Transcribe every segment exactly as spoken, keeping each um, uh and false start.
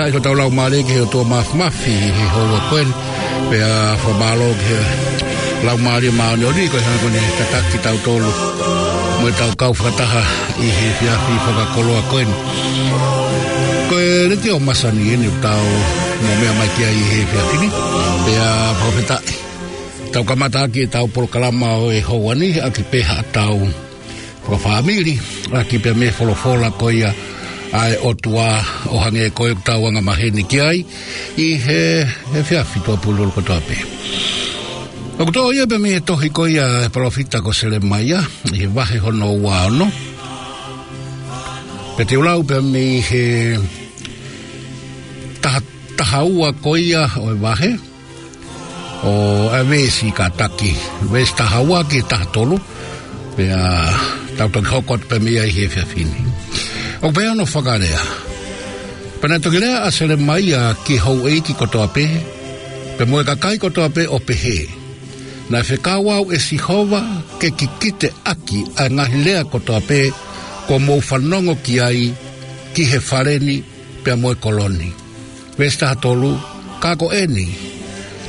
Ko ʻetau laumālie ki he ʻOtua Māfimafi ʻi he houa ko eni. Pea fakamālō ki he Laumālie Māʻoniʻoni ko e hanga ko eni ʻo tataki kitautolu mo ʻetau kau fakataha ʻi he efiafi fakakoloa ko eni. Ko e Letiō Masani eni ʻoku tau meʻa mai ki ai ʻi he efiafi ni. Pea fakafetaʻi. Tau kamata ʻaki ʻetau polokalama ʻo e houa ni, ʻaki pē haʻatau fakafāmili, ʻaki pē mei he folofola ko ia ʻa e ʻOtua ʻo hangē ko ʻetau angamaheni ki ai ʻi he, he efiafi tuʻapulipuli kotoa pē. ʻOku toʻo ia pē mei he tohi ko ia ʻa e palōfita ko Selemaia, ʻi he vahe hono ua ono. Pea te u lau pē mei he taha, taha ua ko ia ʻo e vahe, ʻo e veesi kātaki, veesi taha ua ki he taha tolu, pea tau toki hoko atu pē mei ai he efiafi ni. ʻOku pehē hono fakalea: Pea naʻe toki lea ʻa Selemaia ki he houʻeiki kotoa pē, pea mo e kakai kotoa pē ʻo pehē, Naʻe fekau au ʻe Sihova ke kikite ʻaki ʻa e ngaahi lea kotoa pē kuo mou fanongo ki ai ki he fale ni pea mo e kolo ni. Veesi taha tolu: Ka ko eni,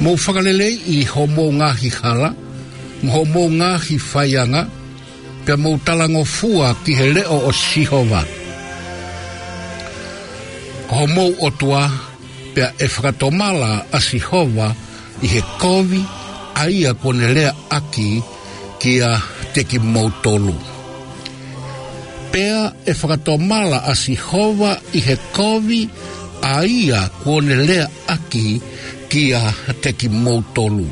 mou fakaleleiʻi hoʻomou ngaahi hala mo hoʻomou ngaahi faianga, pea mou talangofua ki he leʻo ʻo Sihova ko homou ʻOtua, pea ʻe fakatomala ʻa Sihova ʻi he kovi ʻa ia kuo ne leaʻaki kiate kimoutolu. Pea ʻe fakatomala ʻa Sihova ʻi he kovi ʻa ia kuo ne leaʻaki kiate kimoutolu.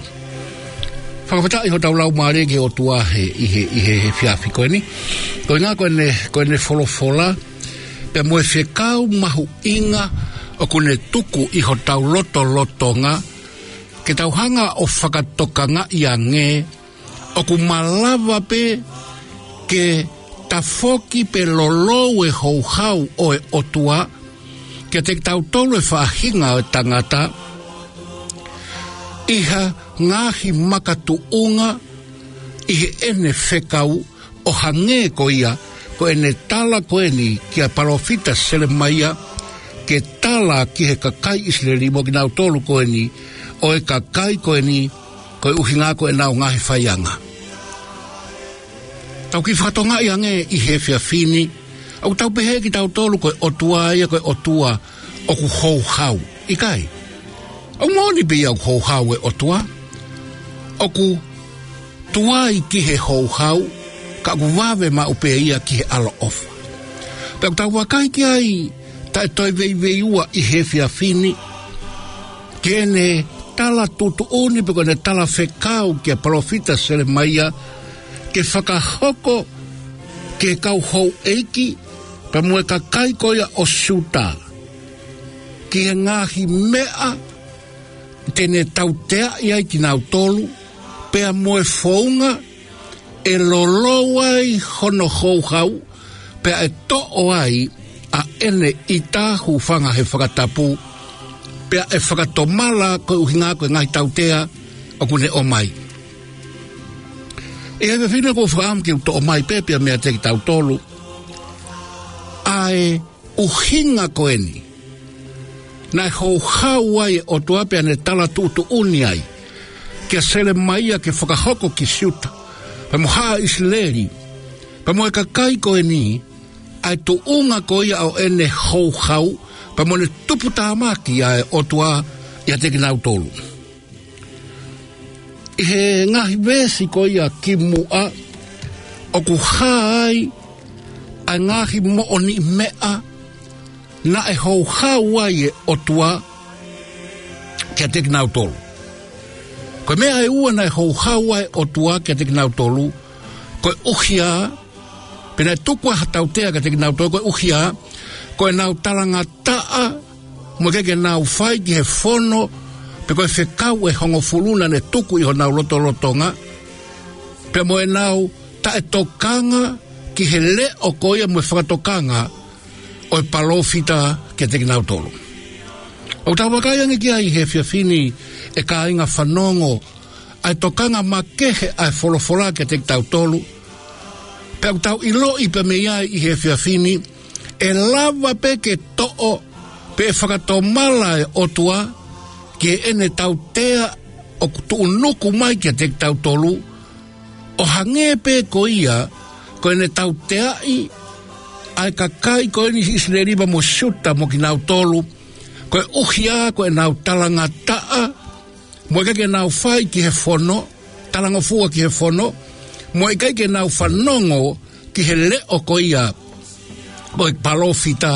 Fakafetaʻi hotau laumālie ki he ʻOtua he, ʻi he, ʻi he, he efiafi ko eni. Ko e ʻuhinga ko ʻene, ko ʻene folofola, pea mo e fekau mahuʻinga ʻoku ne tuku ʻi hotau lotolotonga, ke tau hanga ʻo fakatokangaʻi ange, ʻoku malava pē ke tafoki pe lolou e houhau ʻo e ʻOtua kiate kitautolu e faʻahinga ʻo e tangata ʻi ha ngaahi makatuʻunga ʻi heʻene fekau, ʻo hangē ko ia ko ʻene tala ko eni kia palōfita Selemaia, ke tala ki he kakai ʻIsileli mo kinautolu ko eni, ʻo e kakai ko eni, ko e ʻuhinga ko ʻenau ngaahi faianga. Tau kiʻi fakatokangaʻi ange ʻi he efiafi ni, ʻoku tau pehē kitautolu ko e ʻOtua ia ko e ʻOtua ʻoku houhau. ʻIkai. ʻOku moʻoni pē ia ʻoku houhau e ʻOtua. ʻOku tuai ki he houhau, ka ʻoku vave maʻu pē ia ki he ʻaloʻofa. Pea ʻoku tau vakai ki ai, taʻe toe veiveiua ʻi he efiafi ni, ki heʻene tala tuʻutuʻuni pe ko ʻene tala fekau kia palōfita Selemaia, ke fakahoko ki he kau houʻeiki, pea mo e kakai ko ia ʻo Siuta, ki he ngaahi meʻa te ne tauteaʻi ai kinautolu, pea mo e founga ʻe lolou ai hono houhau, pea ʻe toʻo ai ʻa ʻene ʻita, hūfanga he fakatapu, pea ʻe fakatomala ko e ʻuhinga ko e ngaahi tautea ʻoku ne ʻomai. ʻI he efiafi ni ʻoku ou fakaʻamu ke u toʻo mai pē pea meiate kitautolu ʻa e ʻuhinga ko eni naʻe houhau ai e ʻOtua pea ne tala tuʻutuʻuni ai kia Selemaia ke fakahoko ki Siuta, pea mo Haʻa ʻIsileli, pea mo e kakai ko eni, ʻa e tuʻunga ko ia ʻo ʻene houhau, pea mo ʻene tuputāmaki ʻa e ʻOtua ʻiate kinautolu. ʻI he ngaahi veesi ko ia kimuʻa, ʻoku hā ai ʻa e ngaahi moʻoniʻi meʻa naʻe houhau ai e ʻOtua kiate kinautolu. Ko e meʻa ʻe ua naʻe houhau ai e ʻOtua kiate kinautolu, ko e ʻuhinga, pea naʻe tuku ai ha tautea kiate kinautolu, ko e ʻuhinga ko ʻenau talangataʻa, mo e ʻikai ke nau fai ki he fono, pe ko e fekau ʻe hongofulu naʻa ne tuku ʻi honau lotolotonga, pea mo ʻenau taʻetokanga ki he leʻo ko ia mo e fakatokanga ʻo e palōfita kiate kinautolu. ʻOku tau vakai ange ki ai he efiafi ni, ʻe kāinga fanongo, ʻa e tokanga makehe ʻa e folofola kiate kitautolu. Pea ʻoku tau ʻiloʻi pē mei ai ʻi he efiafi ni, ʻe lava pē ke toʻo Pe ʻe fakatomala e ʻOtua ki heʻene tautea ʻoku tuʻunuku mai kiate kitautolu, ʻo hangē pē ko ia ko ʻene tauteaʻi ʻa e kakai ko eni ʻIsileli pea mo Siuta mo kinautolu, koeʻuhi ko ʻenau talangataʻa, mo ʻikai ke nau fai ki he fono, talangofua ki he fono, mo ʻikai ke nau fanongo ki he leʻo ko ia ʻo e palōfita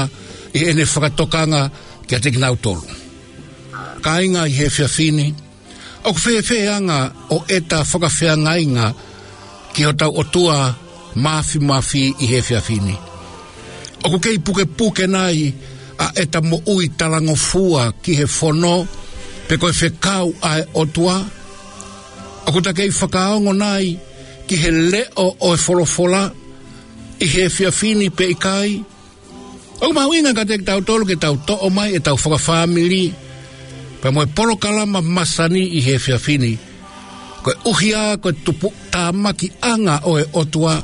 ʻi heʻene fakatokanga kiate kinautolu. Kāinga ʻi he efiafi ni, ʻoku fēfē ʻa e anga ʻo ʻeta fakafeangainga ki hotau ʻOtua Māfimafi ʻi he efiafi ni? ʻOku kei pukepuke nai ʻa ʻeta moʻui talangofua ki he fono, pe ko e fekau ʻa e ʻOtua? ʻOku ta kei fakaongo nai ki he leʻo ʻo e folofola ʻi he efiafi ni pe ʻikai? ʻOku mahuʻinga kiate kitautolu ke tau toʻo mai ʻetau fakafāmili pea mo e polokalama masani ʻi he efiafi ni, koeʻuhi ko e tupuʻatāmakiʻanga ʻo e ʻOtua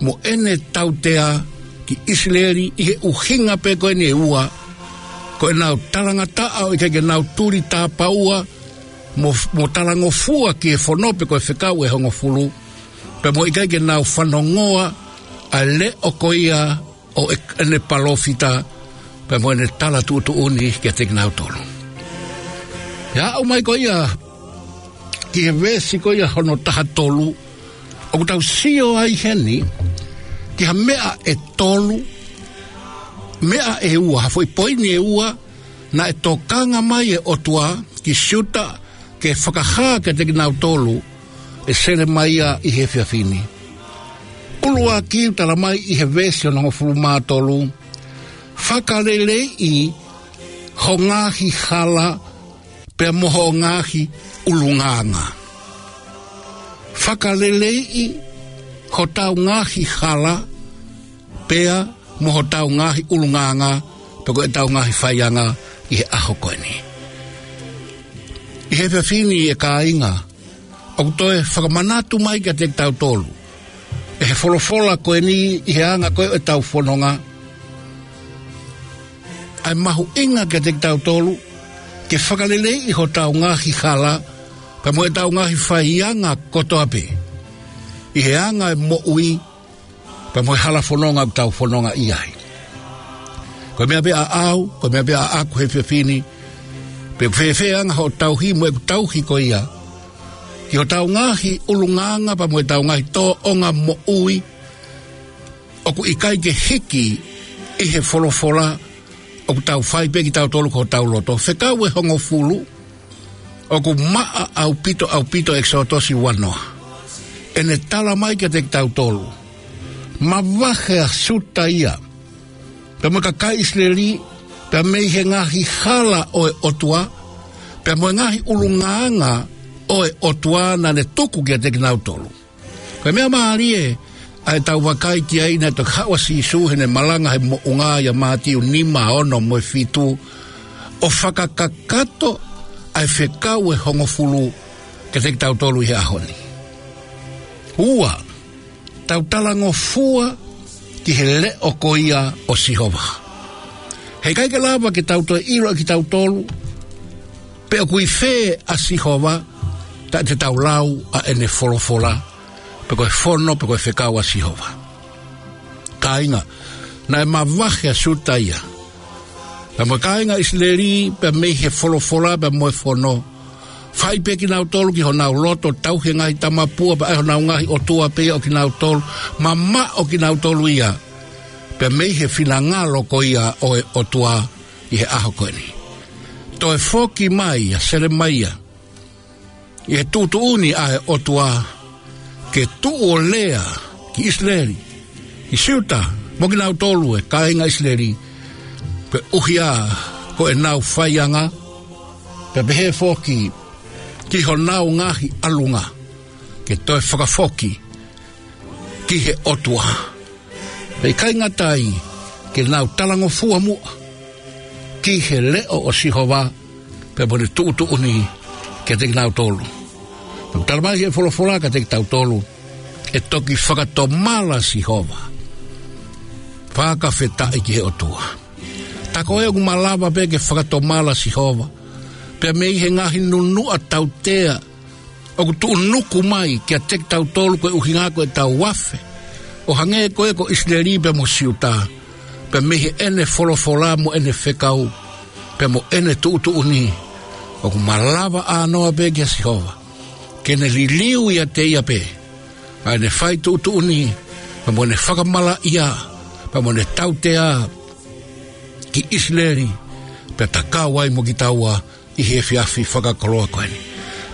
mo ʻene tautea ki ʻIsileli ʻi he ʻuhinga pē ko eni ʻe ua: ko ʻenau talangataʻa ʻo ʻikai ke nau tuli tāpaua mo, mo talangofua ki he fono pe ko e fekau ʻe hongofulu, pea mo ʻikai ke nau fanongoa ʻa e leʻo ko ia ʻo e, ʻene palōfita, pea mo ʻene tala tuʻutuʻuni kiate kinautolu. ʻI he aʻu mai ko ia ki he veesi ko ia hono taha tolu, ʻoku tau sio ai heni ki ha meʻa ʻe tolu, meʻa ʻe ua, ha foʻi poini ʻe ua naʻe tokanga mai e ʻOtua ki Siuta ke fakahā kiate kinautolu ʻe Selemaia ʻi he efiafi ni. ʻUluaki, ʻoku tala mai ʻi he veesi hono hongofulu mā tolu: Fakaleleiʻi ho ngaahi hala pea mo ho ngaahi ʻulungaanga. Fakaleleiʻi hotau ngaahi hala pea mo hotau ngaahi ʻulungaanga, pe ko ʻetau ngaahi faianga ʻi he ʻaho ko eni. ʻI he efiafi ni, ʻe kāinga, ʻoku toe fakamanatu mai kiate kitautolu ʻe he folofola ko eni ʻi he anga ko ē ʻetau fononga, ʻa e mahuʻinga kiate kitautolu ke fakaleleiʻi hotau ngaahi hala pea mo ʻetau ngaahi faianga kotoa pē ʻi he anga e moʻui pea mo e hala fononga ʻoku tau fononga ʻi ai. Ko e meʻa pē ʻaʻau, ko e meʻa pē ʻaʻaku he efiafi ni, pe ʻoku fēfē ʻa e anga hoʻo tauhi mo ʻeku tauhi ko ia ki hotau ngaahi ʻulungaanga pea mo ʻetau ngaahi tōʻonga moʻui, ʻoku ʻikai ke hiki ʻi he folofola, ʻoku tau fai pē kitautolu ko hotau loto. Fekau ʻe hongofulu, ʻoku maʻa ʻaupito, ʻaupito ʻEkisoto ua noa. ʻEne tala mai kiate kitautolu, mavahe ʻa Siuta ia pea mo e kakai ʻIsileli, pea mei he ngaahi hala ʻo e ʻOtua, pea mo e ngaahi ʻulungaanga ʻo e ʻOtua naʻa ne tuku kiate kinautolu. Ko e meʻa mālie ʻa ʻetau vakai ki ai, naʻe toki haʻu ʻa Sīsū heʻene malanga he moʻunga ʻia Mātiu nima, ono mo e fitu, ʻo fakakakato ʻa e fekau ʻe hongofulu kiate kitautolu ʻi he ʻaho ni. Ua, tau talangofua ki he leʻo ko ia ʻo Sihova. Heʻikai ke lava ke tau toe ʻilo ʻe kitautolu pe ʻoku ʻi fē ʻa Sihova, taʻe te tau lau ʻa ʻene folofola, pe ko e fono, pe ko e fekau ʻa Sihova. Kāinga, naʻe mavahe ʻa Siuta ia pea mo e kāinga ʻIsileli, pea mei he folofola, pea mo e fono. Fai pē kinautolu ki honau loto, tauhi e ngaahi tamapua, pea ʻai honau ngaahi ʻotua pē ia ʻo kinautolu, mamaʻo kinautolu ia pea mei he finangalo ko ia ʻo e ʻOtua ʻi he ʻaho ko eni. Toe foki mai ʻa Selemaia ʻi he tuʻutuʻuni ʻa e ʻOtua ke tuʻu ʻo lea ki ʻIsileli, ki Siuta, mo kinautolu e kāinga ʻIsileli, koeʻuhi ko ʻenau faianga, pea pehē foki ki honau ngaahi ʻalunga, ke toe fakafoki ki he ʻOtua. Pea ʻikai ngata ai, ke nau talangofua muʻa ki he leʻo ʻo Sihova, pea mo ʻene tuʻutuʻuni kiate kinautolu. Pea ʻoku tala mai he folofola kiate kitautolu, ʻe toki fakatomala Sihova. Fakafetaʻi ki he ʻOtua. Ka ko e ʻoku malava pē ke fakatomala Sihova pea mei he ngaahi nunuʻa tautea ʻoku tuʻunuku mai kiate kitautolu koeʻuhi ko ʻetau afe, ʻo hangē ko ē ko ʻIsileli pea mo Siuta, pea mei heʻene folofola mo ʻene fekau, pea mo ʻene tuʻutuʻuni, ʻoku malava ʻānoa pē kia Sihova ke ne liliu ʻiate ia pē ʻa ʻene fai tuʻutuʻuni, pea mo ʻene fakamalaʻia, pea mo ʻene tautea ki ʻIsileli, pea tatau ai mo kitaua ʻi he efiafi fakakoloa ko eni.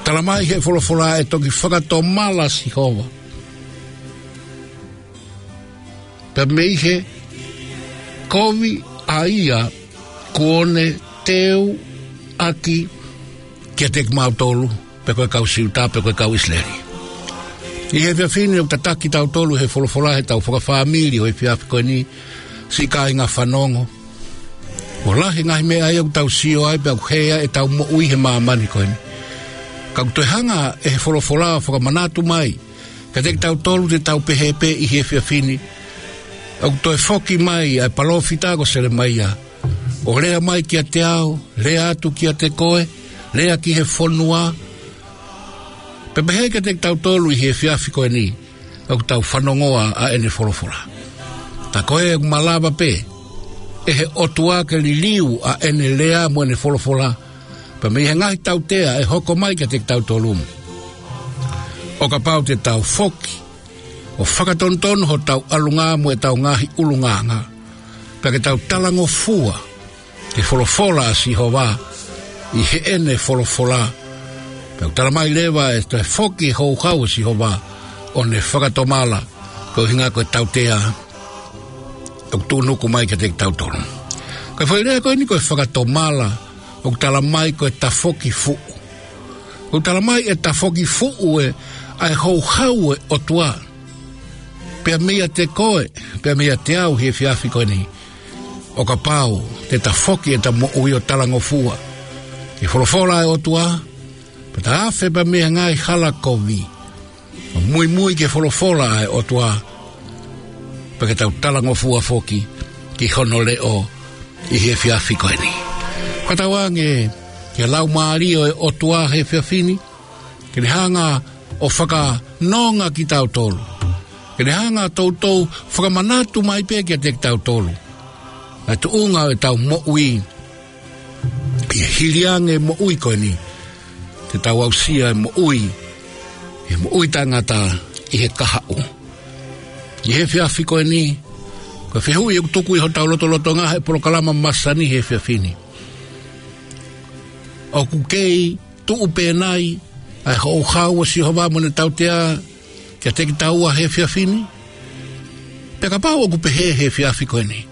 Tala mai he folofola ʻe toki fakatomala Sihova pea mei he kovi ʻa ia kuo ne teuʻaki kiate kimautolu, pe ko e kau Siuta, pe ko e kau ʻIsileli. ʻI he efiafi ni ʻoku tataki kitautolu he folofola heʻetau fakafāmili ʻo e efiafi ko eni, siʻi kāinga fanongo. ʻOku lahi e ngaahi meʻa ia ʻoku tau sio ai pea ʻoku hē ai ʻetau moʻui he māmani ko eni. Ka ʻoku toe hanga ʻe he folofola ʻo fakamanatu mai kiate kitautolu te tau pehē pē ʻi he efiafi ni. ʻOku toe foki mai ʻa e palōfita ko Selemaia ʻo lea mai kiate au, lea atu kiate koe, lea ki he fonua. Pea pehē kiate kitautolu ʻi he efiafi ko eni ʻoku tau fanongoa ʻa ʻene folofola. Ka ko e ʻoku malava pē ʻe he ʻOtua ke liliu ʻa ʻene lea mo ʻene folofola pea mei he ngaahi tautea ʻe hoko mai kiate kitautolu, ʻo kapau te tau foki ʻo fakatonutonu hotau ʻalunga mo ʻetau ngaahi ʻulungaanga, pea ke tau talangofua ki he folofola ʻa Sihova ʻi heʻene folofola. Pea ʻoku tala mai leva ʻe toe foki e houhau ʻo Sihova ʻo ne fakatomala koeʻuhi ko e tautea ʻoku tuʻunuku mai kiate kitautolu. Ko e foʻi lea ko eni ko e fakatomala, ʻoku tala mai ko e tafoki fuʻu. ʻOku tala mai ʻe tafoki fuʻu ʻa e houhau ʻo e ʻOtua pea meiate koe, pea meiate au he efiafi ko eni, ʻo kapau te ta foki ʻeta moʻui ʻo talangofua ki he folofola ʻa e ʻOtua, pea ta afe pea mei he ngaahi hala kovi ʻo muimui ki he folofola ʻa e ʻOtua, pea ke tau talangofua foki ki hono leʻo ʻi he efiafi ko eni. Fakatauange ki he Laumālie ʻo e ʻOtua he efiafi ni ke ne hanga ʻo fakanonga kitautolu, ke ne hanga toutou fakamanatu mai pē kiate kitautolu ʻa e tuʻunga ʻo ʻetau moʻui ʻi he hili ange moʻui ko eni, te tau aʻusia e moʻui, e moʻui taʻengata ʻi he kahaʻu. ʻI he efiafi ko eni, ko e fehuʻi ʻoku tuku ʻi hotau lotolotonga he polokalama masani he efiafi ni: ʻOku kei tuʻu pē nai ʻa e houhau ʻo Sihova mo ʻene tautea kiate kitaua he efiafi ni? Pea kapau ʻoku pehē he efiafi ko eni,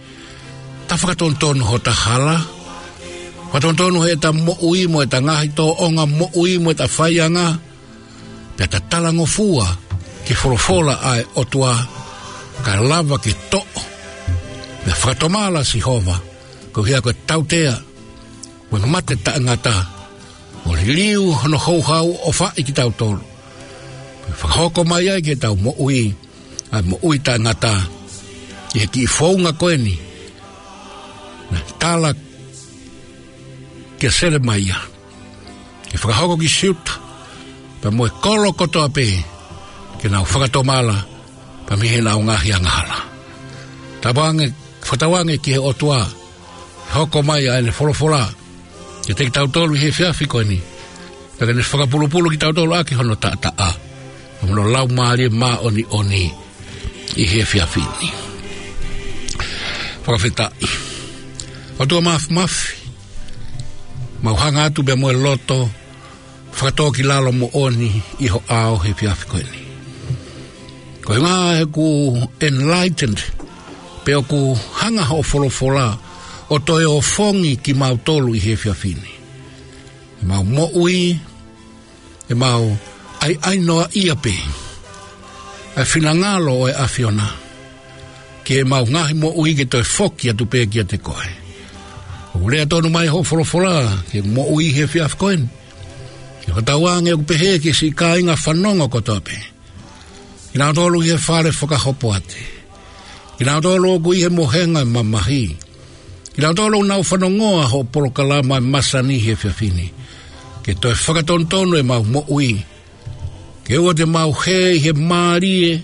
ta fakatonutonu hota hala, fakatonutonu heʻeta moʻui mo ʻeta ngaahi tōʻonga moʻui mo ʻeta faianga, pea ta talangofua ki he folofola ʻa e ʻOtua, ka lava ke toʻo, pea fakatomala Sihova koeʻuhi ko e tautea mo e mate taʻengata, ʻo liliu hono houhau ʻo fai kitautolu, pea fakahoko mai ai ki heʻetau moʻui ʻa e moʻui taʻengata ʻi he kiʻi founga ko eni naʻe tala kia Selemaia ke fakahoko ki Siuta pea mo e kolo kotoa pē, ke nau fakatomala pea mei heʻenau ngaahi angahala. Tauange, fakatauange ki he ʻOtua ke hoko mai ʻa ʻene folofola kiate kitautolu ʻi he efiafi ko eni, pea ke ne fakapulupulu kitautolu ʻaki hono taʻataʻa mo hono Laumālie Māʻoniʻoni ʻi he efiafi ni. Fakafetaʻi. ʻOtua Māfimafi, mau hanga atu pea mo e loto fakatōkilalo moʻoni ʻi ho ʻao he efiafi ko eni. Koeʻuhi he ʻoku enlightened, pe ʻoku hanga hoʻo folofola ʻo toe ofongi kimautolu ʻi he efiafi ni. ʻEmau moʻui, ʻemau ʻaiʻainoaʻia pē ʻa e finangalo ʻo e ʻAfiona ki heʻemau ngaahi moʻui ke toe foki atu pē kiate koe. ʻOku lea tonu mai hoʻo folofola ki heʻeku moʻui he efiafi ko eni, ke fakatauange ʻoku pehē ki he siʻi kāinga fanongo kotoa pē, kinautolu ʻi he fale fakahopoate, kinautolu ʻoku ʻi he mohenga mamahi, Kinautolu ʻoku nau fanongoa hoʻo polokalama ʻa e masani he efiafi ni, ke toe fakatonutonu ʻemau moʻui, ke ʻoua te mau hē ʻi he mālie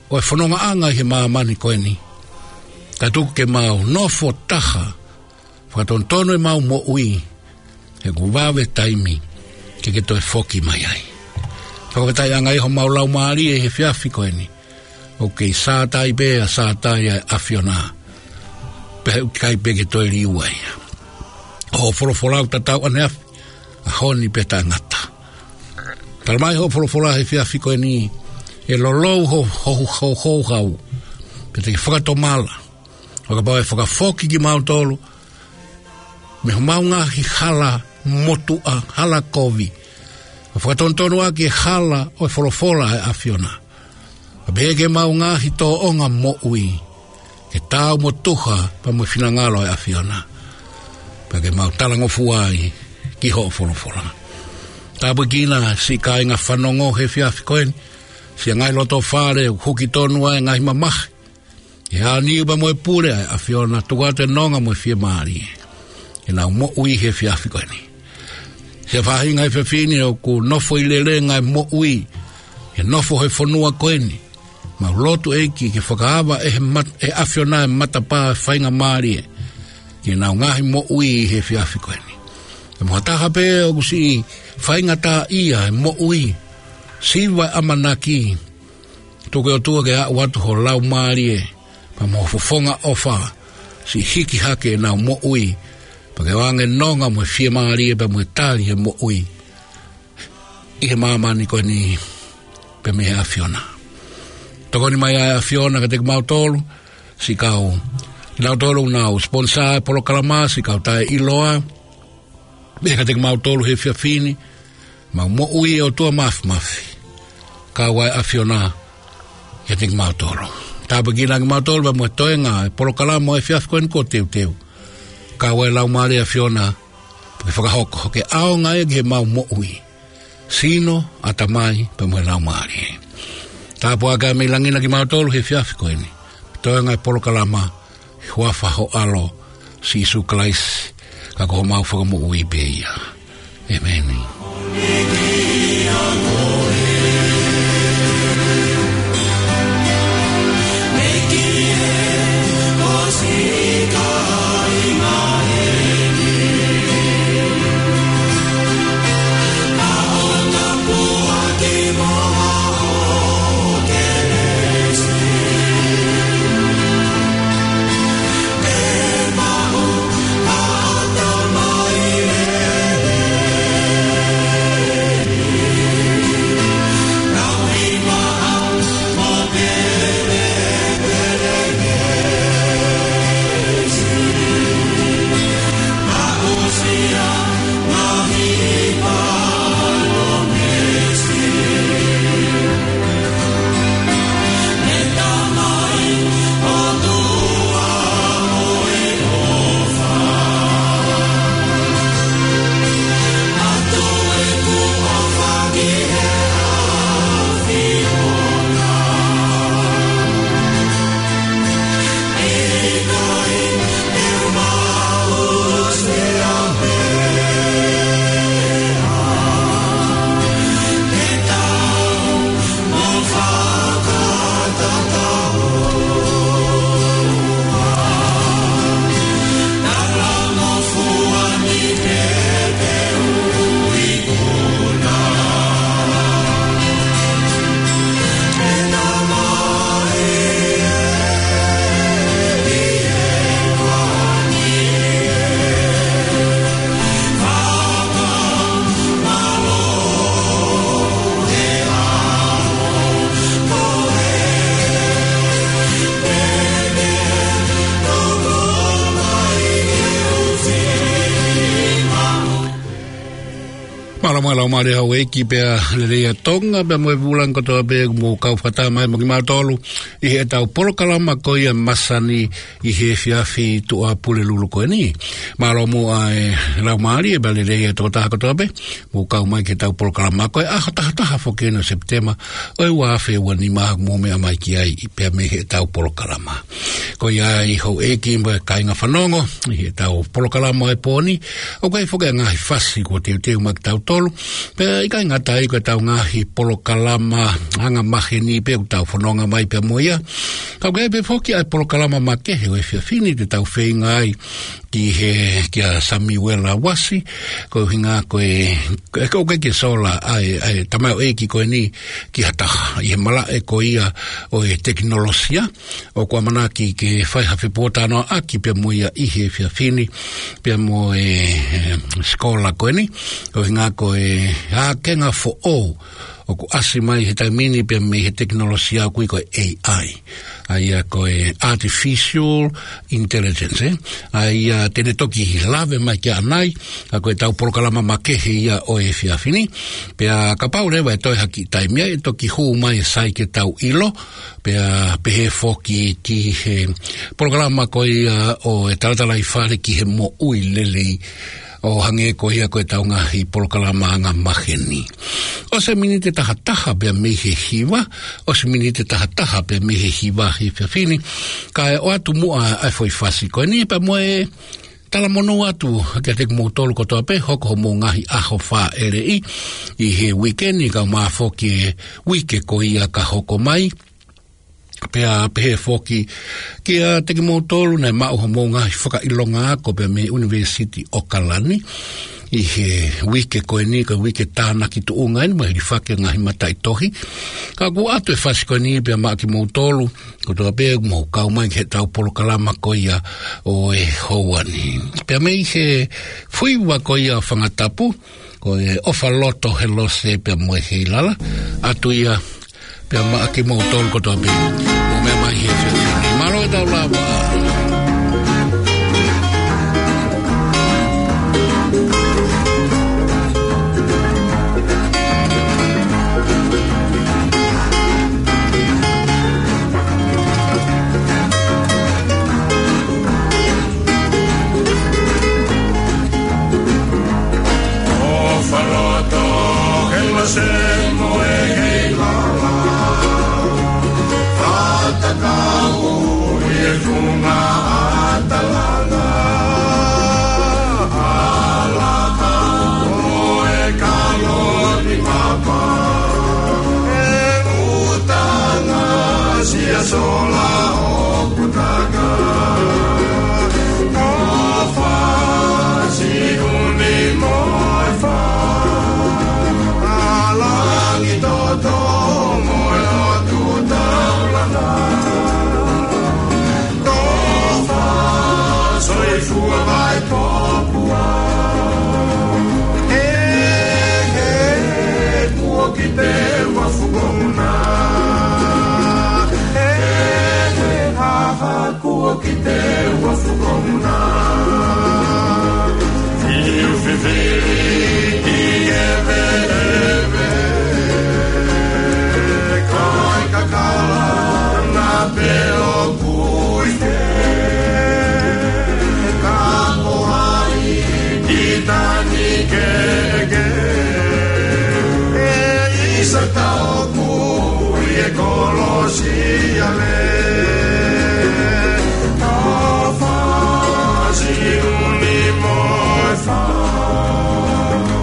ʻo e fonongaʻanga ʻi he māmani ko eni, ka tuku ke mau nofo taha, fakatonutonu ʻemau moʻui, he kuo vave taimi ke ke toe foki mai ai. Fakafetaʻi ange ʻi homau laumālie he efiafi ko eni, ʻoku kei sātai pē ʻa sātai ʻa e ʻAfiona, pea ʻoku ʻikai pē ke toe liliu ai. Hoʻo folofola ʻoku tatau ʻaneafi, ʻaho ni pea taʻengata. Talamai hoʻo folofola he efiafi ko eni, ʻe lolou ho, ho, ho, ho hau, pea te ke fakatomala, ʻo kapau ʻe fakafoki kimautolu mei homau ngaahi hala motuʻa, hala kovi, ʻo fakatonutonu ʻaki e hala ʻo e folofola ʻa e ʻAfiona, ʻo pehē ki heʻemau ngaahi tōʻonga moʻui, ke taau mo e tuha pea mo e finangalo ʻo e ʻAfiona, pea ke mau talangofua ai ki hoʻo folofola. Tāpuekina siʻi kāinga fanongo he efiafi ko eni, siʻa ngaahi loto fale ʻoku huki tonu ai e ngaahi mamahi, ʻi he ʻāniu pea mo e pule ʻa e ʻAfiona, tuku atu e nonga mo e fiemālie ke nau moʻui he efiafi ko eni. Siʻa faʻahinga he efiafi ni ʻoku nofo ʻi lelenga e moʻui, ʻi he nofo he fonua ko eni, mau lotu ʻEiki ke fakaava ʻe he mat-, ʻe he ʻAfiona e matapā ʻo e faingamālie ki heʻenau ngaahi moʻui he efiafi ko eni. Pea mo ha taha pē ʻoku siʻi faingataʻaʻia e moʻui, siva e ʻamanaki, tuku ʻe ʻOtua ke aʻu atu ho Laumālie pea mo ho fofonga ʻofa, siʻi hiki hake ʻenau moʻui, pea ke ʻoange nonga mo e fiemālie pea mo e tali he moʻui ʻi he māmani ko eni pea mei he ʻAfiona. Tokoni mai ʻa e ʻAfiona kiate kimautolu, siʻi kau, kinautolu ʻoku nau sponsor e polokalama, siʻi kau taʻeʻiloa, pea kiate kimautolu he efiafi ni, mau moʻui ʻe ʻOtua Māfimafi, kau ai e ʻAfiona kiate kimautolu. Tāpuekina kimautolu pea mo e toenga e polokalama ʻo e efiafi ko eni kuo teuteu, kau ai e Laumālie ʻo e ʻAfiona, pea ke fakahoko ke ʻaonga ia ki heʻemau moʻui, sino, ʻatamai pea mo e laumālie. Tāpuakiʻi mei langi na kimautolu he efiafi ko eni, toenga e polokalama, ʻi he huafa ho ʻAlo, Sīsū Kalaisi, ka ko homau Fakamoʻui pē ia. ʻĒmeni. Mālō, mālō, mālō, Haʻu ʻEiki pea lelei ʻa Tonga, pea mo e vūlangi kotoa pē ʻoku mou kau fakataha mai mo kimautolu ʻi heʻetau polokalama ko ia masani ʻi he efiafi Tuʻapulelulu ko eni. Mālō muʻa e laumālie pea lelei ʻa e tokotaha kotoa pē mou kau mai ki heʻetau polokalama ko e ʻaho taha taha foki eni ʻo Sepitema ʻo e ua afe ua nima ʻoku mou meʻa mai ki ai pea mei heʻetau polokalama. Ko ia ai houʻeiki mo e kāinga fanongo ʻi heʻetau polokalama ʻo e pō ni, ʻoku ʻi ai foki e ngaahi fasi kuo teuteu maʻa kitautolu. Pea ʻikai ngata ai ko ʻetau ngaahi polokalama anga maheni pē ʻoku tau fononga mai pea mo ia, ka ʻoku ʻi ai pē foki ʻa e polokalama makehe ʻo e efiafi ni te tau feinga ai ki he, kia Samiuela Uasi, ko e ʻuhinga ko e, ko e, ko e ke sola ʻa e, ʻa e tamaioʻeiki ko eni ki ha taha ʻi he malaʻe ko ia ʻo e tekinolosia, ʻoku ʻamanaki ke fai ha fepuotānoaʻaki pea mo ia ʻi he efiafi ni, pea mo e, e, sikola ko eni, ko e ʻuhinga ko e ʻākenga foʻou ʻoku ʻasi mai he taimi ni pea mei he tekinolosia ʻoku ui ko e A I. ʻA ia ko e Artificial Intelligence, ē. ʻA ia te ne toki lave mai kia ʻanai, ka ko ʻetau polokalama makehe ia ʻo e efiafi ni. Pea kapau leva ʻe toe ha kiʻi taimi ai, ʻe toki hū mai e sai ke tau ʻilo, pea pehē foki ki he polokalama ko ia ʻo e talatalaifale ki he moʻui lelei, ʻo hangē ko ia ko ʻetau ngaahi polokalama anga maheni. ʻOsi e miniti ʻe tahataha pea mei he hiva, ʻosi e miniti ʻe tahataha pea mei he hiva he efiafi ni, kae ʻoatu muʻa ʻa e foʻi fasi ko eni pea mo e talamonū atu kiate kimoutolu kotoa pē, hoko hoʻomou ngaahi ʻaho fāʻeleʻi ʻi he uike ni kae ʻumaʻā foki e uike ko ia ka hoko mai. Pea pehē foki kiate kimoutolu naʻe maʻu hoʻomou ngaahi fakaʻilonga ako pea mei he ʻUnivēsiti ʻOkalani ʻi he uike ko eni, ko e uike tānaki tuʻunga eni mo e hilifaki e ngaahi mataʻitohi. Ka ʻoku ʻoatu e fasi ko eni pea maʻa kimoutolu kotoa pē ʻoku mou kau mai ki heʻetau polokalama ko ia ʻo e houa ni. Pea mei he fuiva ko ia ʻo Fangatapu, ko e ʻOfaloto Helose pea mo e Heilala, ʻoatu ia pea maʻa kimoutolu kotoa pē ʻoku mou meʻa mai he efiafi ni. Mālō e tau lava. ʻOfaloto Helose mo e Heilala, fakatatau ʻi he funga ʻa Talana, ʻAlaka mo e Kaloni Mapa, ʻe ʻuta ngaahi sia sola ʻo Putaka, ʻo Fasiuni mo e Fa, ʻa Langitoto mo e ʻOtu Taulana, ʻo Fa Soifua Vaipopua. He, he, kuo kite ua fukomuna. He, he, ha, ha, kuo kite ua fukomuna. Fiu fifili ki he veʻe, ko e kakala na pē ʻoku ʻi ai. Ka ko hai ki tani keke, ʻe ʻisa tau kui e kolosi ale. ʻO Fasiuni mo e Fa,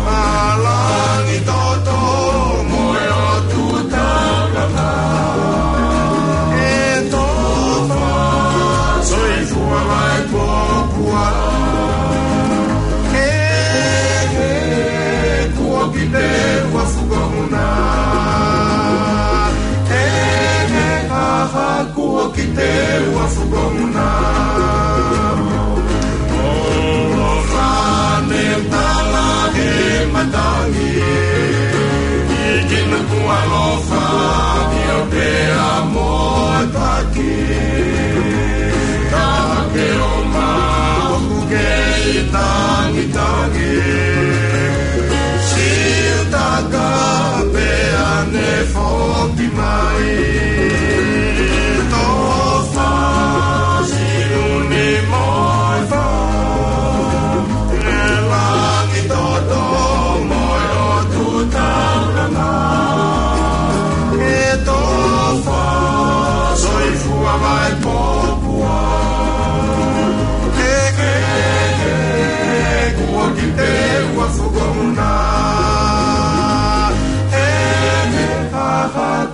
ʻa Langitoto mo e ʻOtu Taulana, ʻe tofa soifua Vaipopua. He, he, kuo kite ua fukomuna. He, he, ha, ha, kuo kite ua fukomuna. ʻO Lofane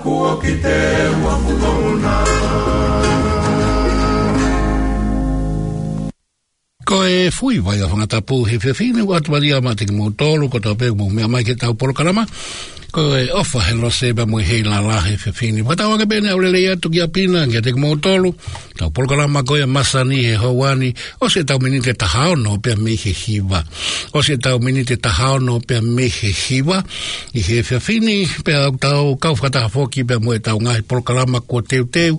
Kuo ki te ua pulona. Ko e fui vai ʻa Fangatapu he efiafi ni, ʻoatu malia maʻa kimoutolu kotoa pē ʻoku mou meʻa mai ki heʻetau polokalama. Ko e ʻOfa he Lose pea mo e Heilala he efiafi ni. Fakatauange pē ʻe ʻaulelei atu kia Pina, kiate kimoutolu. Tau polokalama ko ia masani he houa ni, ʻosi ʻetau miniti ʻe taha ono pea mei he hiva. ʻOsi ʻetau miniti ʻe taha ono pea mei he hiva ʻi he efiafi ni, pea ʻoku tau kau fakataha foki pea mo ʻetau ngaahi polokalama kuo teuteu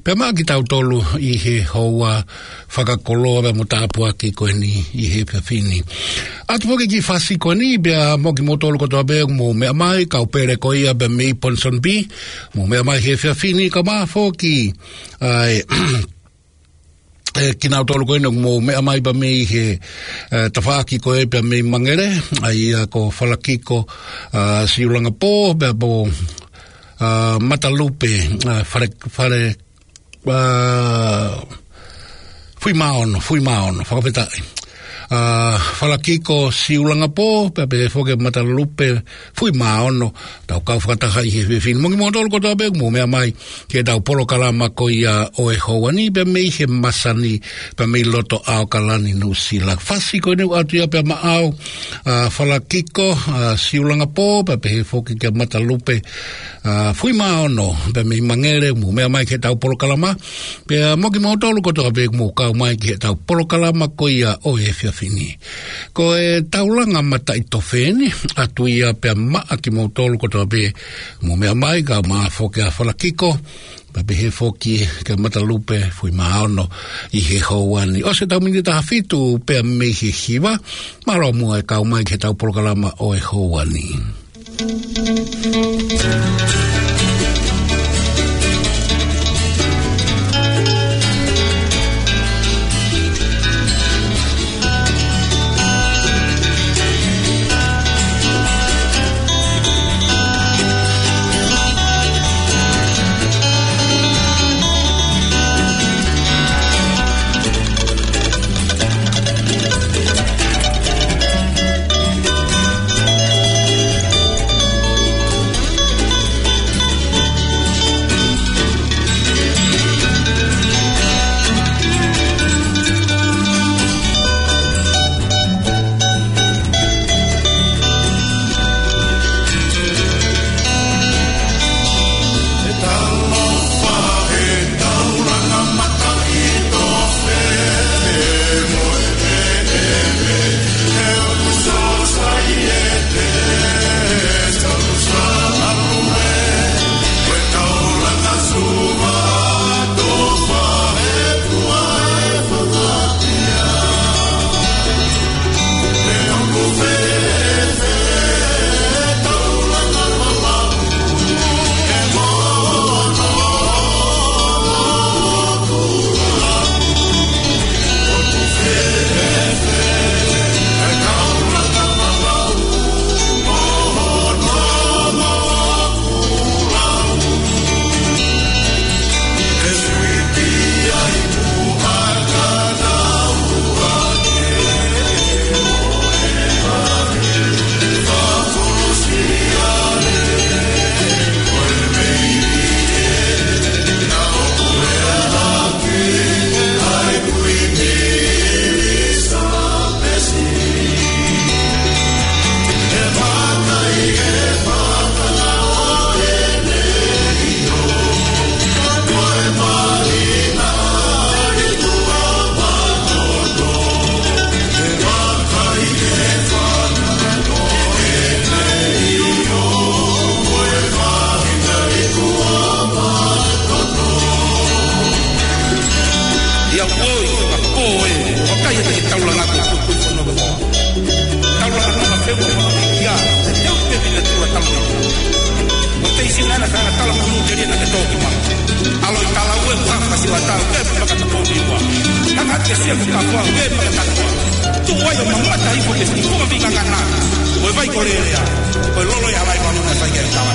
pea maʻa kitautolu ʻi he houa fakakoloa pea mo tāpuaki ko eni ʻi he efiafi ni. ʻOatu foki e kiʻi fasi ko eni pea mo kimoutolu kotoa pē ʻoku mou meʻa mai, kau pele ko ia pea mei Ponsonby, mou meʻa mai he efiafi ni, kae ʻumaʻā foki ʻa e ʻe kinautolu ko eni ʻoku mou meʻa mai pea mei he, ʻe, tafaʻaki ko ē pea mei Mangere, ʻa ia ko Falakiko, ʻa, Siulangapō, pea mo, ʻa, Matalupe, ʻa, Fale, Fale, ʻa, Fuimaono, Fuimaono, fakafetaʻi. ʻA, Falakiko Siulangapō, pea pehē foki Matalupe Fuimaono, tau kau fakataha ʻi he efiafi ni. Mo kimoutolu kotoa pē ʻoku mou meʻa mai ki heʻetau polokalama ko ia ʻo e houa ni pea mei he masani pea mei loto ʻAokalani Nuʻusila. Fasi ko eni ʻoku ʻoatu ia pea maʻau, ʻa, Falakiko, ʻa, Siulangapō, pea pehē foki kia Matalupe, ʻa, Fuimaono, pea mei Mangere, mou meʻa mai ki heʻetau polokalama, pea mo kimoutolu kotoa pē ʻoku mou kau mai ki heʻetau polokalama ko ia ʻo e efiafi ni. Ko e taulanga mataʻitofe eni, ʻoatu ia pea maʻa kimoutolu kotoa pē ʻoku mou meʻa mai, kae ʻumaʻā foki ʻa Falakiko, pea pehē foki kia Matalupe Fuimaono ʻi he houa ni. ʻOsi ʻetau miniti ʻe taha fitu pea mei he hiva, mālō muʻa e kau mai ki heʻetau polokalama ʻo e houa ni. Ia ʻoi, ʻa ko e, ʻoku ʻikai ha taulanga ko e kuikui fono ko. Taulanga ko e feu ko ia, te u te vina tua taulanga. Mo te isi nana ka tala kunu te lia na te toki ma. ʻAlo i tala ue, ka kasi wa tau, ke maka ta ko ni wa. Ka ka te sia ko ka wa, ke maka ta ko. Tu wa yo mama ta i ko te si ko ma vinga ngana. Ko e vai ko lelea. Ko e lolo ia lai ma luna sai ke tawa.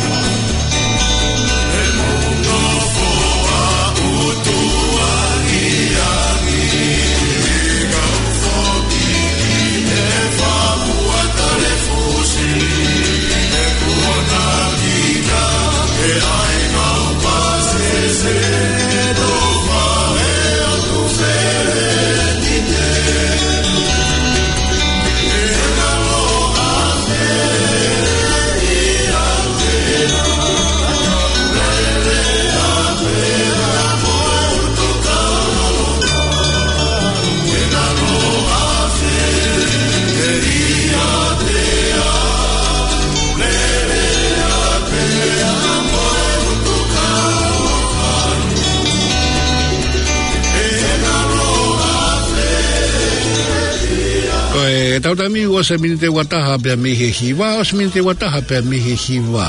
Tau taimi ʻosi e miniti ua taha pea mei he hiva, ʻosi miniti ua taha pea mei he hiva.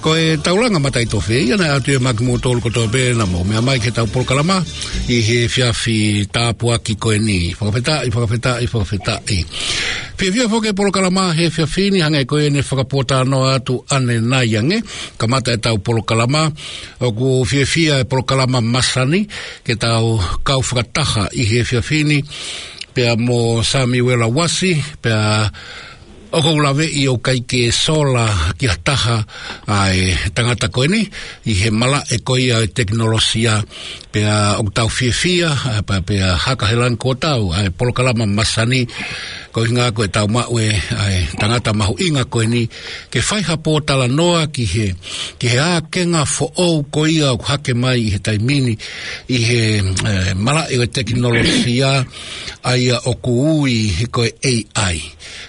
Ko e taulanga mataʻitofe ia naʻe ʻatu ia maʻa kimoutolu kotoa pē naʻa mou meʻa mai ki heʻetau polokalama ʻi he efiafi tāpuaki ko eni. Fakafetaʻi, fakafetaʻi, fakafetaʻi. Fiefia foki e polokalama he efiafi ni hangē ko ia ne fakapōtalanoa atu ʻanenai ange. Kamata ʻetau polokalama, ʻoku fiefia e polokalama masani ke tau kau fakataha ʻi he efiafi ni pea mo Samiuela Uasi, pea ʻoku ou laveʻi ʻoku ʻikai ke sola ki ha taha ʻa e tangata ko eni ʻi he malaʻe ko ia e tekinolosia, pea ʻoku tau fiefia, ʻa, pea, pea haka he langi kuo tau, ʻa e polokalama masani, ko e ʻuhinga ko ʻetau maʻu e, ʻa e tangata mahuʻinga ko eni, ke fai ha pōtalanoa ki he, ki he ākenga foʻou ko ia ʻoku hake mai ʻi he taimi ni, ʻi he, ʻe, malaʻe ʻo e tekinolosia, ʻa ia ʻoku ui ko e A I.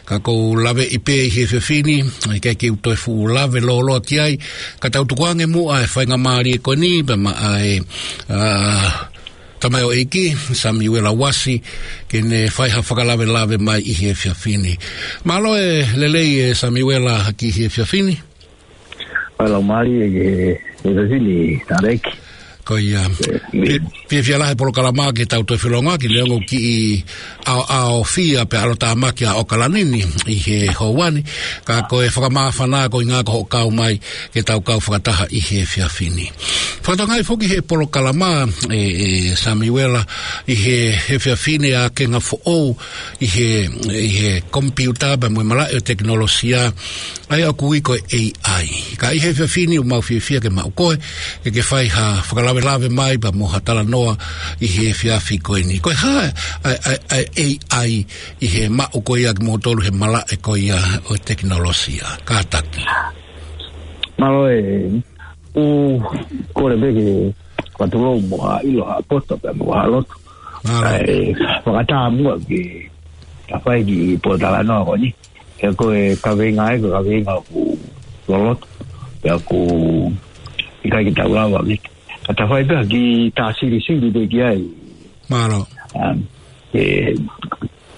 Ka ʻoku ou laveʻi pē ʻi he efiafi ni, ʻikai ke u toe fuʻu lave lōloa ki ai, ka tau tukuange muʻa e faingamālie ko eni, pea maʻa e, ʻa, tamaioʻeiki, Samiuela Uasi, ke ne fai ha fakalavelave mai ʻi he efiafi ni. Mālō e lelei e Samiuela ki he efiafi ni. Mālō mālie e, e efiafi ni, Tareki. Ko ia. Ē, mi- Fie-, fiefia lahi e polokalama ke tau toe felongoaki, neongo ʻoku kiʻi ʻaoʻaofia pea ʻalotāmaki ʻa ʻAokalani ni ʻi he houa ni. Ka ko e fakamāfana ko e ʻuhinga ko hoʻo kau mai ke tau kau fakataha ʻi he efiafi ni. Fakatokangaʻi foki he polokalama, ʻe, ʻe Samiuela, ʻi he, he efiafi ni ākenga foʻou ʻi he, ʻi he komipiuta pea mo e malaʻe ʻo e tekinolosia, ʻa ia ʻoku ui ko e A I. Ka ʻi he efiafi ni ʻoku mau fiefia ke maʻu koe, ke ke fai ha fakalavelave mai pea mo ha talanoa ʻi he efiafi ko eni. Ko e hā ʻa, ʻa, ʻa e A I ʻi he maʻu ko ia kimoutolu he malaʻe ko ia ʻo e tekinolosia. Kātaki. Mālō e, ʻoku ou kole pē ke fakatulou mo ha ʻilo ha poto pea mo ha lotu. Mālō. ʻAi, fakatā muʻa ke ta fai ki he pōtalanoa ko eni. He ko e kaveinga ē, ko e kaveinga ʻoku loloto. Pea ʻoku ʻikai ke tau lava ki. Ka ta fai pē ha kiʻi tā silisili pē ki ai. Mālō. Um, e,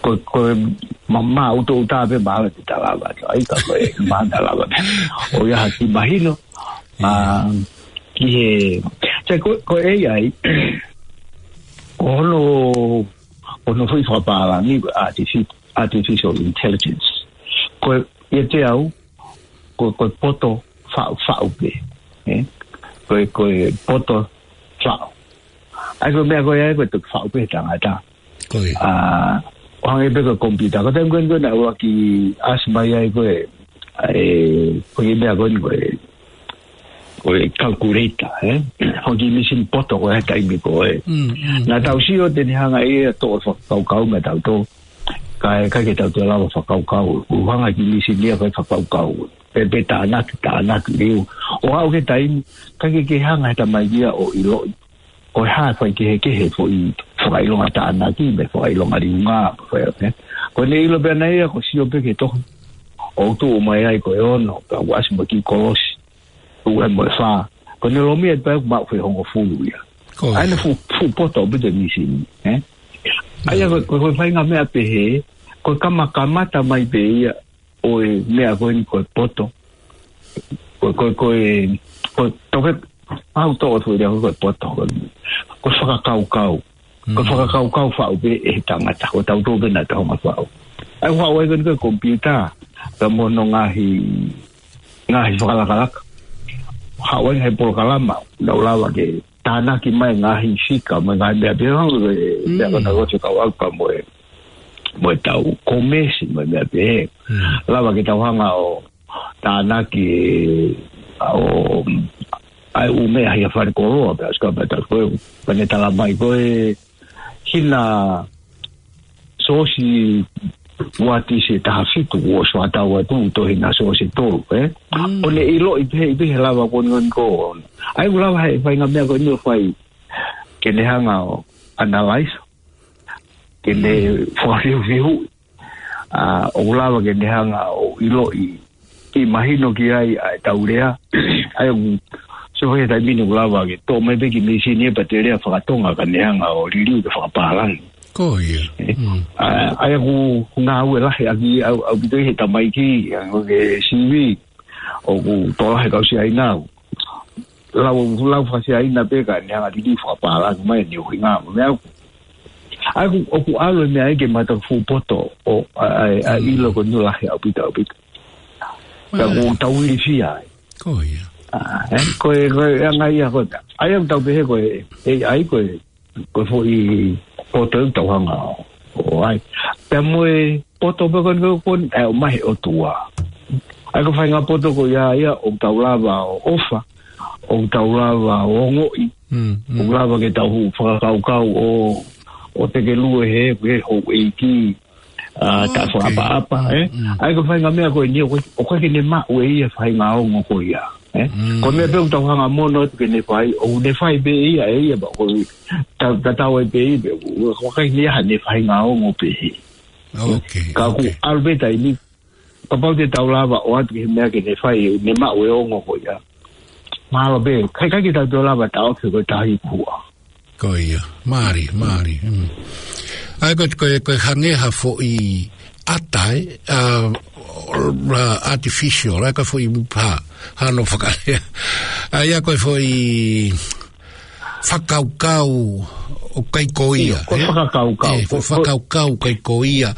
ko, ko e ma-, maʻutoʻuta pē mālō te ta lava. ʻAi ka ko e ma ta lava pē. ʻOku ʻi ai ha kiʻi mahino. ʻIo. Um, ki he, sai ko, ko e A I, ko hono, ko hono foʻi fakapālangi, ko e artifi-, artificial intelligence. Ko e, ʻiate au, ko, ko e poto faʻu, faʻu pē. Ē? Ko e, ko e poto faʻu. ʻAi ko e meʻa ko ia, ko e toki faʻu pē tangata. Ko ia. ʻA, ʻo hangē pē ko e komipiuta. Ko e taimi ko eni ko ē naʻe ʻuluaki ʻasi mai ai ko e, ʻa e, ko e meʻa ko eni ko e, ko e calculator, ē? Ko e kiʻi mīsini poto ko ē he taimi ko ē. Mm, mm. Naʻa tau sio te ne hanga ʻe ia ʻo toʻo fakakaukau meia tautolu. Ka ʻe ʻikai ke tau toe lava fakakaukau. ʻOku hanga ʻe he kiʻi mīsini ia ʻo fai fakakaukau. Pea, pea tānaki, tānaki liliu. ʻO aʻu ki he taimi, ʻikai ke, ke hanga ʻe he tamaiki ia ʻo ʻiloʻi ko e hā e faikehekehe e foʻi fakaʻilonga tānaki, mo e fakaʻilonga liunga, fai, ē? Ko ʻene ʻilo pē ʻe ia, ko e sio pē ki he tohi. ʻOku tuʻu mai ai ko e ono, pea ʻoku ʻasi mo e kiʻi kolosi. ʻOku ʻi ai mo e fā. Ko ʻene lomi atu pē ʻoku maʻu foʻi hongofulu ia. Ko ia. ʻAi ʻene fuʻu, fuʻu poto ʻaupito e mīsini, ē? ʻA ia ko, ko, ko e faʻahinga meʻa pehē, ko e kamakamata mai pē ia, ʻo e meʻa ko eni ko e poto. Ko, ko, ko e, ko e toke, au toʻo atu ia ko e poto. Ko e, ko e fakakaukau. Ko e Mm. fakakaukau faʻu pē ʻe he tangata. Ko tautolu pē naʻa tau hanga faʻu. ʻAi faʻu ai ko eni ko e komipiuta. Pea mo hono ngaahi, ngaahi fakalakalaka. Haʻu ai he polokalama. Naʻa ku lava ke tānaki mai ngaahi fika, mo e ngaahi meʻa pehē hangē ko e, Mm. meʻa ko ena ko e fika ʻaupito mo e, mo e tau komesi, mo e meʻa pehē. Mm. Lava ke tau hanga ʻo tānaki ʻa e, ʻa e ʻū meʻa ʻi he fale koloa, pea sika pea tau ko e, pea ne tala mai ko e hina Siosi Uatisi ʻe taha fitu, ʻosi fakatau atu, tohi na Siosi tolu, ē? Mm. ʻO ne ʻiloʻi pehē, pehē lava ko eni ko ē. ʻAi ʻoku lava he faʻahinga meʻa ko eni ʻo fai, ke ne hanga ʻo analyze, ke ne Mm. fakafihufihu, ʻa, ʻoku lava ke ne hanga ʻo ʻiloʻi, ke mahino ki ai ʻa e tau lea. ʻAi ʻoku, so he taimi ni ʻoku lava ke toʻo mai pē kiʻi mīsini ē pea te lea fakatonga ka ne hanga ʻo liliu ke fakapālangi. Ko ia. Mm. ʻA, ʻa ia ʻoku ngāue lahi ʻaki ʻaupito ʻi he tamaiki, ʻa, ko e sivi, ʻoku tokolahi e kau Siaina. Lau, lau faka-Siaina pē ka ne hanga liliu fakapālangi mai ʻene ʻuhinga mo e meʻa. ʻA ia ʻoku, ʻoku ʻalu e meʻa ia ke mata fuʻu poto ʻo, ʻa, ʻa, ʻa Mm. ʻilo ko eni lahi ʻaupito, ʻaupito. Ka Right. ʻoku tau ilifia ai. Ko ia. ʻA, ē, ko e, ko e anga ia ko e, ʻa ia ʻoku tau pehē ko e, ʻe, ʻa ia ko e, ko e foʻi poto ʻoku tau hanga ʻo, ʻo ʻai. Pea mo e poto pē ko eni ko eni, ʻe ʻomai he ʻOtua. ʻA ia ko e faʻahinga poto ko ia ia ʻoku tau lava ʻo ʻofa, ʻoku tau lava ʻo ongoʻi, Mm, mm. ʻoku lava ke tau fakakaukau ʻo, ʻo tekelue he, he houʻeiki, ʻa, ta Okay. fakaʻapaʻapa, ē? Mm. ʻA ia ko e faʻahinga meʻa ko eni, ʻoku, ʻoku ʻikai ke ne maʻu ʻe ia e faʻahinga ongo ko ia, ē? Mm. Ko e meʻa pē ʻoku tau hanga mono atu ke ne fai, ʻoku ne fai pē ia, ʻe ia, pea ʻoku ta, ta tau ai pē ia, pea ʻoku, ʻoku ʻikai ke ne ʻi ai haʻane faʻahinga ongo pehē. Okay, Ka ʻoku okay. ʻalu pē taimi, kapau te tau lava ʻo ʻoatu ki he meʻa ke ne fai, ne maʻu e ongo ko ia. Mahalo pē, ʻikai, ʻikai ke tau toe lava taʻofi ko e tahi kua. Ko ia, mālie, mālie. Mm. ʻA ia ko e, ko e, ko e hangē ha foʻi ʻata, ē, ʻa, ʻa, artificial, ʻa ia ko e foʻi pā, hano fakalea. ʻA ia ko e foʻi fakakaukau ʻoku ʻikai ko ia, ʻIo, ko e ē? fakakaukau. Ē, ko e Ko, ko fakakaukau ʻoku ʻikai ko ia.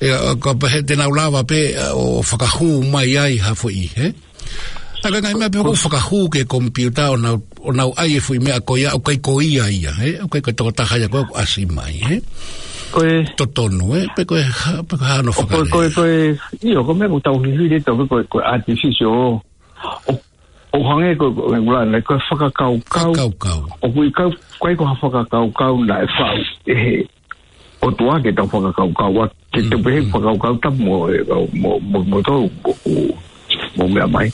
Ē, ʻa, ka pehē te nau lava pē, ʻa, ʻo fakahū mai ai ha foʻi, ē? ʻA ia ko e ngaahi meʻa pē ʻoku fakahū ki he komipiuta ʻo nau, ʻo nau ʻai e foʻi meʻa ko ia, ʻoku ʻikai ko ia ia, ē? ʻOku ʻikai ko e tokotaha ia ko ē ʻoku ʻasi mai, ē? Ko e Totonu, ē? Pe ko e hā, pe ko e hā hono ʻo ko e, ko e, fakalea. ko e, ʻio, ko e meʻa ʻoku tau fifili atu ko e, ko e artificial. ʻO, ʻo hangē ko e, ko e, ko e, ko e fakakaukau. Fakakaukau. ʻOku ʻikai, ʻikai ko ha fakakaukau naʻe faʻu ʻe he ʻOtua ke tau fakakaukau, ʻa, ke tau Mm, pehē mm. fakakaukau tapu mo, ē, mo, mo, mo tau, mo, mo, mo meʻa mai.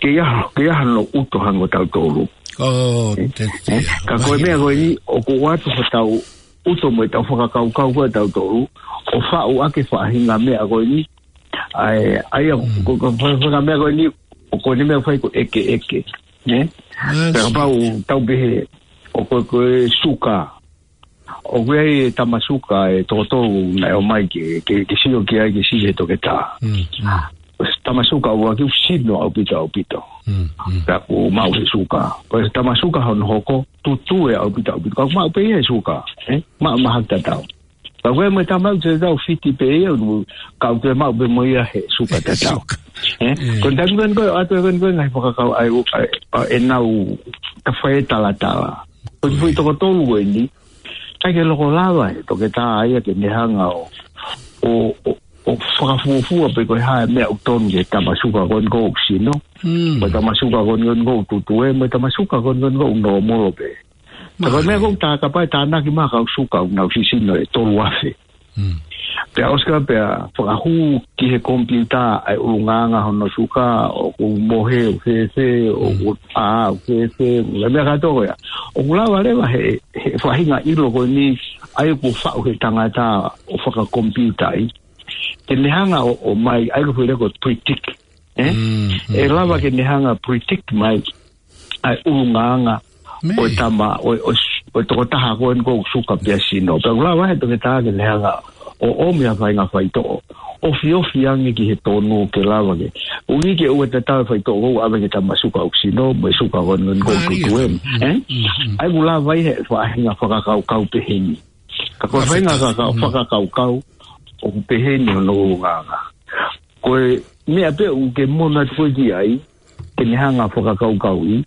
Ke ia, ke ia hano ʻuto hangē ko tautolu. Oh, Ē? te, te, Ē? Ka ko e mahino. meʻa ko eni, ʻoku ʻoatu hotau ʻuto mo ʻetau fakakaukau ko tautolu, ʻo faʻu ʻaki e faʻahinga meʻa ko eni, ʻa e, ʻa ia, Mm. ko, ko, ko, ko e meʻa ko eni, ʻoku ne meʻa fai ko e ʻekeʻeke. Ē? Yes. Pea kapau tau pehē, ʻoku, ko e suka. ʻOku ʻi ai e tama suka ʻe toko tolu naʻe ʻomai ke, ke, ke sio ki ai ke sio he toketā. Mm, mm. Tama suka ʻuluaki ʻoku sino ʻaupito, ʻaupito. Mm, mm. Pea ʻoku maʻu he suka. Ko e tama suka hono hoko, tutue ʻaupito, ʻaupito. Ka ʻoku maʻu pē ia he suka, ē? Maʻu mahaki tatau. Ka ko e mo e tama ʻoku tatau fiti pē ia, ʻoku, ka ʻoku maʻu pē mo ia he suka tatau. Suka. Ē? Ē. Ko e taimi ko eni ko e ʻoatu ko eni ko e ngaahi fakakaukau ʻa e, ʻa e, ʻa ʻenau tafai e talatala. Ko e foʻi toko tolu ko eni, ʻikai ke loko lava e toketā ia ke ne hanga ʻo, ʻo, ʻo, ʻo fakafuofua pe ko e hā e meʻa ʻoku tonu ki he tama suka ko eni ʻoku sino. Mm. Mo e tama suka ko eni ʻoku tutue, mo e tama suka ko eni ʻoku nōmolo pē. Ka ko e meʻa Mālie. ʻoku tā kapau ʻe tānaki mai ha kau suka ʻoku nau sisino ʻe tolu afe. Mm. Pea ʻosi ka pea fakahū ki he komipiuta ʻa e ʻulungaanga hono suka, ʻoku mohe, ʻoku fēfē, ʻoku Mm. ʻā, ʻoku fēfē, ʻa e meʻa kātoa ko ia. ʻOku lava leva he, he faʻahinga ʻilo ko eni, ʻa ia ʻoku faʻu he tangata ʻo fakakomipiuta ai. Ke ne hanga ʻo, ʻomai, ʻa ia ko e foʻi lea ko e predict, ē? Mm, mm, ʻE lava mm. ke ne hanga predict mai ʻa e ʻulungaanga Mei. ʻo e tama, ʻo, ʻo, ʻo e tokotaha ko eni ʻoku suka pea sino. Pea ʻoku lava he toketā ke ne hanga ʻo ʻomi ha faʻahinga faitoʻo ʻofiofi ange ki he tonu ke lava ke. ʻUhi ke ʻoua tatau e faitoʻo ʻoku ʻave ki he tama suka ʻoku sino, mo e suka ko eni ʻoku Mālie. tutue. Mm, Ē? mm, mm. ʻA ia ʻoku lava ʻi he faʻahinga fakakaukau pehē ni. Ka ko e Ka faʻahinga feta. kaka-, Mm. fakakaukau, ʻoku pehē ni hono ʻulungaanga. Ko e meʻa pē ʻoku ke mono atu ko ē ki ai, ke ne hanga fakakaukauʻi,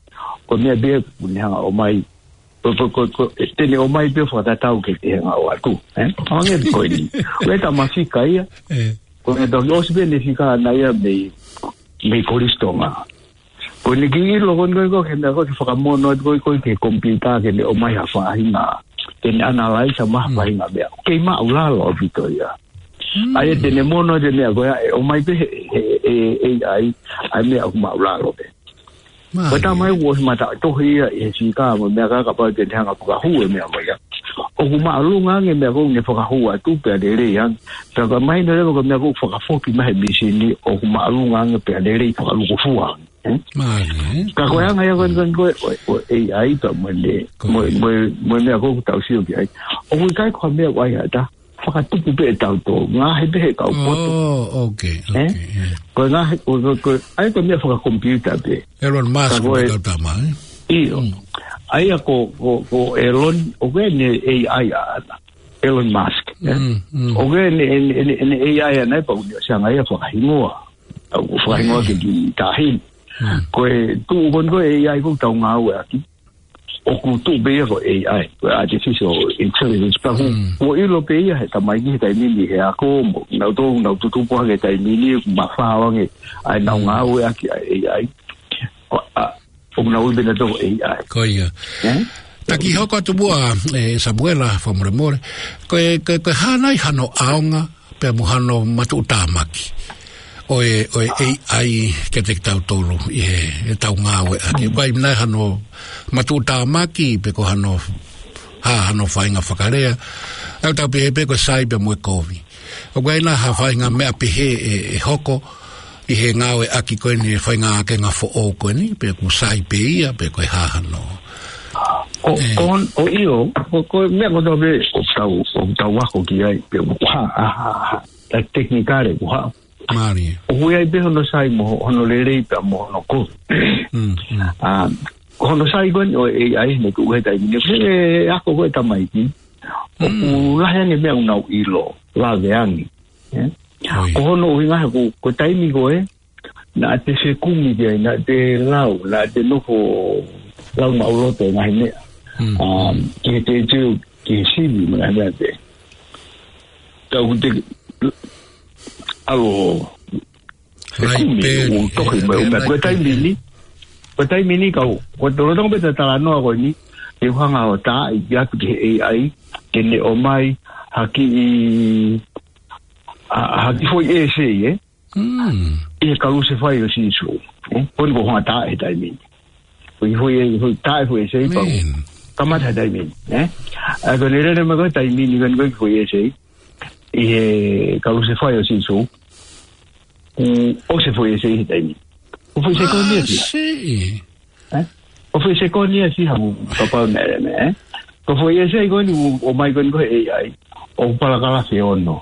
ko e meʻa pē ʻoku ne hanga ʻomai, ko, ko, ko, ko, te ne ʻomai pē fakatatau ke te hanga ʻoatu, ē? ʻO hangē ko eni. ʻOku ʻi ai e tama fika ia. Ē. Ko e toki ʻosi pē ʻene fika ʻana ia mei, mei Kolisi Tonga. Ko ʻene kiʻi ʻilo ko eni ko e, ko e, ke meʻa ko e ke fakamono atu ko e, ko e ki he komipiuta ke ne ʻomai ha faʻahinga. Ke ne analyze mai ha Mm. faʻahinga meʻa. Kei maʻulalo ʻaupito ia. Mm. ʻA ia te ne mono atu e meʻa ko ia, ʻe ʻomai pē he, he, he, he A I, ʻa e meʻa ʻoku maʻulalo pē. Mālie. Ko e tama ia ʻoku ʻosi mata tohi ia ʻi he fika mo e meʻa ka kapau te ne hanga fakahū e meʻa mai ia. ʻOku māʻolunga ange e meʻa ʻoku ne fakahū atu pea lelei ange. Pea ka mahino leva ko e meʻa ʻoku fakafoki mai he mīsini ʻoku māʻolunga ange pea lelei fakalukufua ange. Mālie, ē? Ka ko e anga ia ko ē, ko e, ko e, ko e A I pea mo e, mo e, mo e meʻa ko ē ʻoku tau sio ki ai. ʻOku ʻikai ko ha meʻa ʻoku ʻai ha taha. Fakatupu pē ʻetautolu. Ngaahi pē he kau poto. Oh, okay, okay, yeah. Ko e ngaahi, ko, ko, ko, ʻa ia ko e meʻa fakakomipiuta pē. Elon Musk, ka ko e kau tama, ē? ʻIo. ʻA ia ko, ko, ko Elon, ʻoku ʻi ai ʻene A I ʻaʻana. Elon Musk, ē? ʻOku ʻi ai ʻene, ʻene, ʻene, ʻene A I ʻaʻana ē pea ʻoku ne ʻosi hanga ia fakahingoa. ʻOku fakahingoa ke ki tahi. Ko e tuʻu ko eni ko e A I ʻoku tau ngāueʻaki. ʻOku tuʻu pē ia ko e A I, ko e artificial intelligence. Pea ʻoku, ʻoku ʻilo pē ia he tamaiki he taimi ni he ako mo, nau tō, nau tutupu hake he taimi ni, ʻoku mafao ange, ʻa e nau ngāueʻaki ʻa e A I. Ko, ʻa, ʻoku nau ui pē nautolu ko e A I. Ko ia. Ē? Taki hoko atu muʻa, ē, Samuela, fakamolemole. Ko e, ko e, ko e hā nai hano ʻaonga, pea mo hano matuʻutāmaki ʻo e, ʻo e A I kiate kitautolu ʻi he, ʻetau ngāueʻaki. ʻOku ʻi ai nai hano matuʻutāmaki pe ko hano, hā hano faʻahinga fakalea. ʻOku tau pehē pē ko e sai pea mo e kovi. ʻOku ʻi ai nai ha faʻahinga meʻa pehē ʻe, ʻe hoko ʻi he ngāueʻaki ko eni e faʻahinga ʻakenga foʻou ko eni, pe ʻoku sai pē ia, pe ko e hā hano. ʻO, ʻo, ʻo ʻio, ko, ko e meʻa ko ē ʻoku tau, ʻoku tau ako ki ai, pe ʻoku hā, hā, hā, hā, ʻa e tekinikale ʻoku hā. Mālie. ʻOku ʻi ai pē hono sai mo, hono lelei pea mo hono kovi. ʻA, ko hono sai ko eni ʻo e A I ne tuʻu he taimi ni, he ako ko e tamaiki. ʻOku lahi ange meʻa ʻoku nau ʻilo, lave ange. Ē? Ko hono ʻuhinga he ko, ko e taimi ko ē, naʻa te fekumi ki ai, naʻa te lau, naʻa te nofo lau maʻuloto e ngaahi meʻa. Um, ki he te, te, ki he sivi, mo e ngaahi meʻa te. Tau te, alo, fekumi, ʻo tohi mai, ʻo meʻa, ko e taimi ni, ko e taimi ni kau, ko e tolo tonga pē talanoa ko eni, te u hanga ʻo tā i atu ki he A I, ke ne ʻomai, ha kiʻi, ha, ha kiʻi foʻi ʻesei, ē? ʻI he kalusefai ʻo Sīsū. Ē? Ko eni ko hono tā he taimi ni. Ko e foʻi, foʻi tā e foʻi ʻesei pau. Kamata he taimi ni. Ē? ʻA ko eni lele mai ko e taimi ni ko eni ko e foʻi ʻesei. ʻI he kalusefai ʻo Sīsū. Kuo ʻosi e foʻi ʻesei he taimi ni. Ko e foʻi sekoni ia. Ē? Ko e foʻi sekoni ia si hamu kapau na ere me, ē? Ko e foʻi ʻesei ko eni ʻo, ʻomai ko eni ko e A I. ʻO palakalafi ono.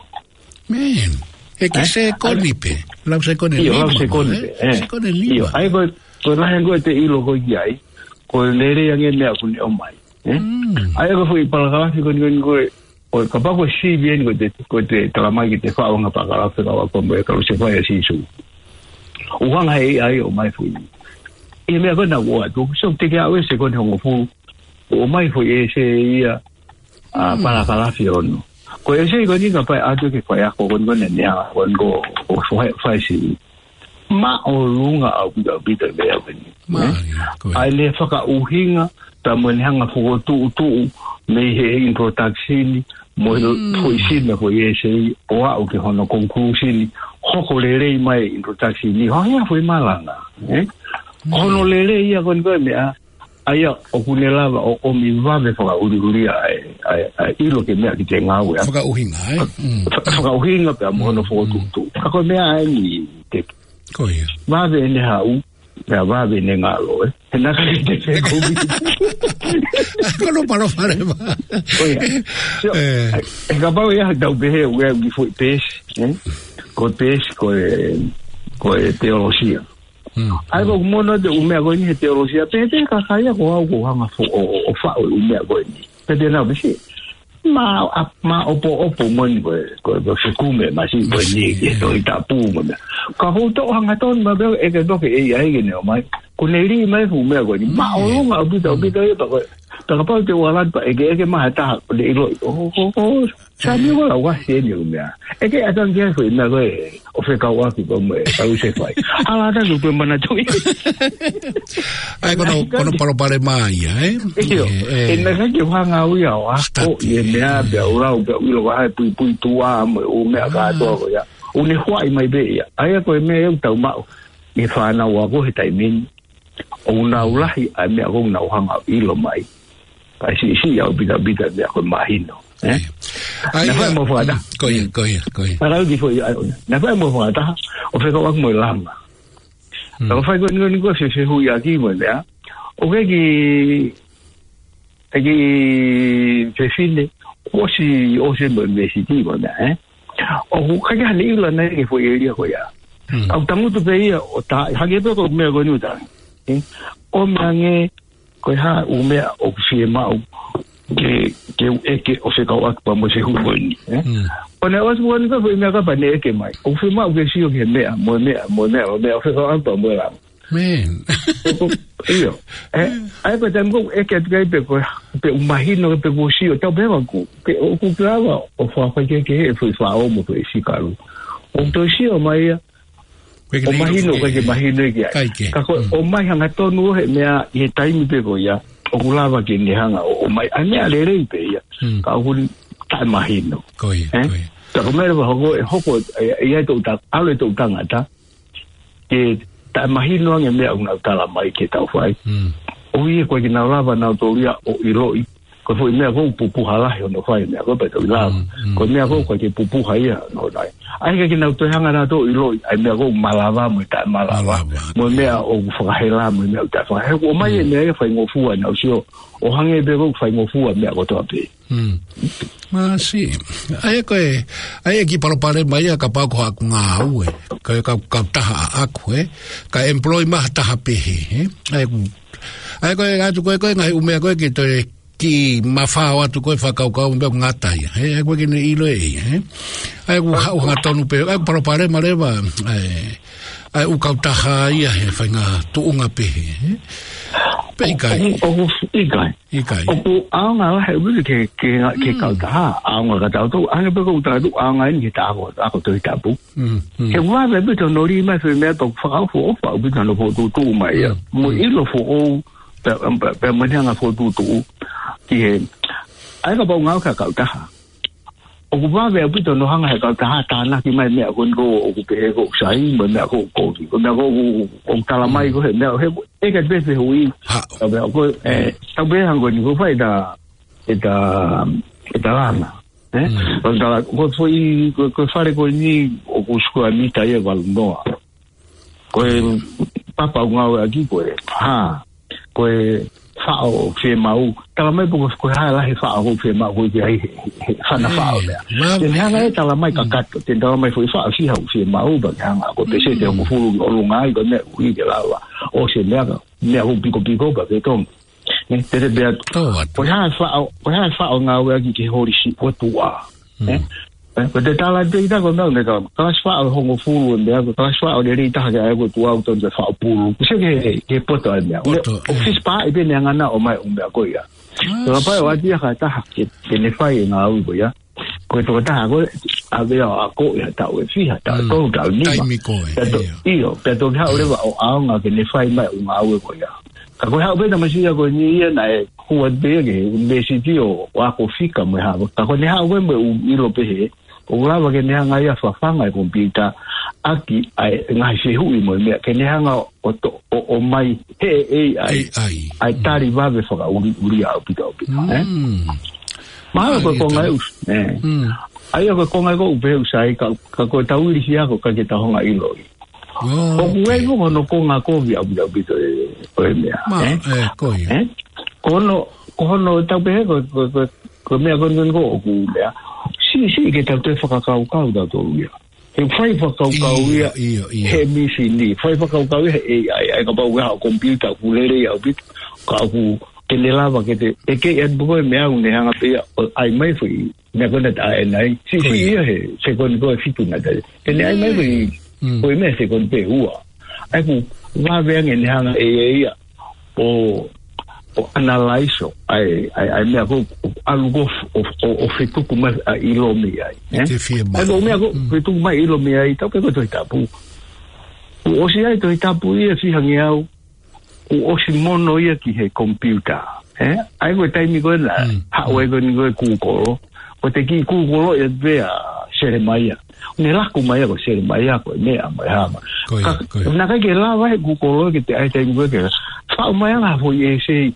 ʻE kiʻi sekoni pē. Lau sekoni nima, lau sekoni pē, ē? Sekoni nima. ʻA ia ko, ko e lahi ange ko e te ʻilo ko ē ki ai. Ko e lelei ange meʻa ʻoku ne ʻomai. Ē? ʻA ia ko e foʻi palakalafi ko eni ko eni ko e ʻo kapau ko e sivi eni ko e te, ko e te talamai ke te faʻu ʻa e palakalafi ka ua ko mo e kalusefai ʻa Sīsū. ʻO hanga he A I ʻo ʻomai foʻi. ʻI he meʻa ko ena ʻoku ʻoatu, so te ke ʻave sekoni hongofulu. ʻO ʻomai foʻi ʻesei ia, ʻa palakalafi ono. Ko e ʻesei ko eni kapau ʻe ʻatu ke fai ako ko eni ko eni ko, ko fai, fai sivi. Māʻolunga ʻaupito ʻaupito e meʻa ko eni. ʻA ʻene fakaʻuhinga, pea mo ʻene hanga fokotuʻutuʻu, mei he introduction, mo e foʻi sina foʻi ʻesei, ʻo aʻu ki hono conclusion, hoko lelei mai e introduction, ʻo hanga foʻi malanga, ē? Hono lelei ia ko eni ko e meʻa, ʻa ia ʻoku ne lava ʻo ʻomi vave fakaʻuliʻulia ʻa e, ʻa e, ʻa e ʻilo ki he meʻa ki te ngāue, ē? Fakaʻuhinga, ē? Fa-, fakaʻuhinga pea mo hono fokotuʻutuʻu. Ka ko e meʻa ʻeni te Ko ia. Vave ʻene haʻu, pea vave ʻene ngalo, ē. He naʻa ke te fekumi. Ko hono palopalema. Ko ia. So, ē, kapau ia tau pehē, ʻoku ʻi ai e kiʻi foʻi peesi, ē? Ko e peesi, ko e, ko e teolosia. ʻA ia ko e mono te u meʻa ko eni he teolosia, pehē pē ka kai ia ko au ʻoku ou hanga fo-, ʻo, ʻo, ʻo faʻu e u meʻa ko eni. Pehē pē naʻa u pehē, ma, a, ma opo opo mo eni ko e, ko e, ko e fekumi, ma si ko e ni, ke to i tapu mo mea. Ka ko u toʻo hangatonu ma pea ʻeke toke e i ai ke ne ʻomai. Ko ne lī mai fuʻu meʻa ko eni. Māʻolunga ʻaupito, ʻaupito ia pea ko e. Pea kapau te u ala atu pea ʻeke, ʻeke mai ha taha, ko ne ʻiloʻi. ʻO, ʻo, ʻo, Sami, ʻoku lau ʻasi eni e u meʻa. ʻEke atu ange ki ai foʻi meʻa ko e, ʻo fekauʻaki ko e mo e, kalusefai. Hala atu ange ko e manatuʻi. ʻA ia ko hono, ko hono palopalema ia, ē? ʻIo, ē, ē. ʻE naʻa ke hanga au ia ʻo ako, study, ʻi he meʻa, ē, pea u lau, pea u ʻilo ko e hā e puipuituʻa, mo e u meʻa kātoa ko ia. ʻOku ne huaʻi mai pē ia. ʻA ia ko e meʻa ia ʻoku tau maʻu. ʻI he fānau ako he taimi ni. ʻOku nau lahi ʻa e meʻa ʻoku nau hanga ʻo ʻilo mai. Kae siʻisiʻi ʻaupito ʻaupito e meʻa ko e mahino. Ē? ʻIo. ʻA ia, naʻa fai mo e fakataha. Mm, ko ia, ko ia, ko ia. Naʻa fai mo e fakataha. ʻO fekauʻaki mo e langa. Mm. Ka ko e fai ko eni ko eni ko e fefehuʻiʻaki mo e meʻa. ʻOku ʻi ai e kiʻi fefine, ʻosi, ʻosi mo e university mo e meʻa, ē? ʻOku ʻikai ke ne ʻilo ʻe ia ki he foʻi ʻēlia ko ia. Mm. ʻOku tangutu pē ia ʻo tā, hangē pē ko e meʻa ko eni ʻoku tā. Ē? ʻO meʻa ange, ko e hā ʻū meʻa ʻoku fiemaʻu ke, ke u ʻeke ʻo fekauʻaki pea mo e fehuʻi ko eni, ē? Mm. ʻO ne ʻosi ko eni ko e foʻi meʻa kapau ne ʻeke mai. ʻOku fiemaʻu ke sio ki he meʻa, mo e meʻa, mo e meʻa, mo e meʻa, ʻo fekauʻaki pea mo e langa. Man. ʻOku, ʻio. Ē, ʻa ia ko e taimi ko ē ʻeke atu ki ai pe ko, pe ʻoku mahino pe kuo sio, tau pehē ʻoku, pe ʻoku ke lava ʻo fakafaikehekehe e foʻi faʻo mo e foʻi sikalu. ʻOku toe sio mai ia, ʻOku ʻikai ke ʻo mahino, ʻikai ke mahino ia ki ai. ʻIkai ke. Ka ko e, Mm. ʻomai hangatonu ʻo he meʻa ʻi he taimi pē ko ia, ʻoku lava ke ne hanga ʻo, ʻomai, ʻa e meʻa lelei pē ia. Mm. Ka ʻoku ne taʻemahino. Ko ia, Ē? ko ia. Ka ko e meʻa leva hoko, ʻe hoko, ʻe, ʻe ʻi ai e toʻu ta-, ʻalu e toʻu tangata, ke taʻemahino ange e meʻa ʻoku nau tala mai ke tau fai. Mm. ʻOku ʻikai ke nau lava nautolu ia ʻo ʻiloʻi. Ko e foʻi meʻa ʻoku pupuha lahi hono fai e meʻa ko ē pea tau ʻilo. Mm, mm, Ko e meʻa ʻoku mm. ʻikai ke pupuha ia, no, nai. ʻA ia ʻikai ke nau toe hanga nautolu ʻo ʻiloʻi, ʻa e meʻa ʻoku malava mo e taʻemalava. Malava. Mo e meʻa ʻoku fakahela mo e meʻa ʻoku taʻefakahela. ʻOku ʻomai e Mm. meʻa ia fai ngofua naʻa nau sio. ʻO hangē pē ʻoku fai ngofua e meʻa kotoa pē. Mm. Masi. ʻA ia ko e, ʻa ia e kiʻi palopalema ia kapau ko haʻaku ngāue. Ko e kau, kautaha ʻaʻaku, ē. Ka employ mai ha taha pehē, ē. ʻA ia ʻoku, ʻa ia ko e ʻatu ko ē ko e ngaahi ʻū meʻa ko ē ke toe kiʻi mafao atu ko e fakakaukau mo e meʻa ʻoku ngata ia, ē. ʻA ia ʻoku ʻikai ke ne ʻilo ʻe ia, ē. ʻA ia ʻoku haʻu hangatonu pē, ʻa ia ʻoku palopalema leva, ʻa e, ʻa e ʻū kautaha ia he faʻahinga tuʻunga pehē, ē. Pe ʻikai. ʻOku, ʻoku, ʻikai. ʻIkai. ʻOku ʻaonga lahi ʻaupito ki he, ki he, ki he Mm. kautaha, ʻaonga kia tautolu, hangē pē ko ʻeku tala atu, ʻaonga eni ki he ako, ako Tohi Tapu. Mm, mm. He ʻoku vave ʻaupito hono lī mai e foʻi meʻa pea ʻoku fakaʻofoʻofa ʻaupito hono fokotuʻutuʻu mai ia. Mm, Mo e mm. ʻilo foʻou, pea, pea, pea mo e anga fokotuʻutuʻu, ki he, ʻa ia kapau ngāue ki ha kautaha. ʻOku vave ʻaupito hono hanga ʻe he kautaha ʻo tānaki mai e meʻa ko eni ko ē ʻoku pehē ko ē ʻoku sai, mo e meʻa ko ē ʻoku kovi, ko e meʻa ko ē ʻoku, ʻoku tala mai Mm. ko ē he meʻa, he, ʻeke atu pē fehuʻi. Haʻu. Ka pea ko e, ē, tau pehē hangē ko eni ʻoku fai ʻeta, ʻeta, ʻeta langa. Ē? Mm. Ko e tala, ko e foʻi, ko e, ko e fale ko eni ʻoku sikuea mita ia ʻe valu noa. Ko e papa ʻoku ngāueʻaki ko e, hā, ko e faʻo fiemaʻu. Tala mai pe ko e, ko e hā e lahi e faʻo ʻoku fiemaʻu ko ē ki ai he, he, he fana Mm. faʻo lea. Love Te ne hanga it. ʻe tala mai Mm. kakato, te ne tala mai foʻi faʻo ʻe fiha ʻoku fiemaʻu pea ke hanga ko e peseti ʻe Mm. hongofulu ki ʻolunga ai ko e meʻa ʻoku ʻi ai ke lava. ʻO se meʻa ka, meʻa ʻoku pikopiko pea ke tonu. Ē, te te pehē atu. Tō atu. Ko e hā e faʻo, ko e hā e faʻo ʻoku ngāueʻaki ki he holisi ʻo e tuʻa. Mm. Ē? Ē, ko e te tala atu ʻe kita ko e meʻa, meʻa ka, kalasi faʻo ʻe hongofulu ʻe meʻa, ko e kalasi faʻo lelei taha ke ʻai ko e tuʻa ʻoku tonu ke faʻo pulu. Ko e sio ki he, ki he poto ʻa e meʻa. Poto, ʻO ē. fisi pā ʻi pē ne hanga ʻo ʻomai e ʻū meʻa ko ia. Ah, Ka pai ʻo sio. ʻAti ia ha taha, ke, ke ne fai e ngāue ko ia. Ko e tokotaha ko ē, ʻave ʻo ako ʻi ha taʻu ʻe fiha, taʻu Mm. tolu, taʻu nima. Taimi ko ē, Pea to-, ʻio. ʻIo, pea toki haʻu Mm. leva ʻo ʻaonga ke ne fai mai e ʻū ngāue ko ia. Ka ko e haʻu pē ʻa e tamasiʻi ko eni ia naʻe hū atu pē ia ki he ʻunivēsiti ʻo, ʻo ako fika mo e hā. Ka ko ʻene haʻu ko ē mo e ʻū ʻilo pehē, ʻoku lava ke ne hanga ia ʻo fafanga e komipiuta ʻaki ʻa e ngaahi fehuʻi mo e meʻa, ke ne hanga ʻo to-, ʻo, ʻomai he ʻe ʻi ai, ʻe ʻi ai. ʻa e tali vave fakaʻuliʻulia ʻaupito ʻaupito, ē? Mm. Mahalo ko e Mālie konga ʻe taha. ʻusi, ē. Mm. ʻA ia ko e konga ko ē ʻoku pehē ʻe Sai, ka, ka ko e tau ilisi ako ʻikai ke tau hanga ʻo ʻiloʻi. Oh, ʻOku ʻi ai okay. ko hono konga kovi ʻaupito ʻaupito ē, ko e meʻa, Ma, ē? ē, ko ia. Ē? Ko hono, ko hono tau pehē ko, ko, ko, ko e meʻa ko eni ko ē ʻoku meʻa. Siʻi, siʻi ke tau toe fakakaukau tautolu ia. He fai fakakaukau ʻIo, ia ʻio, ʻio. he mīsini, fai fakakaukau ia he A I, ʻa ia kapau ko ha komipiuta ʻoku lelei ʻaupito, ka ʻoku ke ne lava ke te, ʻe ke ʻi ai pē ko e meʻa ʻoku ne hanga pē ia ʻo ʻai mai foʻi meʻa ko ena ta e nai. Siʻi, Ko siʻi ia. ia he sekoni ko ē ʻe fitu na tai. Ke ne ʻai mai foʻi, Mm. foʻi meʻa sekoni pē ʻe ua. ʻA ia ʻoku vave ange ne hanga ʻe ia ia ʻo, ʻo analyze ʻa e, ʻa e, ʻa e meʻa ko ē ʻoku ʻalu ko ē ʻo, ʻo, ʻo fetuku mai ʻa e ʻilo mei ai, ē? Te fie ʻA e ko e mai. meʻa ko ē Mm. fetuku mai ʻilo mei ai, tau pehē ko e Tohi Tapu. Kuo ʻosi ʻi ai e Tohi Tapu ia ʻe fiha ngeau, kuo ʻosi mono ia ki he komipiuta, ē? ʻA ia ko e taimi ko ena, Mm. haʻu ai ko eni ko ē Google, ko e te kiʻi Google ia pē ʻa Selemaia. Ne laku mai ia ko Selemaia ko e meʻa mo e hā mai. Ko ia, Ka, ko ia. naʻe ʻikai ke lava he Google ke te ʻai taimi ko ē ke faʻu mai ange ha foʻi ʻēsei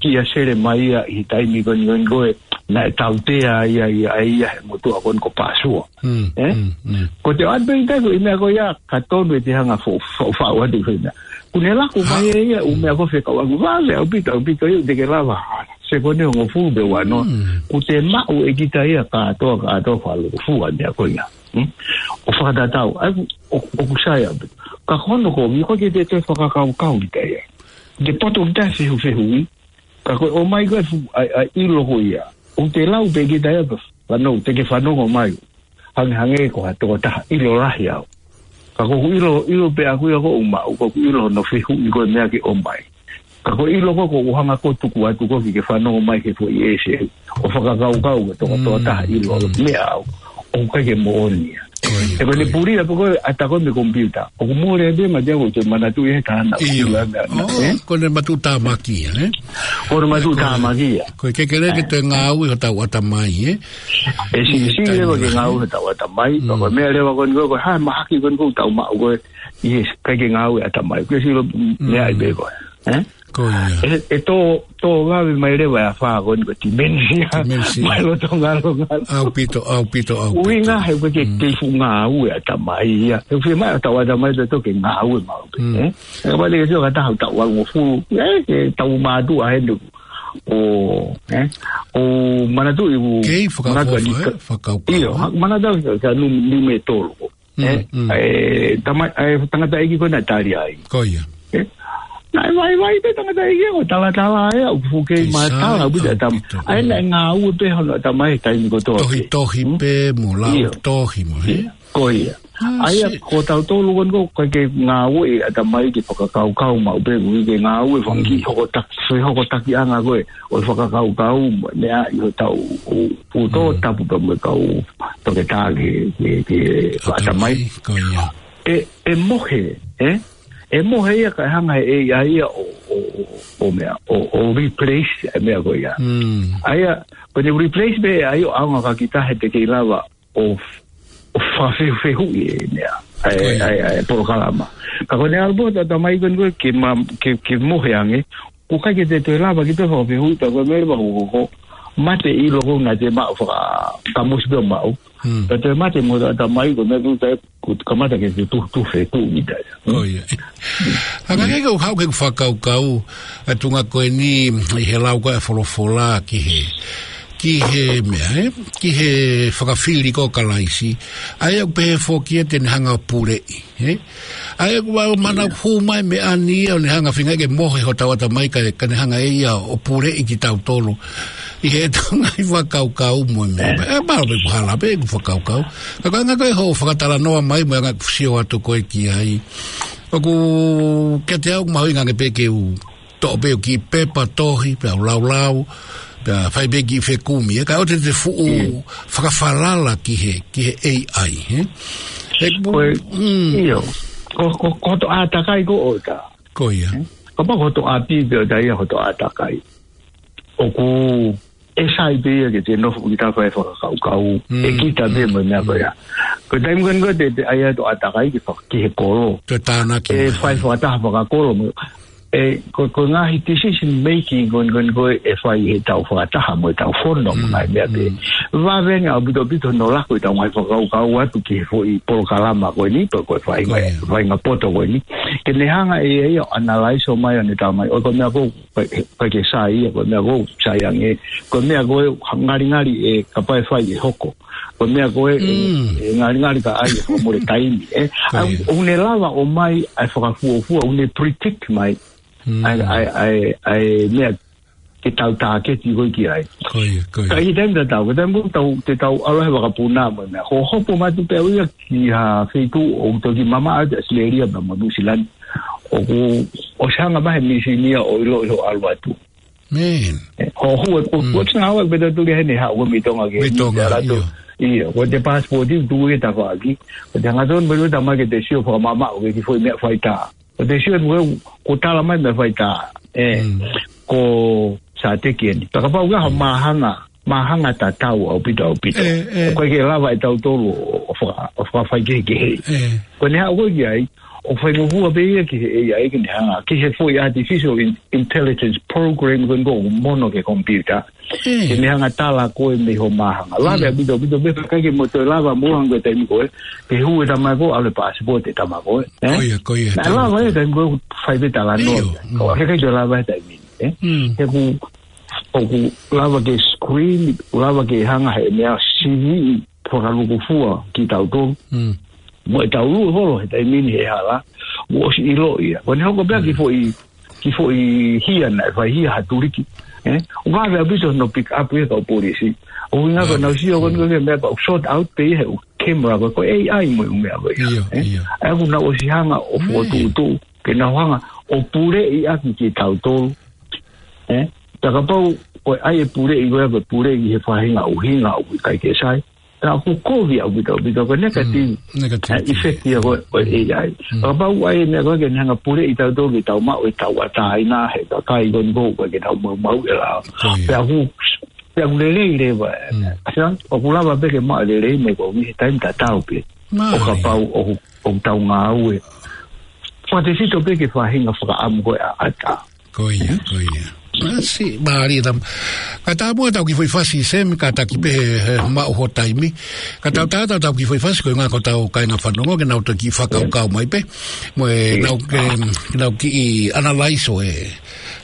kia Selemaia ʻi he taimi ko eni ko ē naʻe tautea ia, ia, ia he motuʻa ko eni ko Pāsua. Mm, Eh? mm, mm. Ko te ʻoatu pē ʻi taku ʻi meʻa ko ia ka tonu ʻete hanga fo-, fo-, fo-, atu fo ina. Kuo ne laku mai e ia, ʻū meʻa ko ē fekauʻaki vave ʻaupito, ʻaupito ia, te ke lava. Se ko ne ongo fulu pe wano. Mm. Kuo te maʻu ʻe kita ia kātoa, kātoa fakalūkufua meʻa ko ia. Hmm? ʻO fakatatau, ʻa ia ʻoku, ʻoku sai ʻaupito. Ka ko hono kovi, ko e ke te te fakakaukau kita ia. Te poto kita fehu, fehuʻi. Ka ko e ʻomai ko ē fu-, ʻa e, ʻa e ʻilo ko ia. ʻOku te lau pē kita ia pē. Fanongo, te ke fanongo mai. Hangē, hangē ko ha tokotaha ʻilo lahi au. Ka ko hoku ʻilo, ʻilo pē ʻaku ia ko ʻeku maʻu, ko hoku ʻilo hono fehuʻi ko e meʻa ke ʻomai. Ka ko e ʻilo ko ē ʻoku hanga ko ē ʻo tuku atu ko ē ke ke fanongo mai he foʻi ʻese. ʻO fakakaukau ko e toko, Mm, tokotaha ʻilo mm. meʻa au. ʻOku ʻikai ke moʻoni ia. Ko ia, He ko e ko ne ia. puli ia pē ko e ʻata ko ē mei he komipiuta. ʻOku mole pē ma te au te manatuʻi he tāna. ʻIo. Ila meʻa na, Oh, eh? ko e matuʻutāmaki ia, eh? Ko e matuʻutāmaki ia. Ko e ke kere ke Eh. te ngāue hotau ʻatamai, eh? ʻE si, ʻI he si taimi leva ke lahi. ngāue hotau ʻatamai. Mm. Ko e meʻa leva ko eni ko e, ko e hā mahaki ko eni ko ʻetau maʻu ko ē. ʻIo, ʻikai ke ngāue ʻatamai. Ko e sio Mm. meʻa ai pē ko ē. Eh? Ko ia. ʻE, ʻe tō, tō vave mai leva e afā ko eni ko e dementia. Dementia. Mai loto ngalo ngalo. ʻAupito, ʻaupito, ʻaupito. ʻUhinga he ko e ke Mm. kei fuʻu ngāue ʻatamai ia. He fiemaʻu ʻetau ʻatamai ʻe tō ke ngāue maʻu pē, Mm. eh? He kapau te ke sio ka taha ʻoku tau ʻalu mo fulu, eh, ke tau mātuʻa heni. ʻO, eh, ʻo manatuʻi ʻoku Kei manatuʻi fakaʻofoʻofa, ka-, eh? Fakakaukau. ʻIo, ha-, manatuʻi ka, ka nu-, nume tolu ko. Mm, Eh, mm. eh, tama-, eh, tangataʻeiki ko ē naʻe tali ai. Ko ia. Eh, naʻe vaivai pē tangataʻeiki ko e talatala ia, ʻoku fuʻu kei Kei matala, sai, ʻoku pita tam-, ʻaupito. ʻa ia naʻe ngāue pē hono ʻatamai he taimi kotoa pē. Tohitohi Hmm? pē, mo lau Ia. tohi mo, eh? Ia. Ko ia. Ah, ʻA ia, si. ko tautolu ko eni ko e ke ngāue ʻatamai ke fakakaukau maʻu pē, ʻoku ke ngāue fanga Mm. hokotaki, fehokotakiʻanga ko ē, ʻo e fakakaukau mo e meʻa ʻi hotau, ʻo, ʻo tō Mm. tapu pē mo e kau toketā ke, ke, ke ʻAtamai, ʻatamai. ko ia. ʻE, ʻe mohe, eh? ʻE mohe ia ka hanga he ʻe ia ia ʻo, ʻo, ʻo, ʻo meʻa, ʻo, ʻo replace e meʻa ko ia. Mm. ʻA ia, ko ʻene replace pē ʻa ia ʻo ʻaonga ka kita he te kei lava ʻo, ʻo fakafehufehuʻi e meʻa, ʻa e, Ko ia. ʻa e, ʻa e polokalama. Ka ko ʻene ʻalu pē ʻo tata mai ko eni ko e ke ma-, ke, ke mohe ange, ʻoku ʻikai ke te toe lava kita ʻo fakafehuʻi, pea ko e meʻa leva ko, ko, ko, mate ʻilo ko ē naʻa te maʻu faka-, kamusi pē maʻu. Hmm. Pea toe mate mo tata mai ko e meʻa ko ē, ko e kamata ke te tuh, tuh fe, tuh kita ia. Ko ia. Hangē ko e haʻu ke fakakaukau, ʻa e tuʻunga ko eni, ʻi he lau ko ē ʻa e folofola ki he, ki he meʻa, eh? Ki he fakafili ko ē ʻo Kalaisi. ʻA ia ʻoku pehē foki ia te ne hanga ʻo puleʻi, eh? ʻA ia ʻoku ʻa e mana Ia. hū mai meʻa ni ia ʻo ne hanga feinga ke mohe hotau ʻatamai ka, ka ne hanga ʻe ia ʻo puleʻi kitautolu. ʻI heʻetau ngaahi fakakaukau mo e meʻa. Eh. ʻE, mālō pē ʻoku hala pē ʻeku fakakaukau. Ka ko e anga ko ē hoʻo fakatalanoa mai mo e anga ʻeku sio atu ko ē ki ai. ʻOku kiate au mahuʻinga ange pē ke u toʻo pē ʻeku kiʻi pepa tohi, pea u laulau, pea fai pē kiʻi fekumi, eh, kae ʻoua te te fuʻu Mm. fakafalala ki he, ki he A I, eh. He ku-, Ko e, mm. ʻio. Ko, ko, ko hoto ʻātakai ko ē ʻoku ta. Ko ia. Eh? Kapau ko hoto ʻapi pē ʻoku ta ia hoto ʻātakai. ʻOku ʻe sai pē ia ke te nofo kita fai fakakaukau, Mm, ʻe kita pē mm, mo e meʻa ko mm. ia. Ko e taimi ko eni ko ē te, te ʻai atu ʻātakai ki fa-, ki he kolo. Ko e tānaki ʻE mai. fai fakataha fakakolo mo. ʻE, ko, ko e ngaahi decision making ko eni ko eni ko ē ʻe fai ʻi heʻetau fakataha mo ʻetau fono mo Mm, ngaahi meʻa pē. mm. Vave ange ʻaupito ʻaupito hono laku ʻetau ngaahi fakakaukau atu ki he foʻi polokalama ko eni, pe ko e faʻahinga, Ko ia. faʻahinga poto ko eni. Ke ne hanga ʻe ia ʻo analyze ʻo mai ʻo ne tā mai. ʻOi ko e meʻa ko ē, ko e, ko e ke sai ia, ko e meʻa ko ē, sai ange. Ko e meʻa ko ē, ha ngalingali ʻe kapau ʻe fai ʻe hoko. Ko e meʻa ko ē, ʻe, Mm. ʻe ngalingali ka ʻai ʻe fakamole taimi, eh. Ko ʻA, ia. ʻoku ne lava ʻo mai, ʻa e fakafuofua, ʻoku ne predict mai. Mm. ʻA e, ʻa e, ʻa e, ʻa e meʻa ke tau tāketi ko ē ki ai. Ko ia, ko ia. Ka ʻi he taimi tatau, ko e taimi ko ē tau, te tau ʻalu he vakapuna mo e meʻa. Ko hopo mai atu pē au ia ki ha feituʻu ʻoku toki mamaʻo atu ʻAositelēlia pea mo Nuʻusila ni. ʻOku, ʻosi hanga mai he mīsini ia ʻo ʻilo ʻi hoʻo ʻalu atu. Man. ʻE, ʻo hua, ʻo, Mm. ʻo tina hawa pē tatu ke hene ha, ʻo mei Tonga ke Mei Tonga, ʻi Tonga, ʻio. ʻIo, ko e passport ʻi tuku ke tafaʻaki. Ko e hangatonu pē ʻo tama ke te sio fakamamaʻo ke ki foʻi meʻa faitā. Ko e te sio atu ko e, ko e tala mai meʻa faitā. ʻE, Mm. ko e sāteki eni. Pea kapau ʻoku ʻi ai ha māhanga, māhanga tatau ʻaupito, ʻaupito. ʻE, ʻe. ʻOku ʻikai ke lava ʻe tautolu ʻo, ʻo faka-, ʻo fakafaikehekehe. ʻE. Ko ʻene haʻu ko ē ki ai, ʻoku faingofua pē ia ki he A I ke ne hanga, ki he foʻi artificial in-, intelligence program ko eni ʻoku mono ki he computer. Mm. Ke ne hanga tala koe mei hoʻo māhanga. Lave ʻaupito, ʻaupito, pea ʻikai ke mo toe lava mo hanga ko e taimi ko ē ke hū e tama ko ē, ʻalu e passport e tama ko ē, ē? Ko ia, ko ia, Naʻe taimi lava ko ē. Taimi ko ē, fai pē talanoa. ʻIo, mm. Ko e ʻikai toe lava he taimi ni, ē? Mm. He ʻoku, ʻoku lava ke screen, lava ke hanga he meʻa sivi fakalūkufua kitautolu. Mm. Mo e tau lue holo he taimi ni he hala, ʻoku ʻosi ʻilo ia. Ko ʻene hoko pē ia ki Mm. foʻi, ki foʻi hia naʻe fai hia ha tuliki, ē? ʻOku vave ʻaupito hono pick up ia ʻe he kau polisi. ʻUhinga ko ʻenau sio ko eni ko e meʻa ko ē ʻoku sort out pē ia he ʻū camera ko ē, ko e A I mo e ʻū meʻa ko ia, ʻIo, ē? ʻIo. ʻA ia ʻoku nau ʻosi hanga ʻo Mm. fokotuʻutuʻu ke nau hanga ʻo puleʻi ʻaki kitautolu, ē? Pea kapau ko e ʻai e puleʻi ko ē, ko e puleʻi he faʻahinga ʻuhinga ʻoku ʻikai ke sai, pea ʻoku kovi ʻaupito, ʻaupito ko e negative, Mm, negative. ʻa e effect ia ko ē, ko e A I. Mm. Kapau ʻai e meʻa ko ē ke ne hanga puleʻi tautolu ke tau maʻu e tauʻatāina he kakai ko eni ʻoku ʻikai ke nau maumauʻi e lao. Ko ia. Pea ʻoku, pea ʻoku lelei leva. Mm. ʻA ia, ʻoku lava pē ke maʻu e lelei mo e kovi he taimi tatau pē. Mālie. ʻO kapau ʻoku, ʻoku tau ngāue fakatefito pē ki he faʻahinga fakaʻamu ko ē ʻa ʻAtā. Ko ia, ko ia. Masi, mālie tam. Ka tau muʻa tau kiʻi foʻi fasi, Semi, kātaki pē he, he maʻu ho taimi. Ka tau tā, tau, tau kiʻi foʻi fasi, ko e ʻuhinga ko ʻetau kāinga fanongo, ke nau toki fakakaukau mai pē. Mo e, Yes. nau ke, nau kiʻi analyze ʻo e,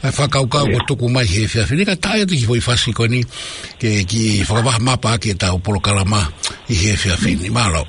e fakakaukau Yes. ko ē tuku mai he efiafi ni, ka tau ʻai atu kiʻi foʻi fasi ko eni, ke kiʻi fakavaha mapa ki heʻetau polokalama ʻi he efiafi ni. Mālō.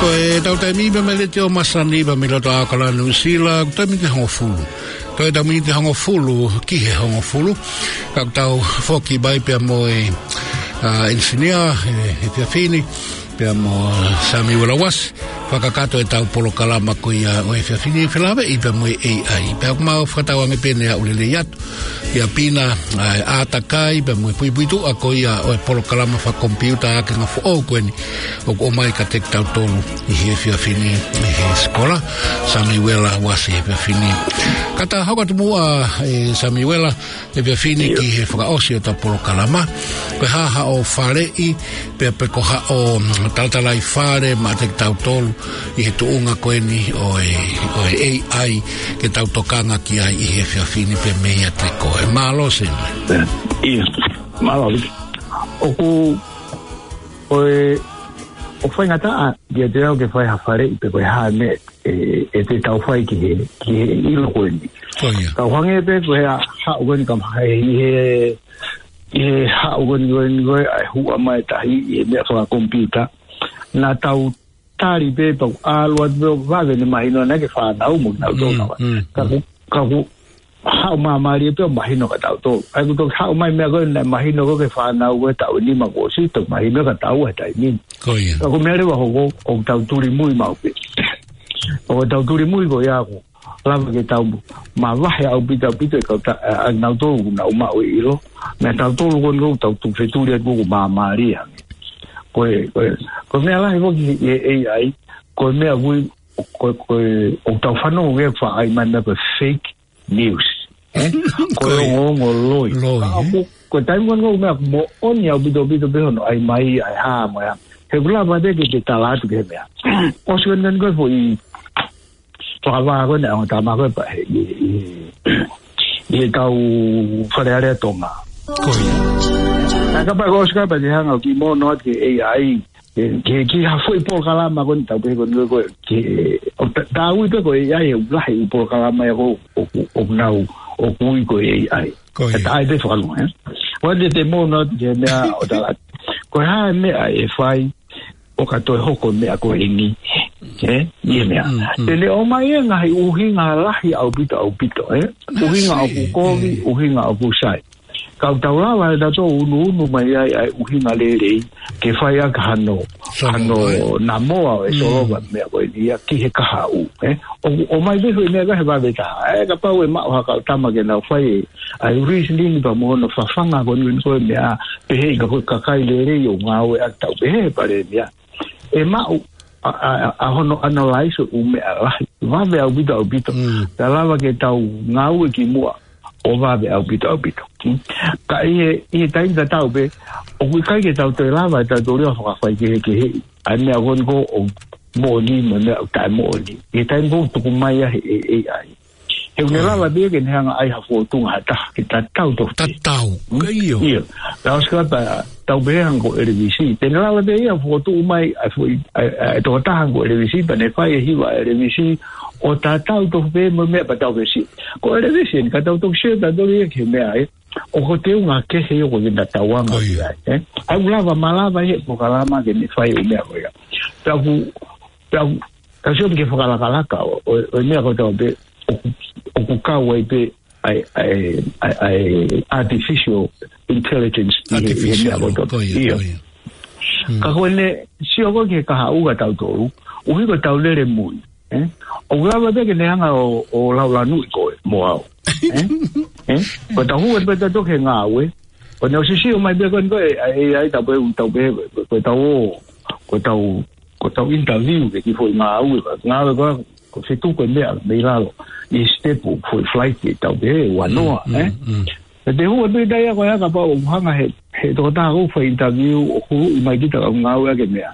Ko ʻetau taimi pē mei he Letiō Masani pē mei loto ʻAokalani, Nuʻusila, ko e taimi ni ʻe hongofulu. Ko e taimi ni ʻe hongofulu ki he hongofulu. Ka tau foki mai pea mo e, ʻa, engineer, e, e efiafi ni, pea mo Sami Welawasi. fakakakato ʻetau polokalama ko ia ʻo e efiafi ni, felāveʻi pea mo e A I. Pea ʻoku mau fakatauange pē ʻe haʻu lelei atu ia Pina, ʻa e ʻātakai pea mo e puipuituʻa ko ia ʻo e polokalama fakakomipiuta ʻa e anga foʻou ko eni ʻoku ʻomai kiate kitautolu ʻi he efiafi ni ʻe he sikola Samiuela Uasi he efiafi ni. Ka ta hoko atu muʻa, ʻe Samiuela, he efiafi ni ki he fakaʻosi ʻo ʻetau polokalama. Ko e hā haʻo faleʻi, pea pe ko haʻo, mm, talatalaifale maʻa kitautolu ʻi he tuʻunga ko eni ʻo e, ʻo e A I ke tau tokanga ki ai ʻi he efiafi ni pea mei he teko. ʻE mālō Semi. ʻIo, mālō. ʻOku, ʻo e, ʻoku faingataʻa kiate au ke fai ha faleʻi pe ko e hā e meʻa ʻe, ʻe te tau fai ki he, ki he ʻilo ko eni. Ko ia. Ka ʻoku hangē pē ko e haʻu ko eni ka maha ʻi he, ʻi he haʻu ko eni ko eni ko e ʻa e huʻa mai e tahi ʻi he meʻa fakakomipiuta. Naʻa tau tali pē pea ʻalu atu pē ʻo vave ʻene mahino naʻe ke fānau mo nau tō Mm, nawa. mm, Ka mm. ku, ka ku haʻu māmālie pē ʻo mahino kia tautolu. ʻA ia kuo toki haʻu mai meʻa ko ē naʻe mahino ko ē ki he fānau ko ē taʻu ʻe nima kuo ʻosi, toki mahino kia taua he taimi ni. Ko ia. Ka ko e meʻa leva hoko, ʻoku tau tulimui maʻu pē. ʻOku tau tulimui ko ia ʻoku lava ke tau mavahe ʻaupito ʻaupito e kau ta-, ʻa, ʻa nautolu ʻoku nau maʻu e ʻilo. Meʻa tautolu ko eni ʻoku tau tuku fetuli atu ʻoku māmālie ange. Ko e, ko e, ko e meʻa lahi foki ʻi he A I, ko e meʻa ʻoku, ko e, ko e, ʻoku tau fanongo ki he faʻa ʻai mai meʻa ko e fake news. ʻE? Ko e Ko e ongoongo loi. loi, Ka ʻe? ʻoku, ko e taimi ko eni ʻoku meʻa moʻoni ʻaupito ʻaupito pē hono ʻai mai ʻa e hā mo e hā. He ʻoku lava pē ke te tala atu ki he meʻa. ʻOsi ko eni ko e foʻi fakavā ko eni ʻa e ongo tama ko ē pea he, ʻi, ʻi, ʻi he kau Fale Alea Tonga. Ko ia. Ka kapau ko e ʻosi kapau te hanga ʻo kiʻi mono atu ki he A I, ki he, ki he, ki ha foʻi polokalama ko eni tau pehē ko eni ko e, ki he, ʻo ta-, tau ui pē ko e A I, ʻoku lahi e polokalama ia ko ē, ʻoku, ʻoku nau, ʻoku ui ko e A I. Ko ia. Ka ʻai pē fakalunga, ē? ʻOua te te mono atu ki he meʻa ʻo tala atu. Ko e hā e meʻa ʻe fai, ʻo ka toe hoko e meʻa ko eni. Ē? ʻI he meʻa. Mm, mm. Te ne ʻomai e ngaahi ʻuhinga lahi ʻaupito ʻaupito, ē? ʻUhinga ʻoku kovi, ʻuhinga ʻoku sai. Ka ʻoku tau lava ʻe tautolu ʻo unuunu mai ai ʻa e ʻuhinga lelei, ke fai ʻaki hano, Solo, hano ē? namoa ʻo e Mm. solova meʻa ko eni ia ki he kahaʻu, ē? ʻO, ʻomai pē foʻi meʻa ko ē he vave taha. Ē, kapau ʻe maʻu ha kau tama ke nau fai e, ʻa e reasoning pea mo hono fafanga ko eni ko e meʻa, pehē ʻe he kakai lelei ʻoku ngāueʻaki tau pehē he palēmia. ʻE maʻu ʻa, ʻa, ʻa, ʻa hono analyze ʻo e ʻū meʻa lahi. Vave ʻaupito ʻaupito. Mm. Pea lava ke tau ngāue ki muʻa ʻo vave ʻaupito ʻaupito. Mm. Ka ʻi he, ʻi he taimi tatau pē, ʻoku ʻikai ke tau toe lava ʻe tautolu ia ʻo fakafaikehekeheʻi ʻa e meʻa ko eni ko ē ʻoku moʻoni mo e meʻa ʻoku taʻemoʻoni. ʻI he taimi ko ē ʻoku tuku mai ai ʻe he A I. He ʻoku ne Mm. lava pē ke ne hanga ʻai ha fōtunga ha taha ke tatau tofu pē. Tatau. Mm. Ka ʻio. ʻIo. Ka ʻosi ka ta-, tau pehē hangē ko ʻElevisi. Te ne lava pē ia ʻo fokotuʻu mai ʻa e foʻi, ʻa e, ʻa e tokotaha hangē ko ʻElevisi, pea ne fai e hiva ʻa ʻElevisi, ʻo tatau tofu pē mo e meʻa pea tau pehē. Ko ʻElevisi eni, ka tau toki sio tautolu ia ki he meʻa ē. ʻOku teunga kehe ia ʻoku ne tatau ange Ko ia. ai, ē. ʻOku lava, malava ia he polokalama ke ne fai e meʻa ko ia. Pea ʻoku, pea ʻoku, ka sio ki he fakalakalaka ʻo, ʻo, ʻo e meʻa ko ē tau pehē, ʻoku, ʻoku kau ai pē ʻa e, ʻa e, ʻa e, ʻa e artificial intelligence ʻi he, ʻi he Artificial, meʻa ko ē tau. ko ia, ʻIo. ko ia. Mm. Ka ko ʻene sio ko ē ki he kahaʻu kia tautolu, ʻuhi ko ʻetau lele mui, ē? ʻOku lava pē ke ne hanga ʻo, ʻo laulanuʻi koe mo au. Ē? Ē? Ko ʻetau hū atu pē tautolu ki he ngāue, ko ʻene ʻosi sio mai pē ko eni ko e, ʻa e, ʻa e, tau pehē, tau pehē, ko ʻetau ō, ko ʻetau, ko ʻetau interview ki he kiʻi foʻi ngāue, ngāue ko ē, ko e fetuku e meʻa mei lalo ʻi he sitepu foʻi flight ʻe tau pehē ua noa, Mm, ē? mm, mm. Pea te hū atu ʻi he taimi ko ia kapau ʻoku hanga he, he tokotaha ʻoku fai interview ʻo huluʻi mai kita ka ngāueʻaki e meʻa.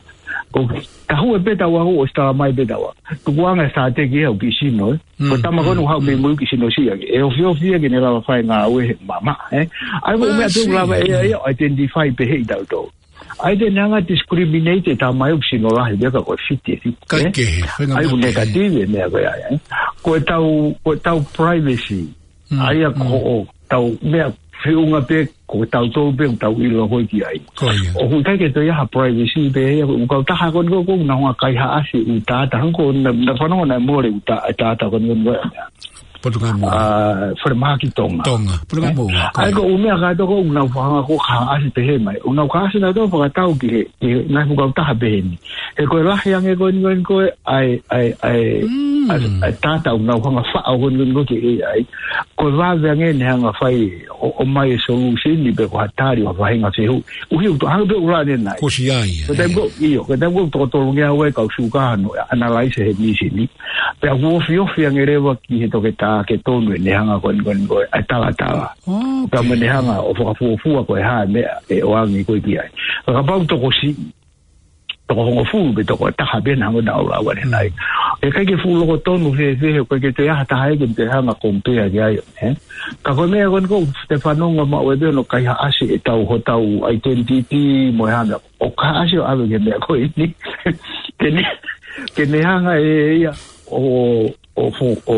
Ko e taha ʻe pē taua ʻoku ʻosi tala mai pē taua. Tukuange sāteki ʻe au kiʻi sino, ē? Ko e Mm, tama ko ē mm, ʻoku haʻu mei mm. mui kiʻi sino siʻi ange. ʻE ofiofi ia ke ne lava fai ngāue he mamaʻo, ē? ʻA ia ko e meʻa pē ʻoku lava ʻe ia ʻo identify pē heʻi tautolu. ʻA ia te ne hanga discriminate e tama ʻoku sino lahi, meʻa ka ko e fiti e fiti, Kai ē? kehe, fenga ʻA ia meʻa ko e kehe. negative e meʻa ko ia, ē? Ko ʻetau, ko ʻetau privacy. Mm, ʻA ia ko mm. hoʻo tau meʻa feʻunga pē, ko tautolu pē ʻoku tau ʻilo ko ē ki ai. Ko ia. ʻOku ʻikai ke toe ʻi ai ha privacy pē, ʻoku kau taha ko eni ko ē, ko ʻenau ngaahi kaihaʻasi ʻū data, hangē ko ʻena, naʻa fanongo naʻe mole ʻū da-, data ko eni ko ē. Potu Kamoa. ʻA, falemahaki Tonga. Tonga. Potu Kamoa. ʻA ia ko e ʻū meʻa kātoa ko ē ʻoku nau fakahanga ko ē ʻoku ʻasi pehē mai. ʻOku nau ʻasi nautolu ʻo fakatau ki he, ki he ngaahi fuakava taha pehē ni. He ko e lahi ange ko eni ko eni ko ē, ʻa e, ʻa e, ʻa e, Mm. ʻa e, ʻa e tata ʻoku nau hanga faʻo ko eni ko eni ko ē ki he A I. Ko e vave ange ʻene hanga fai ʻo, ʻomai e solution ni pe ko ha tali ʻo ha faʻahinga fehuʻi. ʻUhi ʻoku toe hanga pē ʻo ʻuhinga ʻanenai. Ko e siʻi ai, Ko e taimi ē. ko ē, ʻio, ko e taimi ko ē ʻoku toko tolu ngeau ʻa e kau sūkano ʻo analyze he mīsini. Pea ʻoku ofi ofi ange leva ki he toketā ke tonu ʻene hanga ko eni ko eni ko ē, ʻa e talatala. ʻOkei. Pea mo ʻene hanga ʻo fakafuofua ko e hā e meʻa ʻe ʻoange ko ē ki ai. Ka kapau tokosiʻi, toko hongofulu pe toko taha pē naʻa nau lau ʻanenai. Mm. ʻE ʻikai ke fuʻu loko tonu he, he, he, ʻikai ke toe ʻi ai ha taha ia ke te hanga compare ki ai, ē? Ka ko e meʻa ko eni ko ē ʻoku te fanongo maʻu ē pē ʻoku nau kaihaʻasi ʻetau, hotau identity mo e hā meʻa. ʻOku kaihaʻasi ʻo ʻave ki he meʻa ko eni. Ke ne, ke ne hanga ʻe ia ʻo, ʻo fo-, ʻo,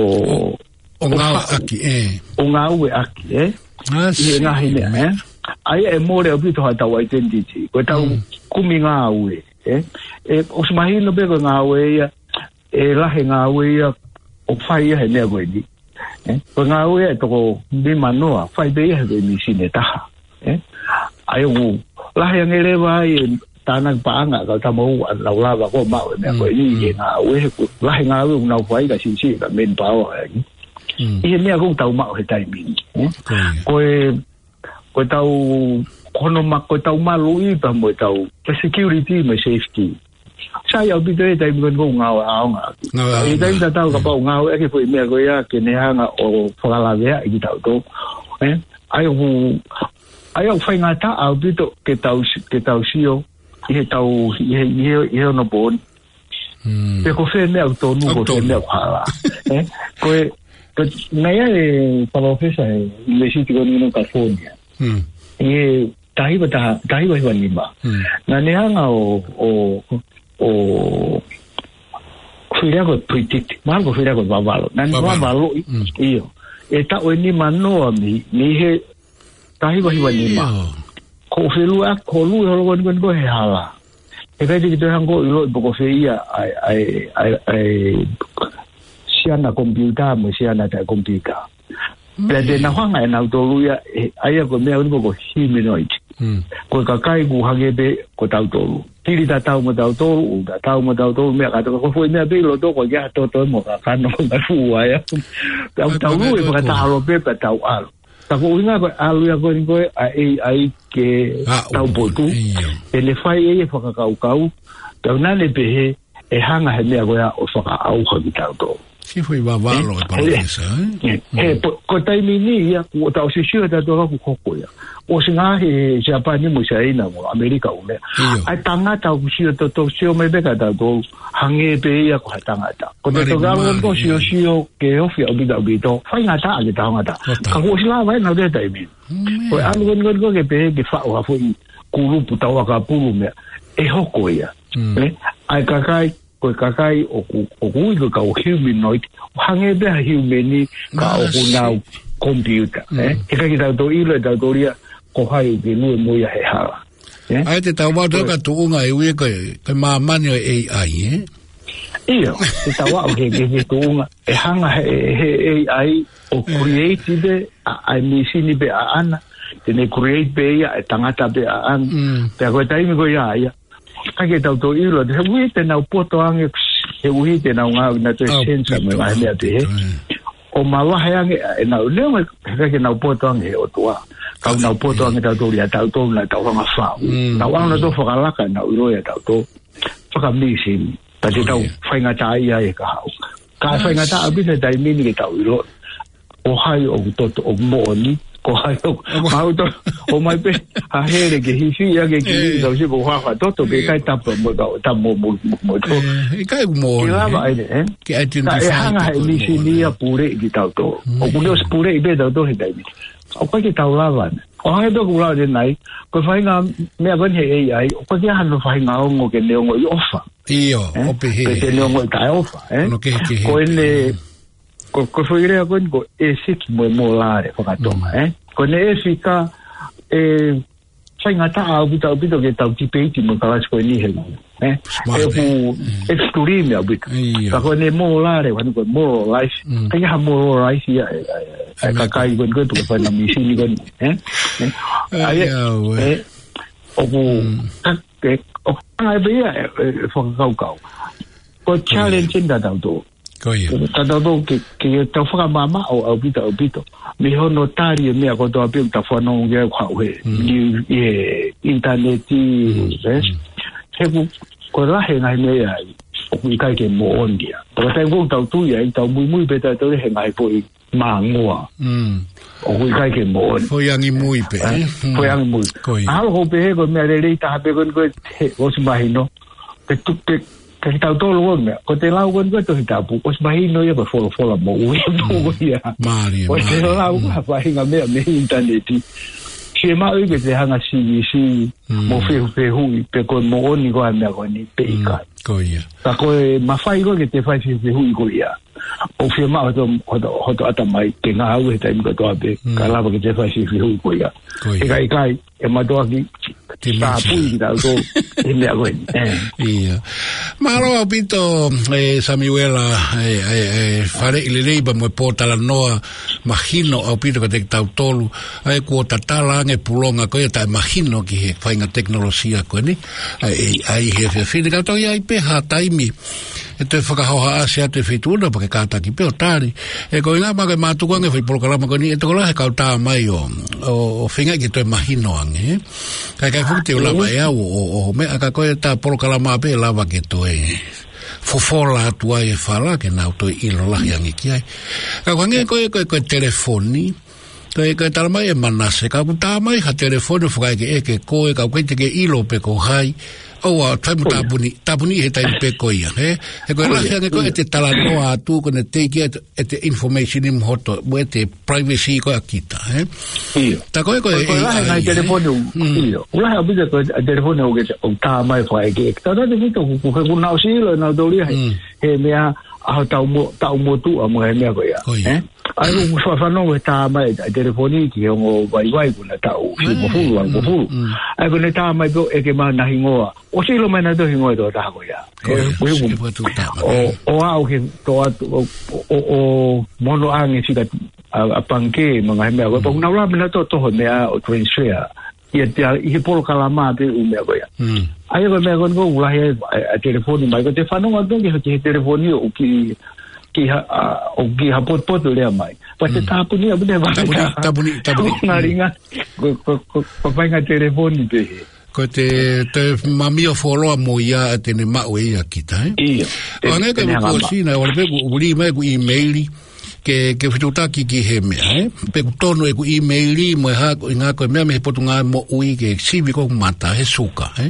ʻO ʻo ngāueʻaki, faʻu. ʻE. ʻO ngāueʻaki, ē? ʻA, ʻI he ngaahi meʻa, ē? ʻA ia ʻe mole ʻaupito haʻatau identity. Ko ʻetau Mm. kumi ngāue, ē? ʻE, ʻosi mahino pē ko e ngāue ia, ʻe lahi e ngāue ia, ʻoku fai ia he meʻa ko eni. Ē? Ko e ngāue ia ʻe toko nimanoa, fai pē ia he ko e mīsini ʻe taha. Ē? ʻA ia ʻoku lahi ange leva ai e tānaki paʻanga, ka tama u a nau lava ko ē ʻo maʻu e meʻa ko ē Mm, ʻi he mm. ngāue, he ko e lahi e ngāue ʻoku nau fai ka siʻisiʻi ka manpower ai. Mm. ʻI he meʻa ko ē ʻoku tau maʻu he taimi ni, ē? Ko ia. Ko e, ko ʻetau, ko hono ma-, ko ʻetau maluʻi pea mo ʻetau, ko e security mo e safety. Sai ʻaupito e taimi ko eni ʻoku ngāue ʻaonga. Ngāue ʻaonga. ʻI he taimi tatau Mm. kapau ngāueʻaki e foʻi meʻa ko ia ke ne hanga ʻo fakalaveaʻi kitautolu. Ē? ʻA ia ʻoku, ʻa ia ʻoku faingataʻa ʻaupito ke tau si-, ke tau sio ʻi heʻetau, ʻi he, ʻi he, ʻi he onopōni. Mm. Pe ko fē meʻa ʻoku tonu, ʻOku ko fē tonu. meʻa ʻoku hala. Ē? Ko e, ko e, naʻe ʻi ai e palōfesa he University ko eni California. Mm. ʻI he taha hiva taha, taha hiva hiva nima. Mm. Naʻa ne hanga ʻo, ʻo, ʻo, fili ko e predict, mahalo ko e fili ko e vavalo. Naʻa ne Vavalo. vavaloʻi, Mm. ʻio. ʻE taʻu ʻe nimanoa mei, mei he taha hiva hiva nima. ʻIo. Ko e feluʻaki, ko e lue holo ko eni ko eni ko ē he hala. ʻE ʻikai te ke toe hanga ʻo ʻiloʻi pe ko fē ia ʻa e, ʻa e, ʻa e, ʻa e siana komipiuta mo e siana taʻekomipiuta. Pea te Mm. nau hanga ʻe nautolu ia, ē, ʻa ia ko e meʻa ʻoku ui ko e humanoid. Mm. Ko e kakai ʻoku hangē pē ko tautolu. Kili tatau mo tautolu, ʻū tatau mo tautolu, meʻa kātoa, ko e foʻi meʻa pē ʻi loto ko e ʻikai ha toto mo e kakano ko e ngaahi fuʻu uaea. Pea ʻoku Ai, tau ko e lue meʻa fakataha ko ē. ʻAlu pē pea tau ʻalu. Ka ko e ʻuhinga ko e ʻalu ia ko eni ko ē ʻa e A I ke Aʻu. taupotu. ʻIo. ʻE ne fai ʻe ia e fakakaukau. Pea naʻa ne pehē, ʻe hanga he meʻa ko ia ʻo fakaʻauha kitautolu. Siʻi foʻi vavalo Ē? e palōfesa, ē? Ē, Mm. he, po-, ko e taimi ni ia, kuo tau sio sio tautolu ʻoku hoko ia. ʻOsi ngaahi he Siapani mo Siaina mo ʻAmelika ʻū meʻa. ʻIo. ʻA e tangata ʻoku sio toto sio mai pē kia tautolu, hangē pē ia ko ha tangata. Ko te Mari tokanga mai, ko sio ē. sio ke ofi ʻaupito ʻaupito, faingataʻa ke tangata. Totta. Ka kuo ʻosi lava ʻe nautolu he taimi. Mm. Ko e ʻalu ko eni ko eni ko ē ke pehē ke faʻu ha foʻi kulupu tau ʻakapulu meʻa. ʻE hoko ia. Mm. Ē? ʻA e kakai, ko e kakai ʻoku, ʻoku ui ko e kau humanoid, ʻo hangē pē ha human ka ʻoku Masi. nau komipiuta, Mm. ē? He ʻikai ke tau toe ʻilo ʻe tautolu ia ko hai ʻoku ke lue mo ia he hala. Ē? ʻA ia te tau vau Ko e ka tuʻunga ʻe ui ko e, ko e māmani ʻo e A I, ē? ʻIo, te tau aʻu ke, ke, ke tuʻunga, ʻe hanga he, he A I ʻo Mm. create pē, ʻa, ʻa e mīsini pē ʻaʻana, te ne create pē ia, ʻe tangata pē ʻaʻana. Mm. Pea ko e taimi ko ia ia, ʻikai ke tau toe ʻilo, he ʻuhi te nau poto ange, he ʻuhi te nau ngāue na toe Au, sensa mo e pito, ngaahi au, meʻa pehē. pito, ē. ʻO mavahe ange ʻenau, neongo, he ʻikai ke nau poto ange he ʻOtua. Ka nau poto Mm. ange tautolu ia tautolu naʻa tau hanga faʻu. Mm, Nau ʻalu na mm. tō fakalaka ʻenau ʻilo ia tautolu. Fakamīsini. Ka te Oh, tau yeah. faingataʻaʻia e kahaʻu. Ka Ah, faingataʻa shit. pē he taimi ni ke tau ʻilo. Ko hai ʻoku toto, ʻoku moʻoni, ko hai ʻoku, ʻOku mau to, ʻomai pē, ha hele ke hifia ke ki, Eh. tau sio ko ha fatoto, ke Eh. kai tapa mo, tapa mo, mo, mo, mo, to. Eh, ʻikai ʻoku moʻoni, Ke lava eh? ai, eh? Ke ai tino Ka ke e fai hanga tapa he mo, mīsini eh. ia pule ki tautolu. Mm. ʻOku ne ʻosi pule i pē tautolu he taimi. ʻOku ʻikai ke tau lava ne. ʻO hangē pē ko e lau ʻanenai, ko e faʻahinga meʻa ko eni he A I, ʻoku ʻikai ke ʻi ai hano faʻahinga ongo ke ne ongoʻi ʻofa. ʻIo, Eh? ʻo pehē. Pe te ne ongoʻi taʻeʻofa, eh? Ono kehekehe Ko ʻene, pē. ko, ko e foʻi lea ko eni ko e ʻēsiki mo e mōlale fakatonga, Mm. eh? Ko ʻene ʻēsiki ka, eh, faingataʻa ʻaupito ʻaupito ke tau tipeiti mo e kalasi ko eni he ē? Smart, ē? Ē, ʻoku extreme ʻaupito. ʻIo. Ka ko ʻene moral, ʻoku ʻikai ko e moral life. Mm. ʻIkai ha moral life ia, ē, ē, ē, ʻIo. Kakai ko ē, ko ē, tuku fai na misini ko ē, ē? Ē? ʻAi, ʻAi, ʻia, ʻe, ʻoku, Mm. ka, ē, ʻoku anga ʻe pē ia, ē, ē, fakakaukau. Ko e challenge ʻeni ʻatautolu. Ko ia. ʻAtautolu ke, ke tau fakamaʻamaʻa ʻaupito, ʻaupito. Mei hono tali e meʻa kotoa pē ʻoku tau fanongo ki ai ʻoku haʻu he, Mm. ni, he ʻinitaneti, Mm. ē? Mm. He ʻoku, ko e lahi e ngaahi meʻa ia, ʻoku ʻikai ke moʻoni ia. Pea ko e taimi ʻoku tau tui ai, tau muimui pē tautolu he ngaahi foʻi māngoa. Mm. ʻOku ʻikai ke moʻoni. Foʻi angi mui pē, Ē? ē? Mm. Foʻi angi mui. Ko ia. ʻAlu ʻo pehē ko e meʻa lelei taha pē ko eni ko e he, ʻosi mahino. Ke tu-, ke, ke tautolu ko e meʻa. Ko ʻete lau ko eni ko e Tohi Tapu. ʻOsi mahino ia ko e folofola moʻui ʻa e Mm. ko ia. Mālie, Ko ʻete mālie. lau Mm. ko e faʻahinga meʻa mei he ʻinitaneti. Siʻi maʻu ia ke te hanga ʻo sivi, sivi, Mm. mo fehufehuʻi, pe ko e moʻoni ko ā e meʻa ko eni, pe Mm. ʻikai. Ko ia. Ka ko e mafai ko ē ke te fai fehufehuʻi ko ia. ʻOku fiemaʻu hoto, hoto, hoto ʻatamai, ke ngāue he taimi kotoa pē, Mm. kae lava ke te fai fehufehuʻi ko ia. Ko ia. ʻIkai, ʻikai, ʻe mātuʻaki, Te tāpui miki. ki tautolu, he meʻa ko eni. Ē. ʻIo. Mālō ʻaupito, ē, Samiuela, ē, ē, ē, faleʻi lelei pea mo e pōtalanoa, mahino ʻaupito kiate kitautolu, ʻa e kuo tatala ange pulonga ko ia taʻemahino ki he faʻahinga tekinolosia ko eni, ʻa e, ʻa e, ʻa e he, he, he, he, ka tau ʻi ai pē ha taimi, ʻe toe fakahohaʻasi atu e feituʻu na pea ke kātaki pē ʻo tali. Ē, ko e ʻuhinga maʻa ke mātuku ange foʻi polokalama ko eni, ʻe tokolahi e kau tā mai ʻo, ʻo, ʻo feinga ke toe mahino ange, ē. Kae, kae fuʻu te u lava ʻe au ʻo, ʻo, ʻo meʻa ka ko e tā polokalama pē lava ke toe fofola atu ai e fala ke nau toe ʻilo lahi ange ki ai. Ka ko e hangē ko e, ko e, ko e telefoni, ko e, ko e tala mai ʻe Manase, ka ʻoku tā mai ha telefoni ʻo fakaʻekeʻeke koe, ka ʻoku ʻikai te ke ʻilo pe ko hai, ʻoua, fai mo Ko ia. tāpuni, tāpuni he taimi pē ko ia, ē? He ko e Ko lahi ia, ange ko ia. ʻete talanoa atu, ko ʻene teiki ʻete, ʻete information ʻi mo hoto, mo ʻete privacy ko ē ʻa kita, ē? ʻIo. Tā ko e, ko e, Ko e, ko e ʻai, lahi ʻai, ngaahi ē? telefoni ʻoku, Mm. ʻio. ʻOku lahi ʻaupito ko e telefoni ʻoku ke, ʻoku tā mai fakaʻekeʻeke. Tau tā te mito ʻoku, ʻoku, ʻoku nau sio ʻe nautolu ia he, Mm. he meʻa ʻa hotau mo-, tau motuʻa mo e meʻa ko ia. Ko ia. Ē? ʻAi ʻoku fa-, fanongo he tā mai e telefoni ki he ongo vaivai kuo na taʻu, Mm, hivangofulu, mm, hivangofulu. mm. ʻAi ko ʻene tā mai pē ʻo ʻeke mai ʻena hingoa. ʻOsi ʻilo mai nautolu e hingoa ʻo e tokotaha ko ia. Ko ia, Ē, ko ia, sike patu tā mai. ʻO, ʻo aʻu ki he toʻa, ʻo, ʻo, ʻo, ʻo mono ange sika ʻa, ʻa pangikē, mo e ngaahi meʻa. Ko ia, Mm. pea ʻoku nau lava pē nautolu ʻo toho e meʻa ʻo transfer. ʻIa te ʻi he polokalama pē ʻū meʻa ko ia. Mm. ʻAi ko e meʻa ko eni ʻoku lahi ai ʻa, ʻa e telefoni mai, ko ʻete fanongo atu ki he, ki he telefoni ʻoku kiʻi, kiʻi ha-, ʻa, ʻoku kiʻi hapotopoto lea mai. Pea te Mm. tāpuni, ʻaupito e vaka. Tāpuni, tāpuni, tāpuni. Ko e ngaahi Mm. ʻuhinga, ko, ko, ko, ko e faʻahinga telefoni pē he. Ko ʻete, te mamio fuoloa mo ia ʻa ʻete ne maʻu ʻe ia kita, ē? ʻIo. ʻO hangē ko e Te ne hanga ma- kuo ʻosi na, ʻoku ʻalu pē ʻoku ʻuli mai ʻeku email, ke, ke fetuʻutaki ki he meʻa, ē? Pe ʻoku tonu ʻeku email mo e hā, ko e ʻuhinga ko e meʻa mei he Potungāue Moʻui ke sivi ko ē mata, he suka, ē?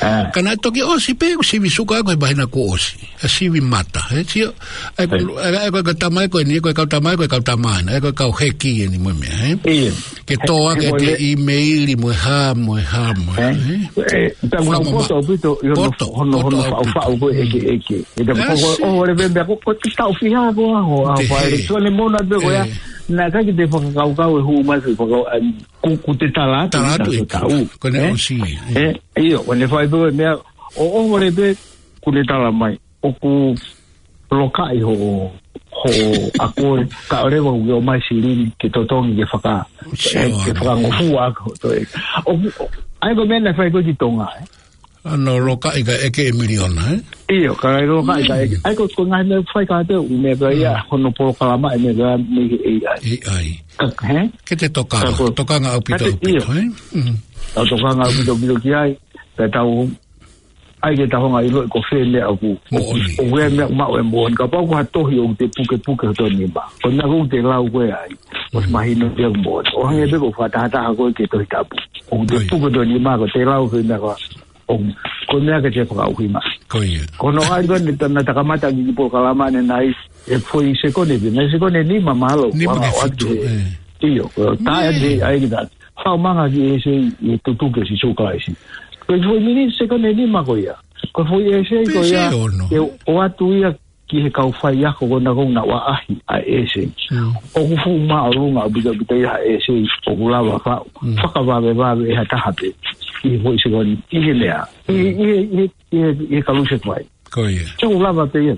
ʻA. Ka naʻe toki ʻosi pē ʻeku sivi suka ko e māhina kuo ʻosi. ʻA e sivi mata, ē? Sio, ʻa e ko, ʻA. ʻa e, ʻa e ko e, ko e tama ē ko eni, ko e kau tama ē, ko e kau tama ena, ē, ko e kau heki eni mo e meʻa, ē? ʻIo. Ke tō ʻaki ʻete email mo e hā, mo e hā, mo e hā, ē? Ē? Ē, tā ko e Fakamoʻoni. poto ʻaupito, ʻi hono, Poto, hono, poto hono ʻaupito. faʻufaʻu ko e Mm. ʻekeʻeke. ʻE tā Ē, ko, ko, si. ʻo, ʻo, le pembe, ko, ko e tau fiha ko ā, ʻo, ʻa, Te fai, he. le tuane mona pē ko ia. Ē. Naʻe ʻikai ke te fakakaukau e hū mai, fakakau, ʻa, ku, ku te tala atu, Tala atu ʻi ʻe taku tau. Ko ʻene Ē? ʻosi. Ē, ʻio, ko ʻene fai pē ko e meʻa, ʻo, ʻo, le pē, ku ne tala mai. ʻOku lokaʻi hoʻo, hoʻo ako ē, ka ʻoleva ʻoku ke ʻomai silini, ke totongi, ke faka-, Sio, ē, ke ʻalu. fakangofua ako, toe. ʻO, ʻo, ʻa e ko e meʻa naʻe fai ko ē ki Tonga, ē? ʻAno lokaʻi kae ʻeke e miliona, ē? ʻIo, ka ʻe lokaʻi kae ʻeke. Mm. ʻA e ko, ko e ngaahi meʻa fai ka te u, meʻa ko ia, Mm. hono polokalama e meʻa ko ia mei he A I. A I. Ka, hē? Ke te tokanga, Ka ko, tokanga ʻaupito, ka te, ʻaupito, ʻio. ē? Mm. Tau tokanga ʻaupito, ʻaupito ki ai, ka tau ʻai ke tau hanga ʻo ʻiloʻi ko fē meʻa ʻoku, Moʻoni. ʻoku ʻi ai e meʻa maʻu e moʻoni. Kapau ko ha tohi ʻoku te pukepuke hoto nima. Ko e meʻa ʻoku te lau ko ē ai. ʻOsi Mm. mahino pē ʻoku moʻoni. ʻO hangē pē ko e fakatahataha ko ē ki he Tohi Tapu. ʻOku te Ko ia. puke hoto nima ko ē te lau ko e meʻa ko ē. ʻO, ko e meʻa ke te fakaʻuhinga. Ko ia. Ko hono ʻai ko ē naʻa ta kamata ki he polokalama ʻanenai, ʻe foʻi sekone pē. Naʻe sekone nima mahalo. Nima Ua ke ʻoatu fitu, he. ē. ʻIo, ko e tā Mm. ʻe ʻai ki ta. Fakamanga ki he ʻEiki ʻi he tutuki ʻo Sīsū Kalaisi. Ko e foʻi miniti sekone nima ko ia. Ko e foʻi ʻEiki ko ia. Pē se ono. ʻE ʻoatu ia ki he kau faiako ko ena ko ē naʻa nau ʻaʻahi ʻa e ʻEiki. Mm. ʻOku fuʻu māʻolunga ʻaupito ʻaupito ia ʻa e ʻEiki ʻoku lava faʻu. Mm. Fakavavevave ʻe ha taha pē. ki he foʻi sekoni, ʻi he meʻa. ʻI, ʻi, ʻi, ʻi, ʻi he kalusefai. Ko ia. Te u lava pē ia.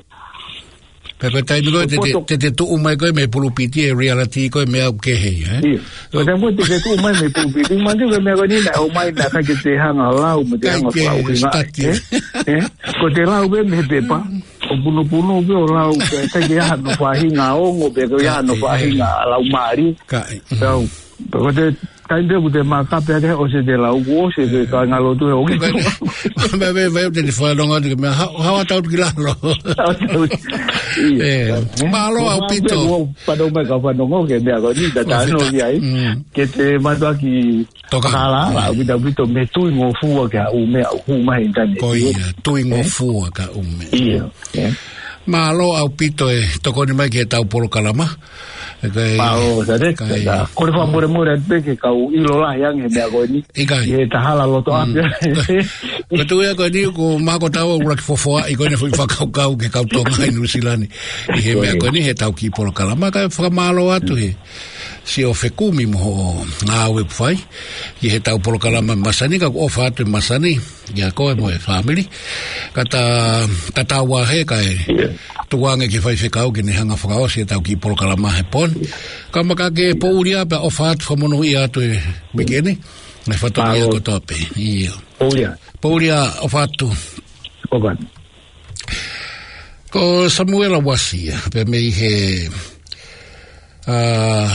Pea ko e taimi ko ē te, te, poto. Te, te tuʻu mai ko ē mei he pulupiti e reality ko e meʻa ʻoku kehe, ē? Ia. Ko e taimi ko ē te, te tuʻu mai mei he pulupiti, manatu ko e meʻa ko eni naʻe ʻomai naʻe ʻikai ke te hanga lau, mo te hanga fakaʻuhingaʻi, ē? Ē? Ko ʻete lau pē mei he pepa. ʻO punupunu pē ʻo lau, pea ʻikai ke ʻi ai hano faʻahinga ongo, pea ʻikai ke ʻi ai hano faʻahinga laumālie. Ka, ē. Pea u, pea ko ʻete taimi pē ʻoku te makape ake ʻosi ʻete lau, kuo ʻosi ʻete kāingalotu he ʻoku. Ko e, ko e, ko e, ko e, ko e, te te fanongo atu ki he meʻa, ha, ha, ha, tau ki lalo. Tau, tau. Ia. Ē, mālō ʻaupito. Kuo fanongo mai ka fanongo ki he meʻa ko eni, ta tano ki ai. Mm. Ke te mātuʻaki Toka. Kala, ʻaupito, ʻaupito, mei he Tuingofua ki he ʻUmea, ʻoku hū mai he ʻinitaneti. Ko ia, Tuingofua ki he ʻUmea. Ia, ia. Mālō ʻaupito e tokoni mai ki heʻetau polokalama. Ē, ko e, mālō, Sale, ka e, ka ko e fakamolemole atu pē ki he kau ʻilo lahi ange he meʻa ko eni. ʻIkai. ʻI he tahala loto ʻapi. Mm. Ko e, ko e tuʻu ia ko eni, ko e mahalo ko e tau ʻuluaki fofoaʻi ko eni foʻi fakakaukau ki he kau Tonga ʻi Nuʻusila ni. ʻI he meʻa ko eni heʻetau kiʻi polokalama, ka e fakamālō atu he siʻo fekumi mo hoʻo ngāue ʻoku fai ki heʻetau polokalama masani, ka ʻoku ʻofa atu e masani kiate koe mo e fāmili. Ka ta, ta tau ā he ka e tuku ange ki he faifekau ke ne hanga fakaʻosi ʻetau kiʻi polokalama he pō ni. Ka maka ke poʻuli ā pea ʻofa atu fakamonūʻia atu e uike ni. Mo e fatongia kotoa pē. Ia. Poʻuli ā. Poʻuli ā, ʻofa atu. ʻOfa atu. Ko Samuela Uasi ia, pea mei he, ā,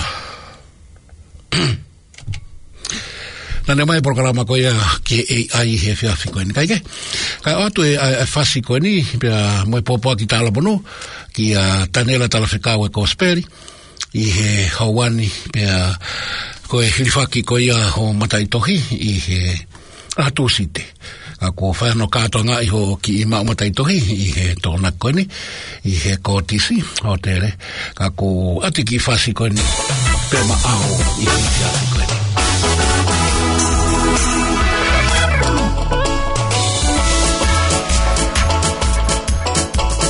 naʻa ne ʻomai e polokalama ko ia ki he A I he efiafi ko eni. Kae kehe, kae ʻoatu e, ʻa e, ʻa e fasi ko eni, pea mo e pōpoaki talamonū, kia Taniela Talafekau e Kosipeli, ʻi he houa ni, pea ko e hilifaki ko ia hoʻo mataʻitohi, ʻi he ʻaho Tūsite. Ka kuo fai hono kātoangaʻi hoʻo kiʻi maʻu mataʻitohi ʻi he Tokonaki ko eni, ʻi he Kōtisi Hōtele. Ka kuo ʻoatu e kiʻi fasi ko eni, pea maʻau ʻi he efiafi ko eni.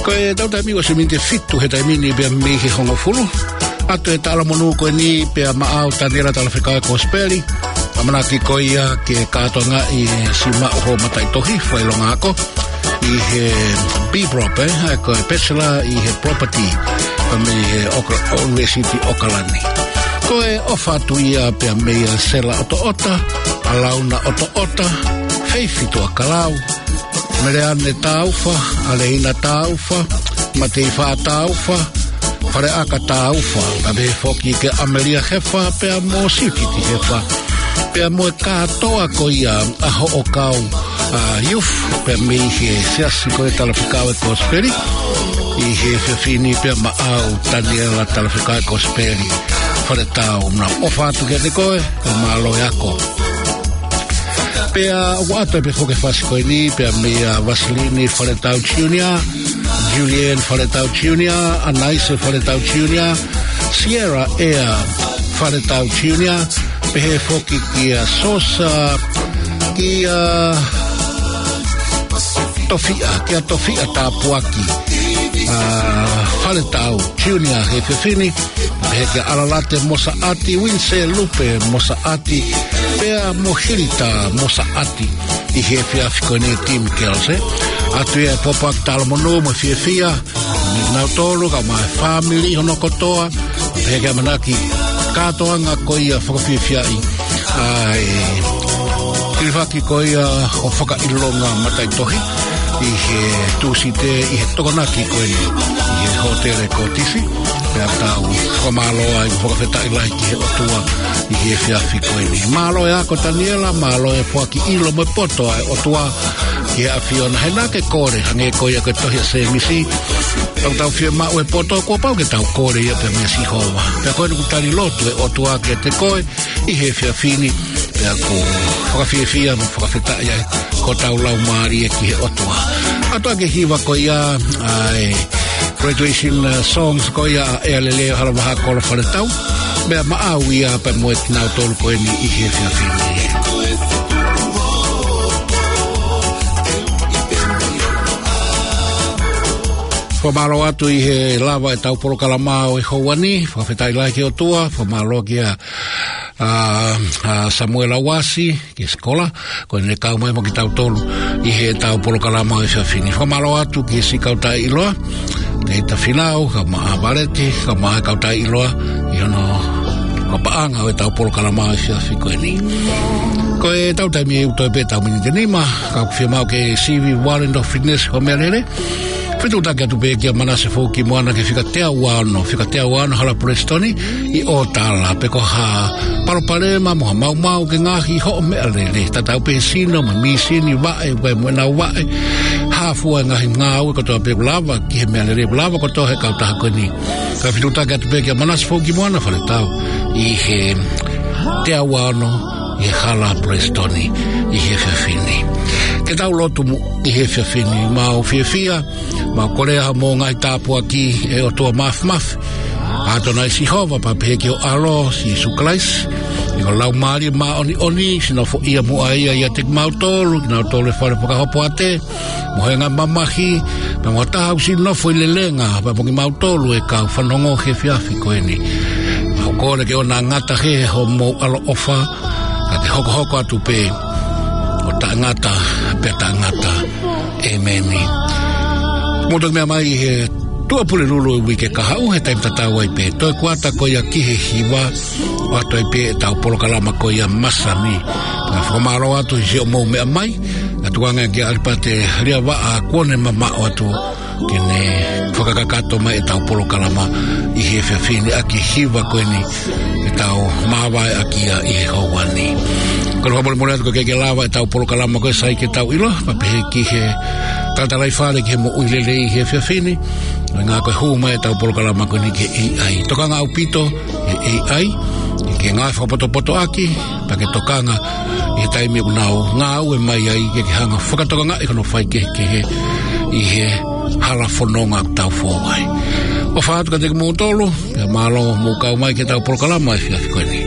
Ko ʻetau taimi ʻosi miniti ʻe fitu he taimi ni pea mei he hongofulu. ʻOatu e talamonū ko eni pea maʻau Taniela Talafekau e Kosipeli. ʻAmanaki ko ia ke kātoangaʻi e siʻi maʻu hoʻo mataʻitohi fakaʻilonga ako ʻi he B Prop, ē, ko e Bachelor ʻi he Property, pea mei he ʻOka-, ʻUnivēsiti ʻOkalani. Ko e ʻofa atu ia pea meia Sela ʻOtoʻota, ʻAlauna ʻOtoʻota, Feifi Tuʻakalau, Meleane Taufa, ʻAleina Taufa, Mateifa Taufa, Faleʻaka Taufa, pea pehē foki kia ʻAmelia Hefa, pea mo Siutiti Hefa, pea mo e kātoa ko ia ʻa hoʻo kau, ā, youth, pea mei he siasi ko e Talafekau e Kosipeli, ʻi he efiafi ni pea maʻau Taniela Talafekau e Kosipeli, Faletau, naʻa ʻofa atu kiate koe, ka mālō e ako. Pea ʻoatu pē foki e fasi ko eni, pea meia Vasilini Faletau Junior, Julian Faletau Junior, Anaise Faletau Junior, Sierra Air Faletau Junior, pehē foki kia Sosa, kia Tofiʻa, kia Tofiʻa Tāpuaki, ā, Faletau Junior he efiafi ni, pehē kia ʻAlalate Mosaʻati, Uinise Lupe Mosaʻati, pea mo Hilita Mosaʻati ʻi he efiafi ko eni Team Girls, ē. ʻOatu ia e pōpoaki talamonū mo e fiefia, kinautolu kae ʻumaʻā e fāmili hono kotoa, pehē ki he ʻamanaki kātoanga ko ia fakafiefiaʻi ʻa e hilifaki ko ia ʻo e fakaʻilonga mataʻitohi ʻi he Tūsite ʻi he Tokonaki ko eni ʻi he Hōtele Kōtisi. Pea tau fakamālō ai mo fakafetaʻi lahi ki he ʻOtua ʻi he efiafi ko eni. Mālō e ako Taniela, mālō e foaki ʻilo mo e poto ʻa e ʻOtua ki he ʻAfiona. He naʻa ke kole, hangē ko ia ko e tohi ʻa Sēmisi, ʻoku tau fiemaʻu e poto, kuo pau ke tau kole ia pea meia Sihova. Pea ko eni ʻoku tali lotu e ʻOtua kiate koe ʻi he efiafi ni, pea ʻoku fakafiefia mo fakafetaʻi ai hotau laumālie ki he ʻOtua. ʻOatu ʻa e hiva ko ia, ʻa e graduation, uh, songs ko ia ʻa ʻEa Lelei ʻo Halavahakolo Faletau. Pea maʻau ia pea mo kinautolu ko eni ʻi he efiafi ni. Fakamālō atu ʻi he lava ʻetau polokalama ʻo e houa ni, fakafetaʻi lahi ki he ʻOtua, fakamālō kia ʻa, ʻa Samuela Uasi ki he sikola, ko ʻene kau mai mo kitautolu ʻi heʻetau polokalama ʻo e efiafi ni. Fakamālō atu ki he siʻi kau taʻeʻiloa, Teita Finau, kae ʻumaʻā Valeti, kae ʻumaʻā e kau taʻeʻiloa ʻi hono fakapaʻanga ʻo ʻetau polokalama ʻo e efiafi ko eni. Ko ʻetau taimi ʻe ʻuto pē ʻetau miniti ʻe nima, ka ʻoku fiemaʻu ke sivi Warrant of Fitness ho meʻalele. Fetuʻutaki atu pē kia Manase Foukimoana ki he fika teau ua ono, fika teau ua ono Hala Pulesitoni ʻi ʻOtala, pe ko ha palopalema mo ha maumau ke ngaohi hoʻo meʻalele. Tatau pē he sino, mo e mīsini, vaʻe, vaʻe mo e nau vaʻe. Hā fua e ngaahi ngāue kotoa pē ʻoku lava ki he meʻalele, ʻoku lava kotoa he kautaha ko eni. Ka fetuʻutaki atu pē kia Manase Foukimoana Faletau ʻi he teau ua ono ʻi he Hala Pulesitoni ʻi he efiafi ni. Ke tau lotu muʻa ʻi he efiafi ni. Mau fiefia, mau kole ʻa hoʻomou ngaahi tāpuaki ʻe ʻOtua Māfimafi. ʻAtonai Sihova, pea pehē ki ho ʻAlo, Sīsū Kalaisi, ʻi ho Laumālie Māʻoniʻoni, siʻi nofoʻia muʻa ia ʻiate kimautolu, kinautolu ʻi he fale fakahopoate, mo e ngaahi mamahi, pea mo ha taha ʻoku siʻi nofo ʻi lelenga, pea mo kimautolu ʻe kau fanongo he efiafi ko eni. Mau kole ke ʻoua naʻa ngata hē hoʻomou ʻaloʻofa, ka ke hokohoko atu pē ʻo taʻengata pea taʻengata. ʻĒmeni. Mou toki meʻa mai he Tuʻapulelulu ʻo e uike kahaʻu, he taimi tatau ai pē, toe kuata ko ia ki he hiva, ʻoatu ai pē ʻetau polokalama ko ia masani. Pea fakamālō atu ʻi siʻomou meʻa mai, ʻa e tukuange kia ʻAlipate Liavaʻa kuo ne mamaʻo atu ke ne fakakakato mai ʻetau polokalama ʻi he efiafi ni ʻaki e hiva ko eni ke tau māvae ʻaki ia ʻi he houa ni. Kole fakamolemole atu ka ʻoku ʻikai ke lava ʻetau polokalama ko ē sai ke tau ʻilo, pea pehē ki he talatalaifale ki he moʻui lelei ʻi he efiafi ni, ʻuhinga ko e hū mai ʻetau polokalama ko eni ki he A I. Tokanga ʻaupito ʻe he A I ke ngāue fakapotopoto ʻaki, pea ke tokanga ʻi he taimi ʻoku nau ngāue mai ai ke ke hanga fakatokangaʻi hono faikehekehe ʻi he hala fononga ʻoku tau fou ai. ʻOfa atu kiate kimoutolu, pea mālō hoʻomou kau mai ki heʻetau polokalama he efiafi ko eni.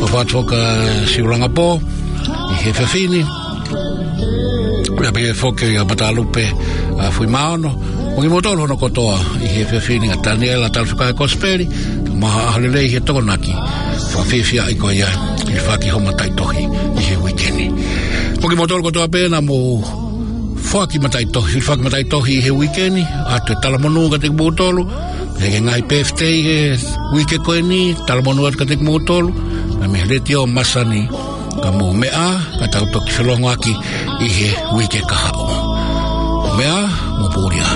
ʻOfa atu foki kia Siulangapō ʻi he efiafi ni. Pea pehē foki kia Matalupe, ʻa, Fuimaono, mo kimoutolu hono kotoa ʻi he efiafi ni, ʻa Taniela Talafika Kosipeli, kae ʻumaʻā ʻAholelei he Tokonaki, fakafiefiaʻi ko ia, hilifaki hoʻo mataʻitohi ʻi he uike ni. Mo kimoutolu kotoa pē naʻa mou foaki mataʻitohi, hilifaki mataʻitohi ʻi he uike ni, ʻoatu e talamonū kiate kimoutolu, pea ki he ngaahi birthday he uike ko eni, talamonū atu kiate kimoutolu, mei he Letiō Masani, ka mou meʻa, ka tau toki felongoaki ʻi he uike kahaʻu. Meʻa, mo pūlia.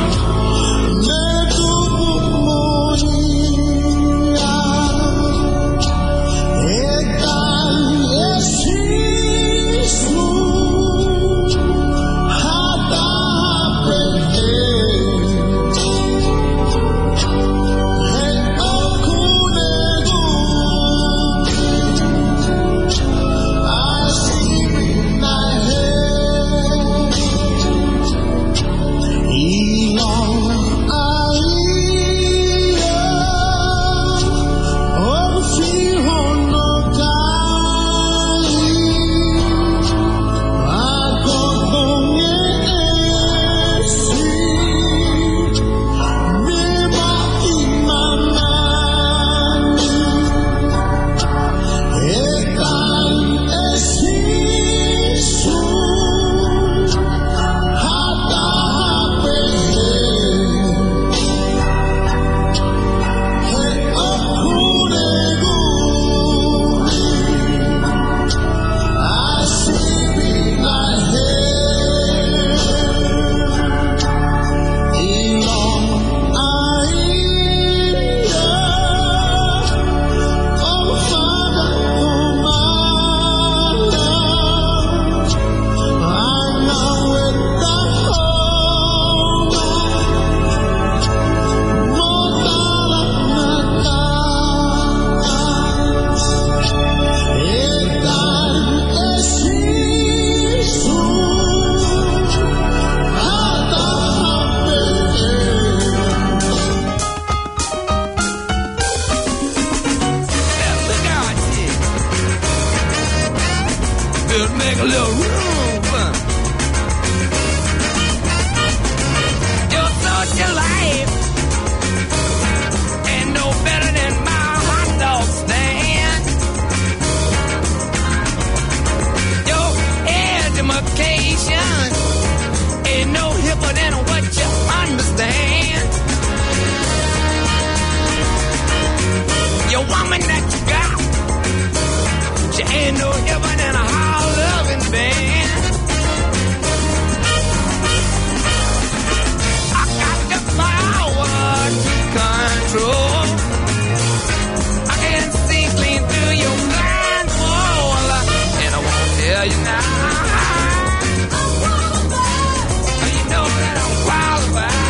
Better make a little room. Your social life ain't no better than my hot dog stand. Heaven and a high loving band. I got the power to control. I can see clean through your blindfold, and I won't tell you now. You know that I'm qualified.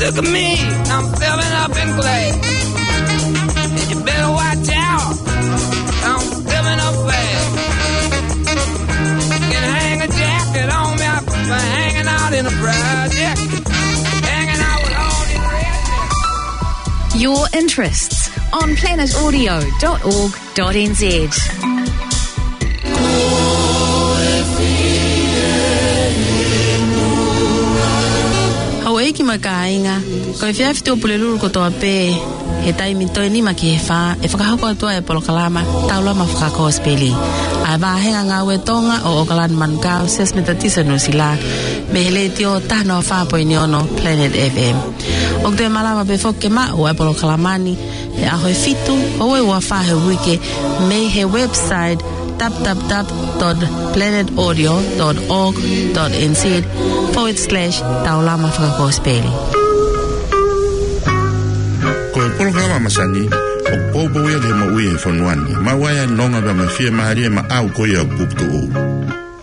Look at me, I'm filling up in class. And you better watch out, I'm filling up fast. Can hang a jacket on me, I'm hanging out in a project. Hanging out with all these rednecks. Your interests on planet audio dot org dot N Z. Houʻeiki mo e kāinga, ko e efiafi Tuʻapulelulu kotoa pē, he taimi toe nima ki he fā, ʻe fakahoko atu ai e polokalama Taulama Fakakosipeli, ʻa e vāhenga ngāue Tonga ʻo ʻOkalani Manukau, Siasi Metotisi Nuʻusila, mei he letiō taha noa fā poini ono Planet F M. ʻOku toe malava pē foki ke maʻu ʻa e polokalama ni he ʻaho ʻe fitu ʻo e ua fā he uike mei he website w w w dot planet audio dot org dot N Z forward slash taulama fakakosipeli. Ko e polokalama masani ʻoku poupou ia ki he moʻui ʻi he fonua ni, maʻu ai ʻa e nonga pea mo e fiemālie maʻau ko ia ʻoku puputuʻu.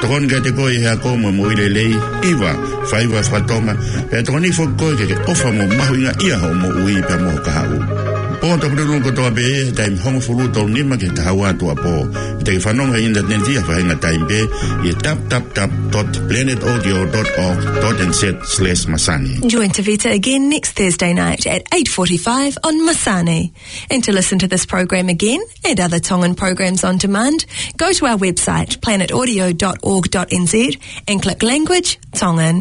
Tokoni kiate koe ʻi he ako mo e moʻui lelei, hiva, faiva faka-Tonga, pea tokoni foki koe ke ke ʻofa mo mahuʻingaʻia hoʻo moʻui pea mo ho kahaʻu. Pō Tuʻapulelulu kotoa pē, taimi hongofulu tolu nima ki he taha ua tuʻuapō. Te ke fanongo he ʻinitaneti ʻi ha faʻahinga taimi pē, ʻi he w w w dot planet audio dot org dot N Z slash masani. Join Tavita again next Thursday night at eight forty-five on Masani. And to listen to this program again and other Tongan programs on demand, go to our website, planet audio dot org dot N Z, and click Language Tongan.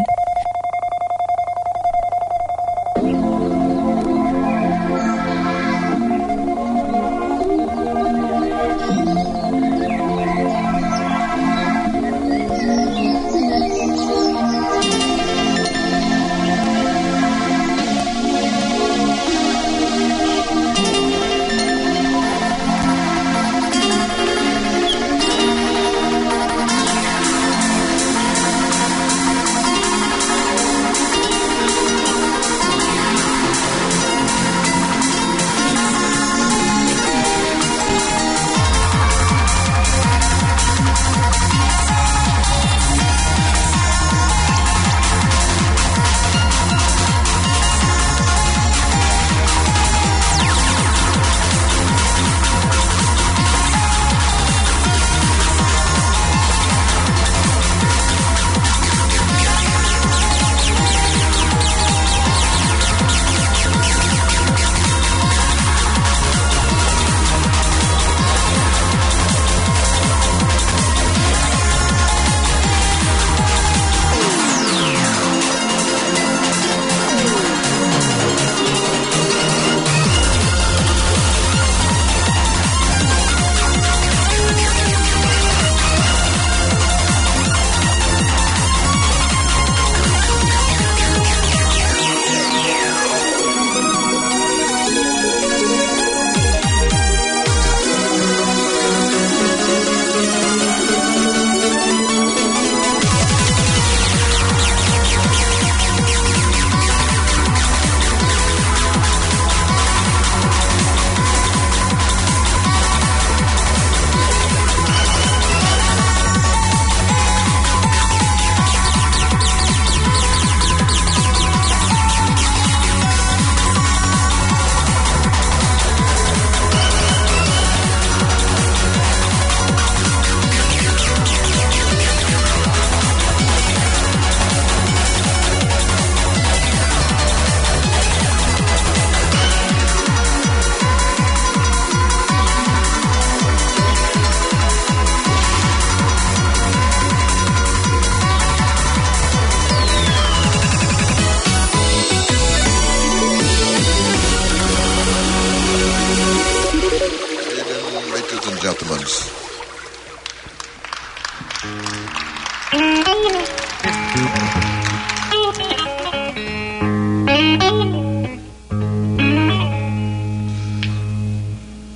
Gentlemen.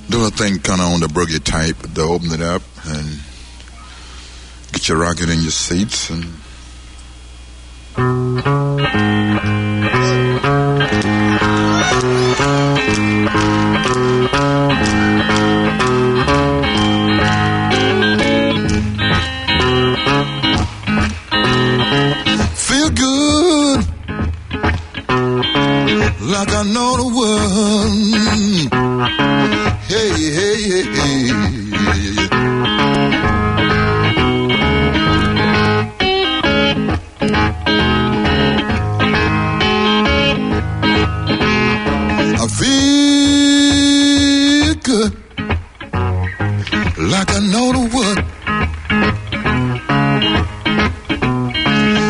Do a thing kind of on the boogie type to open it up and get you rocking in your seats and feel good, like I know the one. Hey, hey, hey, hey. I feel good, like I know the what.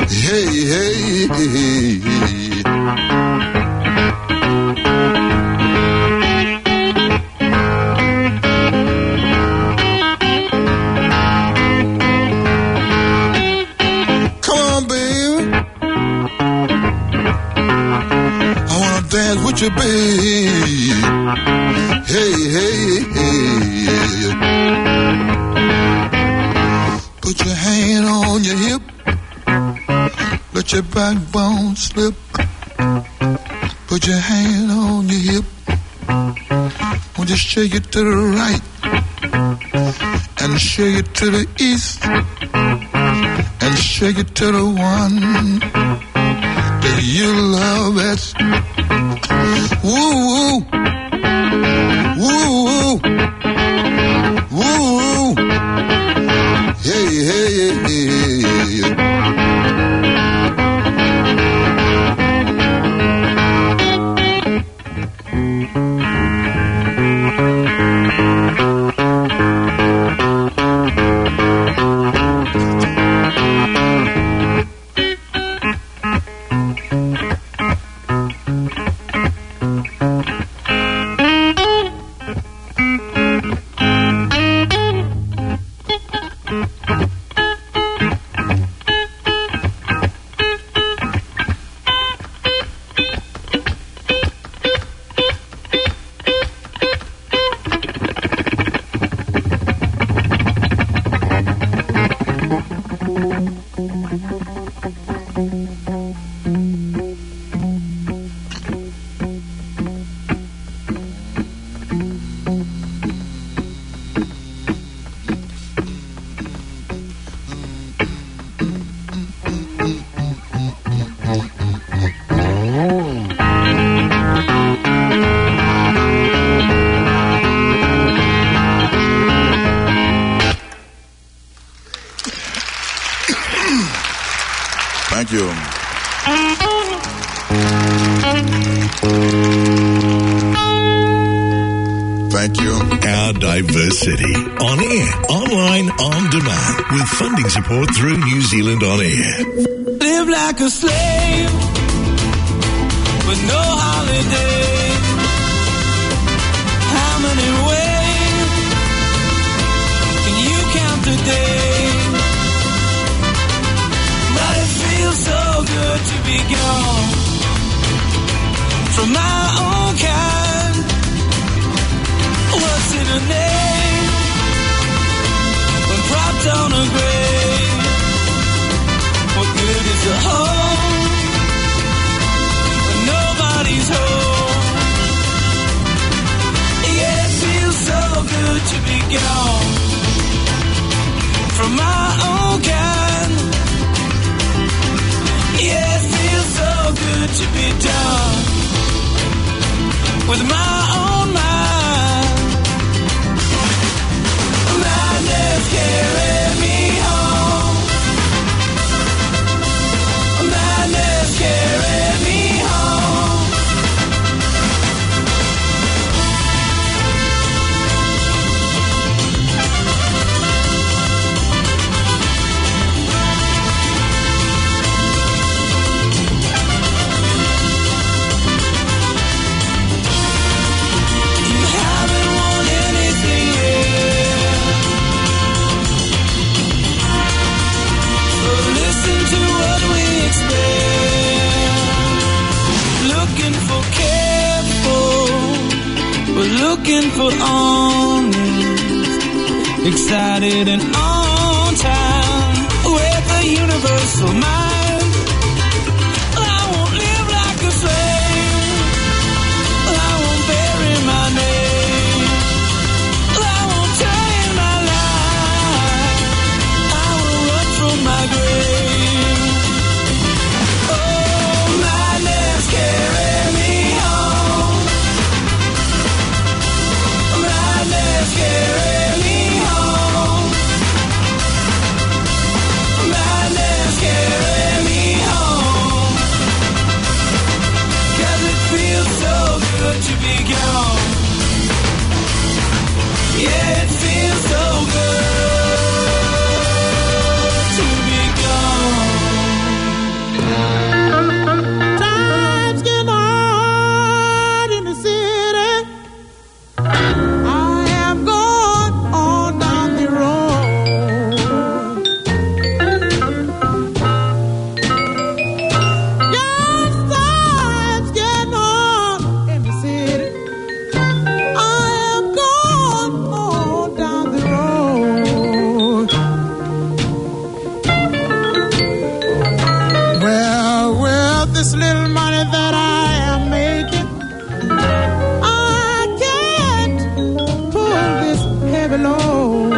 Hey, hey, hey, hey. Come on, baby. I wanna dance with you, babe. Hey, hey, hey. Put your hand on your hip. Let your backbone slip. Put your hand on your hip. Won't you shake it to the right and shake it to the east and shake it to the one that you love best. Woo, woo. Woo, woo. Woo, woo. Hey, hey, hey, hey, hey. Thank you. Thank you. Our diversity. On air, online, on demand. With funding support through New Zealand On Air. Live like a slave with no holiday. How many ways can you count the days? But it feels so good to be gone from my own kind. What's in a name when propped on a grave? What good is a home when nobody's home? Yeah, it feels so good to be gone from my own kind. Yeah, it feels so good to be done with my own mind. Madness carry me home. Madness carry me home. Honest, excited and on time with a universal mind. I won't live like a slave. I won't bury my name. I won't change my life. I will run from my grave. Oh, my name's carry me home. My name's carry me home. My name's carry me home. 'Cause it feels so good to be gone. Yeah, it feels so good to be gone. Times get hard in the city. I am going on down the road. Yes, times get hard in the city. I am going on down the road. Well, with this little money that I am making, I can't pull this heavy load.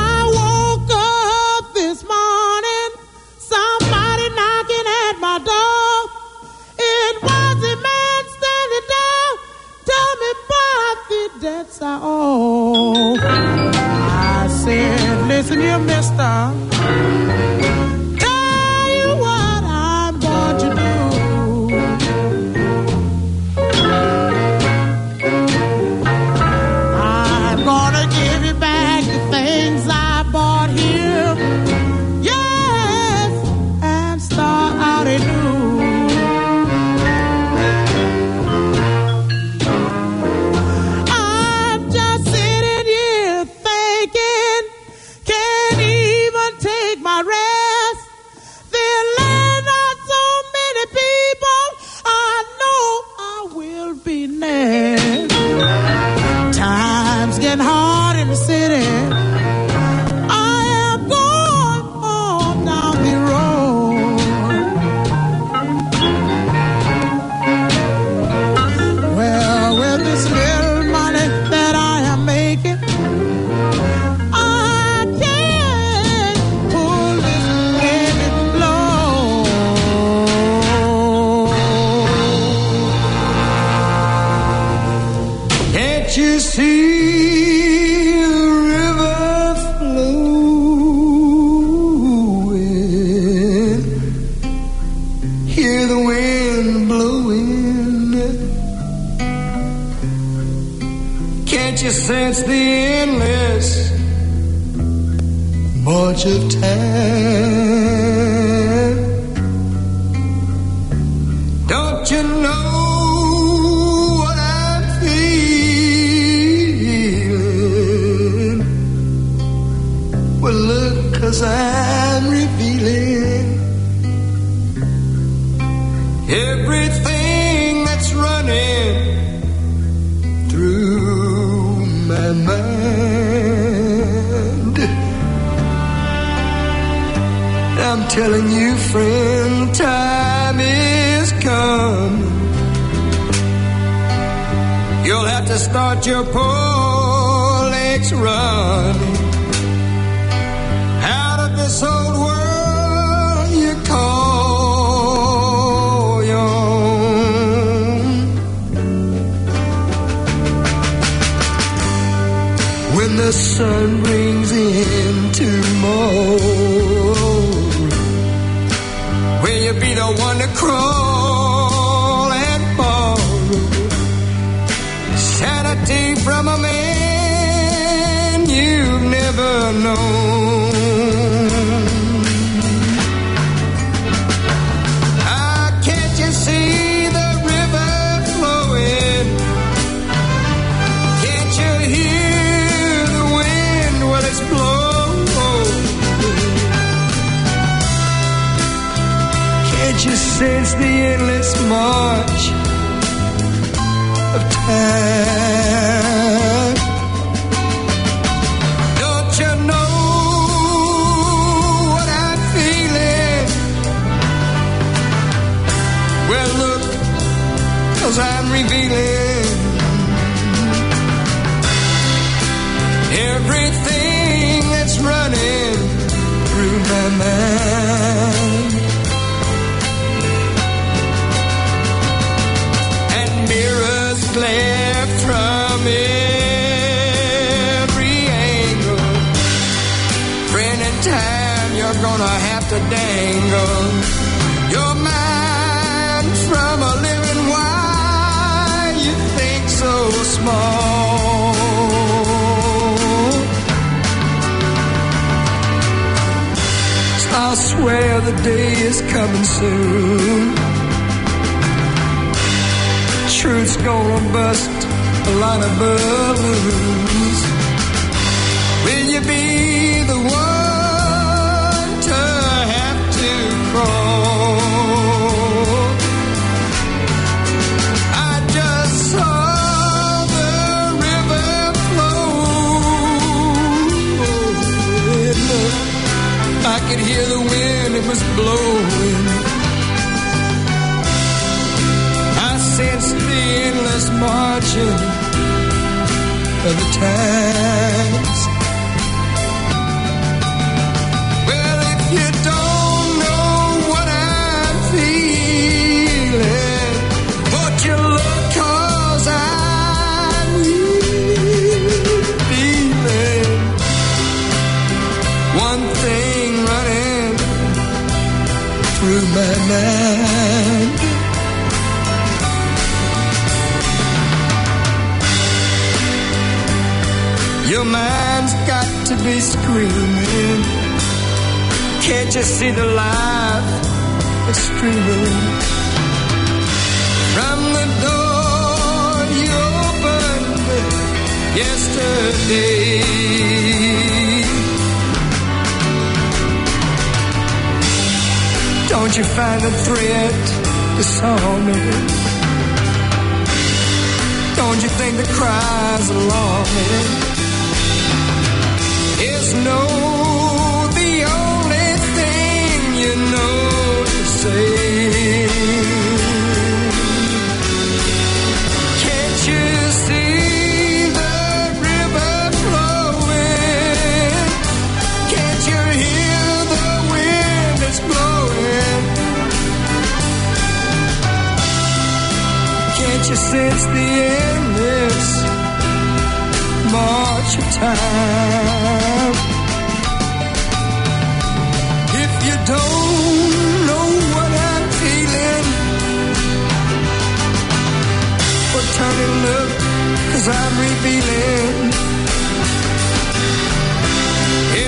I woke up this morning, somebody knocking at my door. It was a man standing there, told me about the debts I owe. I said, "Listen here, mister. Tell you what I'm going to do. I'm gonna give you back the things I bought here. Yes, and start out anew." I'm just sitting here thinking, can't even take my rest. There are not so many people, I know I will be next. Times getting hard in the city. I am going on down the road. Well, with this little money that I am making, I can't pull this heavy load. Can't you see the river flowing? Hear the wind blowing. Can't you sense the endless march of time? Don't you know what I'm feeling? Well, look, 'cause I'm revealing everything that's running through my mind. I'm telling you, friend, time is coming. You'll have to start your poor legs running out of this old world you call your own. When the sun brings in tomorrow, will you be the one to crawl and borrow sanity from a man you've never known? Ah, can't you see the river flowing? Can't you hear the wind? Well, it's blowing. Can't you sense The endless march of time. Don't you know what I'm feeling? Well, look, 'cause I'm revealing everything that's running through my mind. And mirrors glare from every angle. Friend, in time you're gonna have to dangle your mind from a living. Why you think so small? I swear the day is coming soon. Truth's gonna bust a lot of balloons. Will you be the one to have to crawl? I just saw the river flow. I could hear the wind, it was blowing. I sensed the endless marching of the tides. Well, if you don't know what I'm feeling, won't you look? 'Cause I'm feeling one thing running through my mind. Your mind's got to be screaming. Can't you see the life that's streaming from the door you opened yesterday? Don't you find the threat disarming? Don't you think the cries alarming? Is no, the only thing you know to say. Can't you see the river flowing? Can't you hear the wind that's blowing? Can't you sense the endless march of time? If you don't know what I'm feeling, well, turn and look, 'cause I'm revealing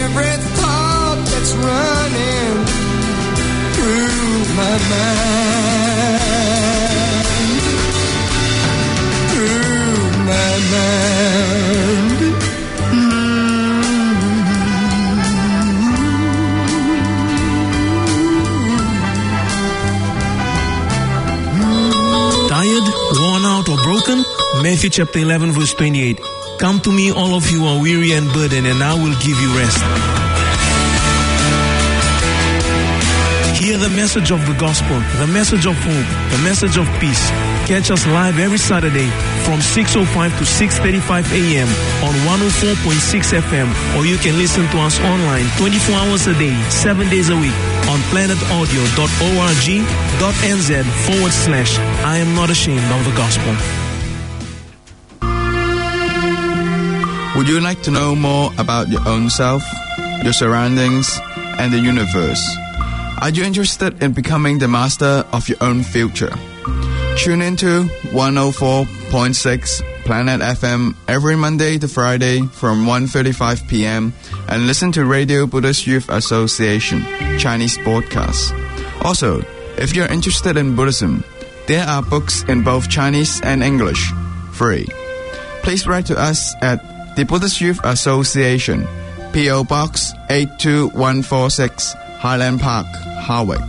every thought that's running through my mind. Through my mind. Tired, worn out, or broken? Matthew chapter eleven, verse twenty-eight. "Come to me, all of you who are weary and burdened, and I will give you rest." Hear the message of the gospel, the message of hope, the message of peace. Catch us live every Saturday from six oh five to six thirty-five a m on one oh four point six F M, or you can listen to us online twenty-four hours a day, seven days a week on planet audio dot org dot N Z forward slash I am not ashamed of the gospel. Would you like to know more about your own self, your surroundings, and the universe? Are you interested in becoming the master of your own future? Tune into one oh four point six Planet F M every Monday to Friday from one thirty-five p.m. and listen to Radio Buddhist Youth Association Chinese podcast. Also, if you're interested in Buddhism, there are books in both Chinese and English, free. Please write to us at the Buddhist Youth Association, P O Box eight two one four six, Highland Park, Hawick.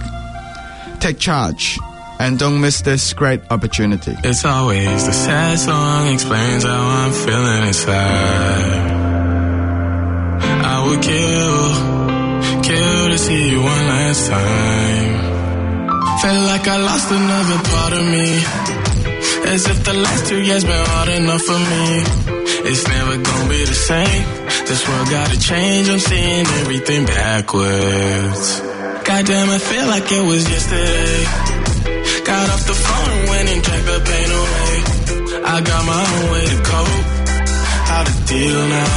Take charge. And don't miss this great opportunity. It's always the sad song explains how I'm feeling inside. I would kill, kill to see you one last time. Feel like I lost another part of me. As if the last two years been hard enough for me. It's never gonna be the same. This world gotta change. I'm seeing everything backwards. Goddamn, I feel like it was yesterday. Got off the phone and went and drank the pain away. I got my own way to cope. How to deal now?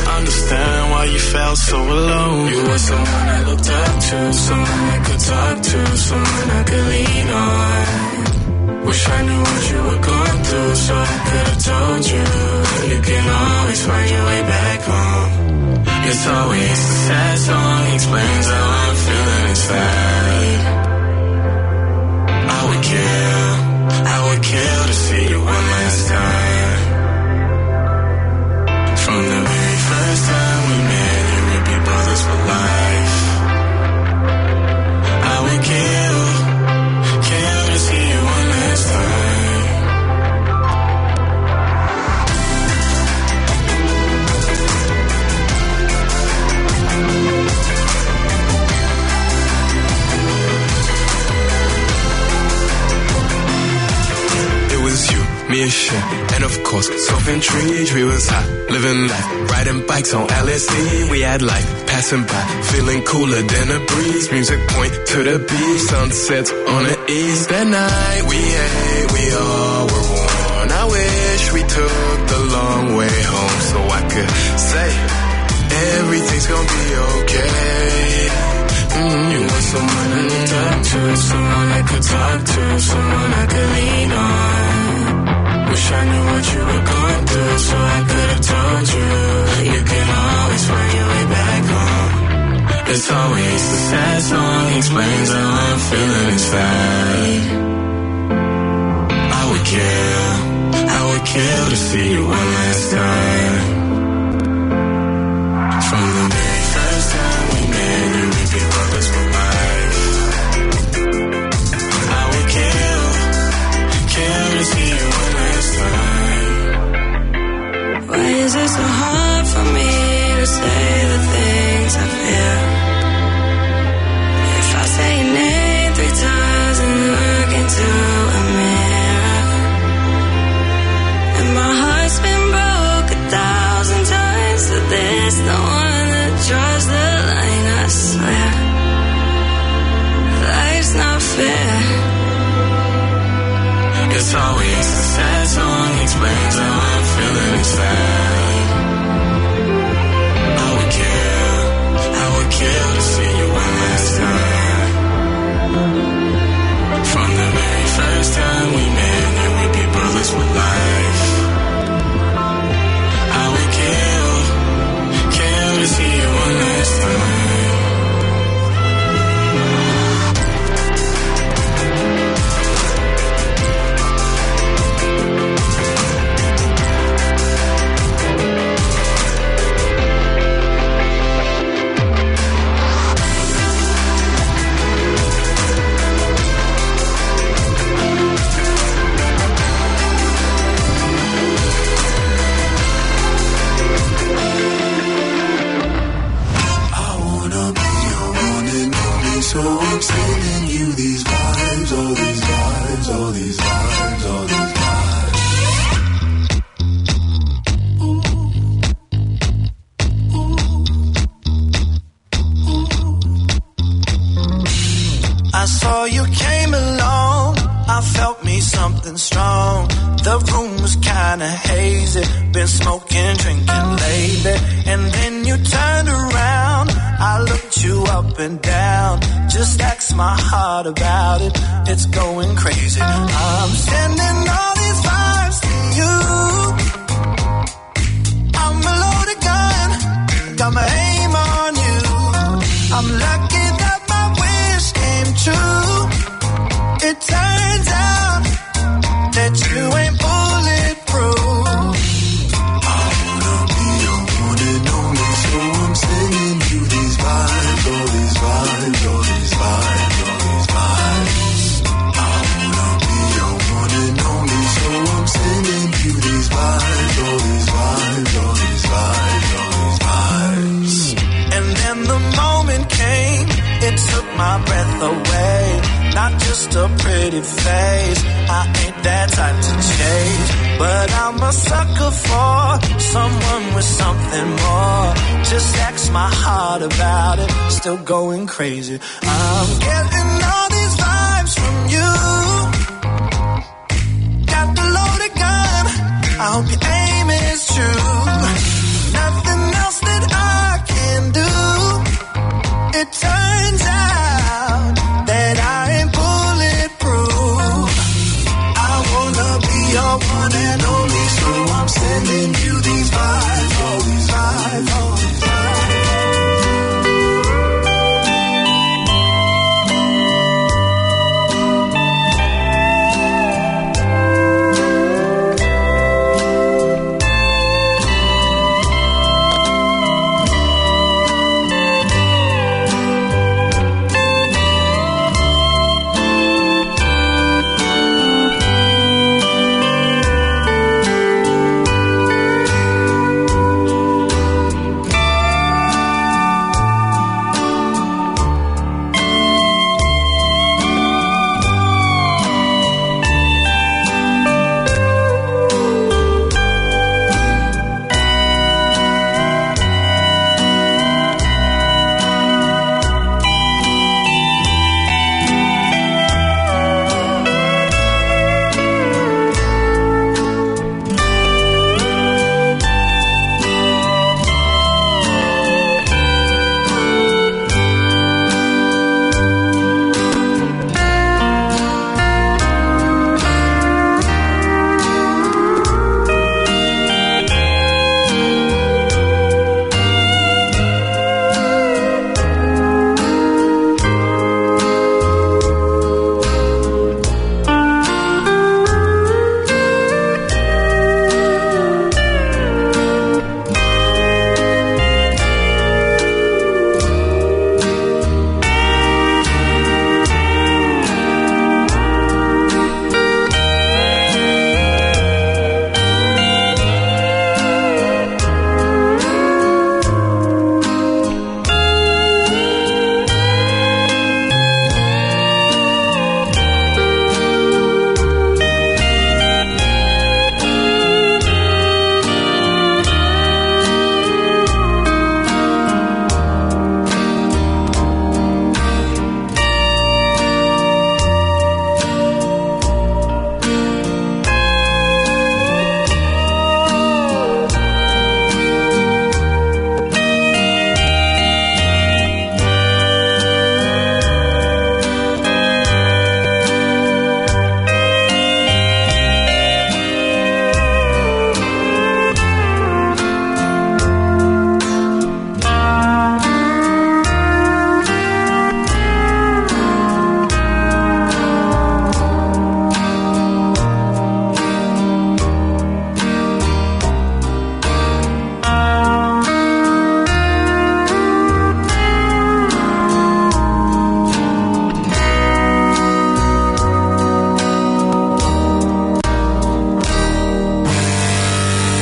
I understand why you felt so alone. You were someone I looked up to, someone I could talk to, someone I could lean on. Wish I knew what you were going through, so I could have told you. You can always find your way back home. It's always the sad song explains how I'm feeling inside. I would kill, I would kill to see you one last time. From the very first time we met, you would be brothers for life. I would kill, kill to see you one last time. It was you, me and Shin, and of course, Sophie and Trees. We was high, living life, riding bikes on L S D. We had life passing by, feeling cooler than a breeze. Music point to the beach, sunsets on the east. That night we ate, we all were worn. I wish we took the long way home so I could say everything's gonna be okay. Mm. You were someone I looked up to, someone I could talk to, someone I could lean on. Wish I knew what you were going through, so I could have told you. You can always find your way back home. It's always the sad song explains how I'm feeling inside. I would kill, I would kill to see you one last time. From the very first time we met, you would be brothers for life. I would kill, kill to see you one last time. Why is it so hard for me to say the things I feel? If I say your name three times and look into a mirror, and my heart's been broke a thousand times, but there's no one that draws the line, I swear. Life's not fair. It's always a sad song explains how I'm feeling inside. I would kill, I would kill to see you one last time. From the very first time we met, you would be brothers for life. I would kill, kill to see you one last time. I wanna be your one and only, so I'm sending you these vibes, all these vibes, all these vibes, all these vibes. I saw you came along. I felt me something strong. The room was kinda hazy. Been smoking, drinking lately. And then you turned around. I looked you up and down. Just ask my heart about it. It's going crazy. I'm sending all these vibes to you. I'm a loaded gun, got my aim on you. I'm lucky that my wish came true. It turns out that you ain't bulletproof. I wanna be your one and only, so I'm sending you these vibes, all these vibes, all these vibes, all these vibes. I Just a pretty face. I ain't that type to change, but I'm a sucker for someone with something more. Just ask my heart about it. Still going crazy. I'm getting all these vibes from you. Got the loaded gun. I hope you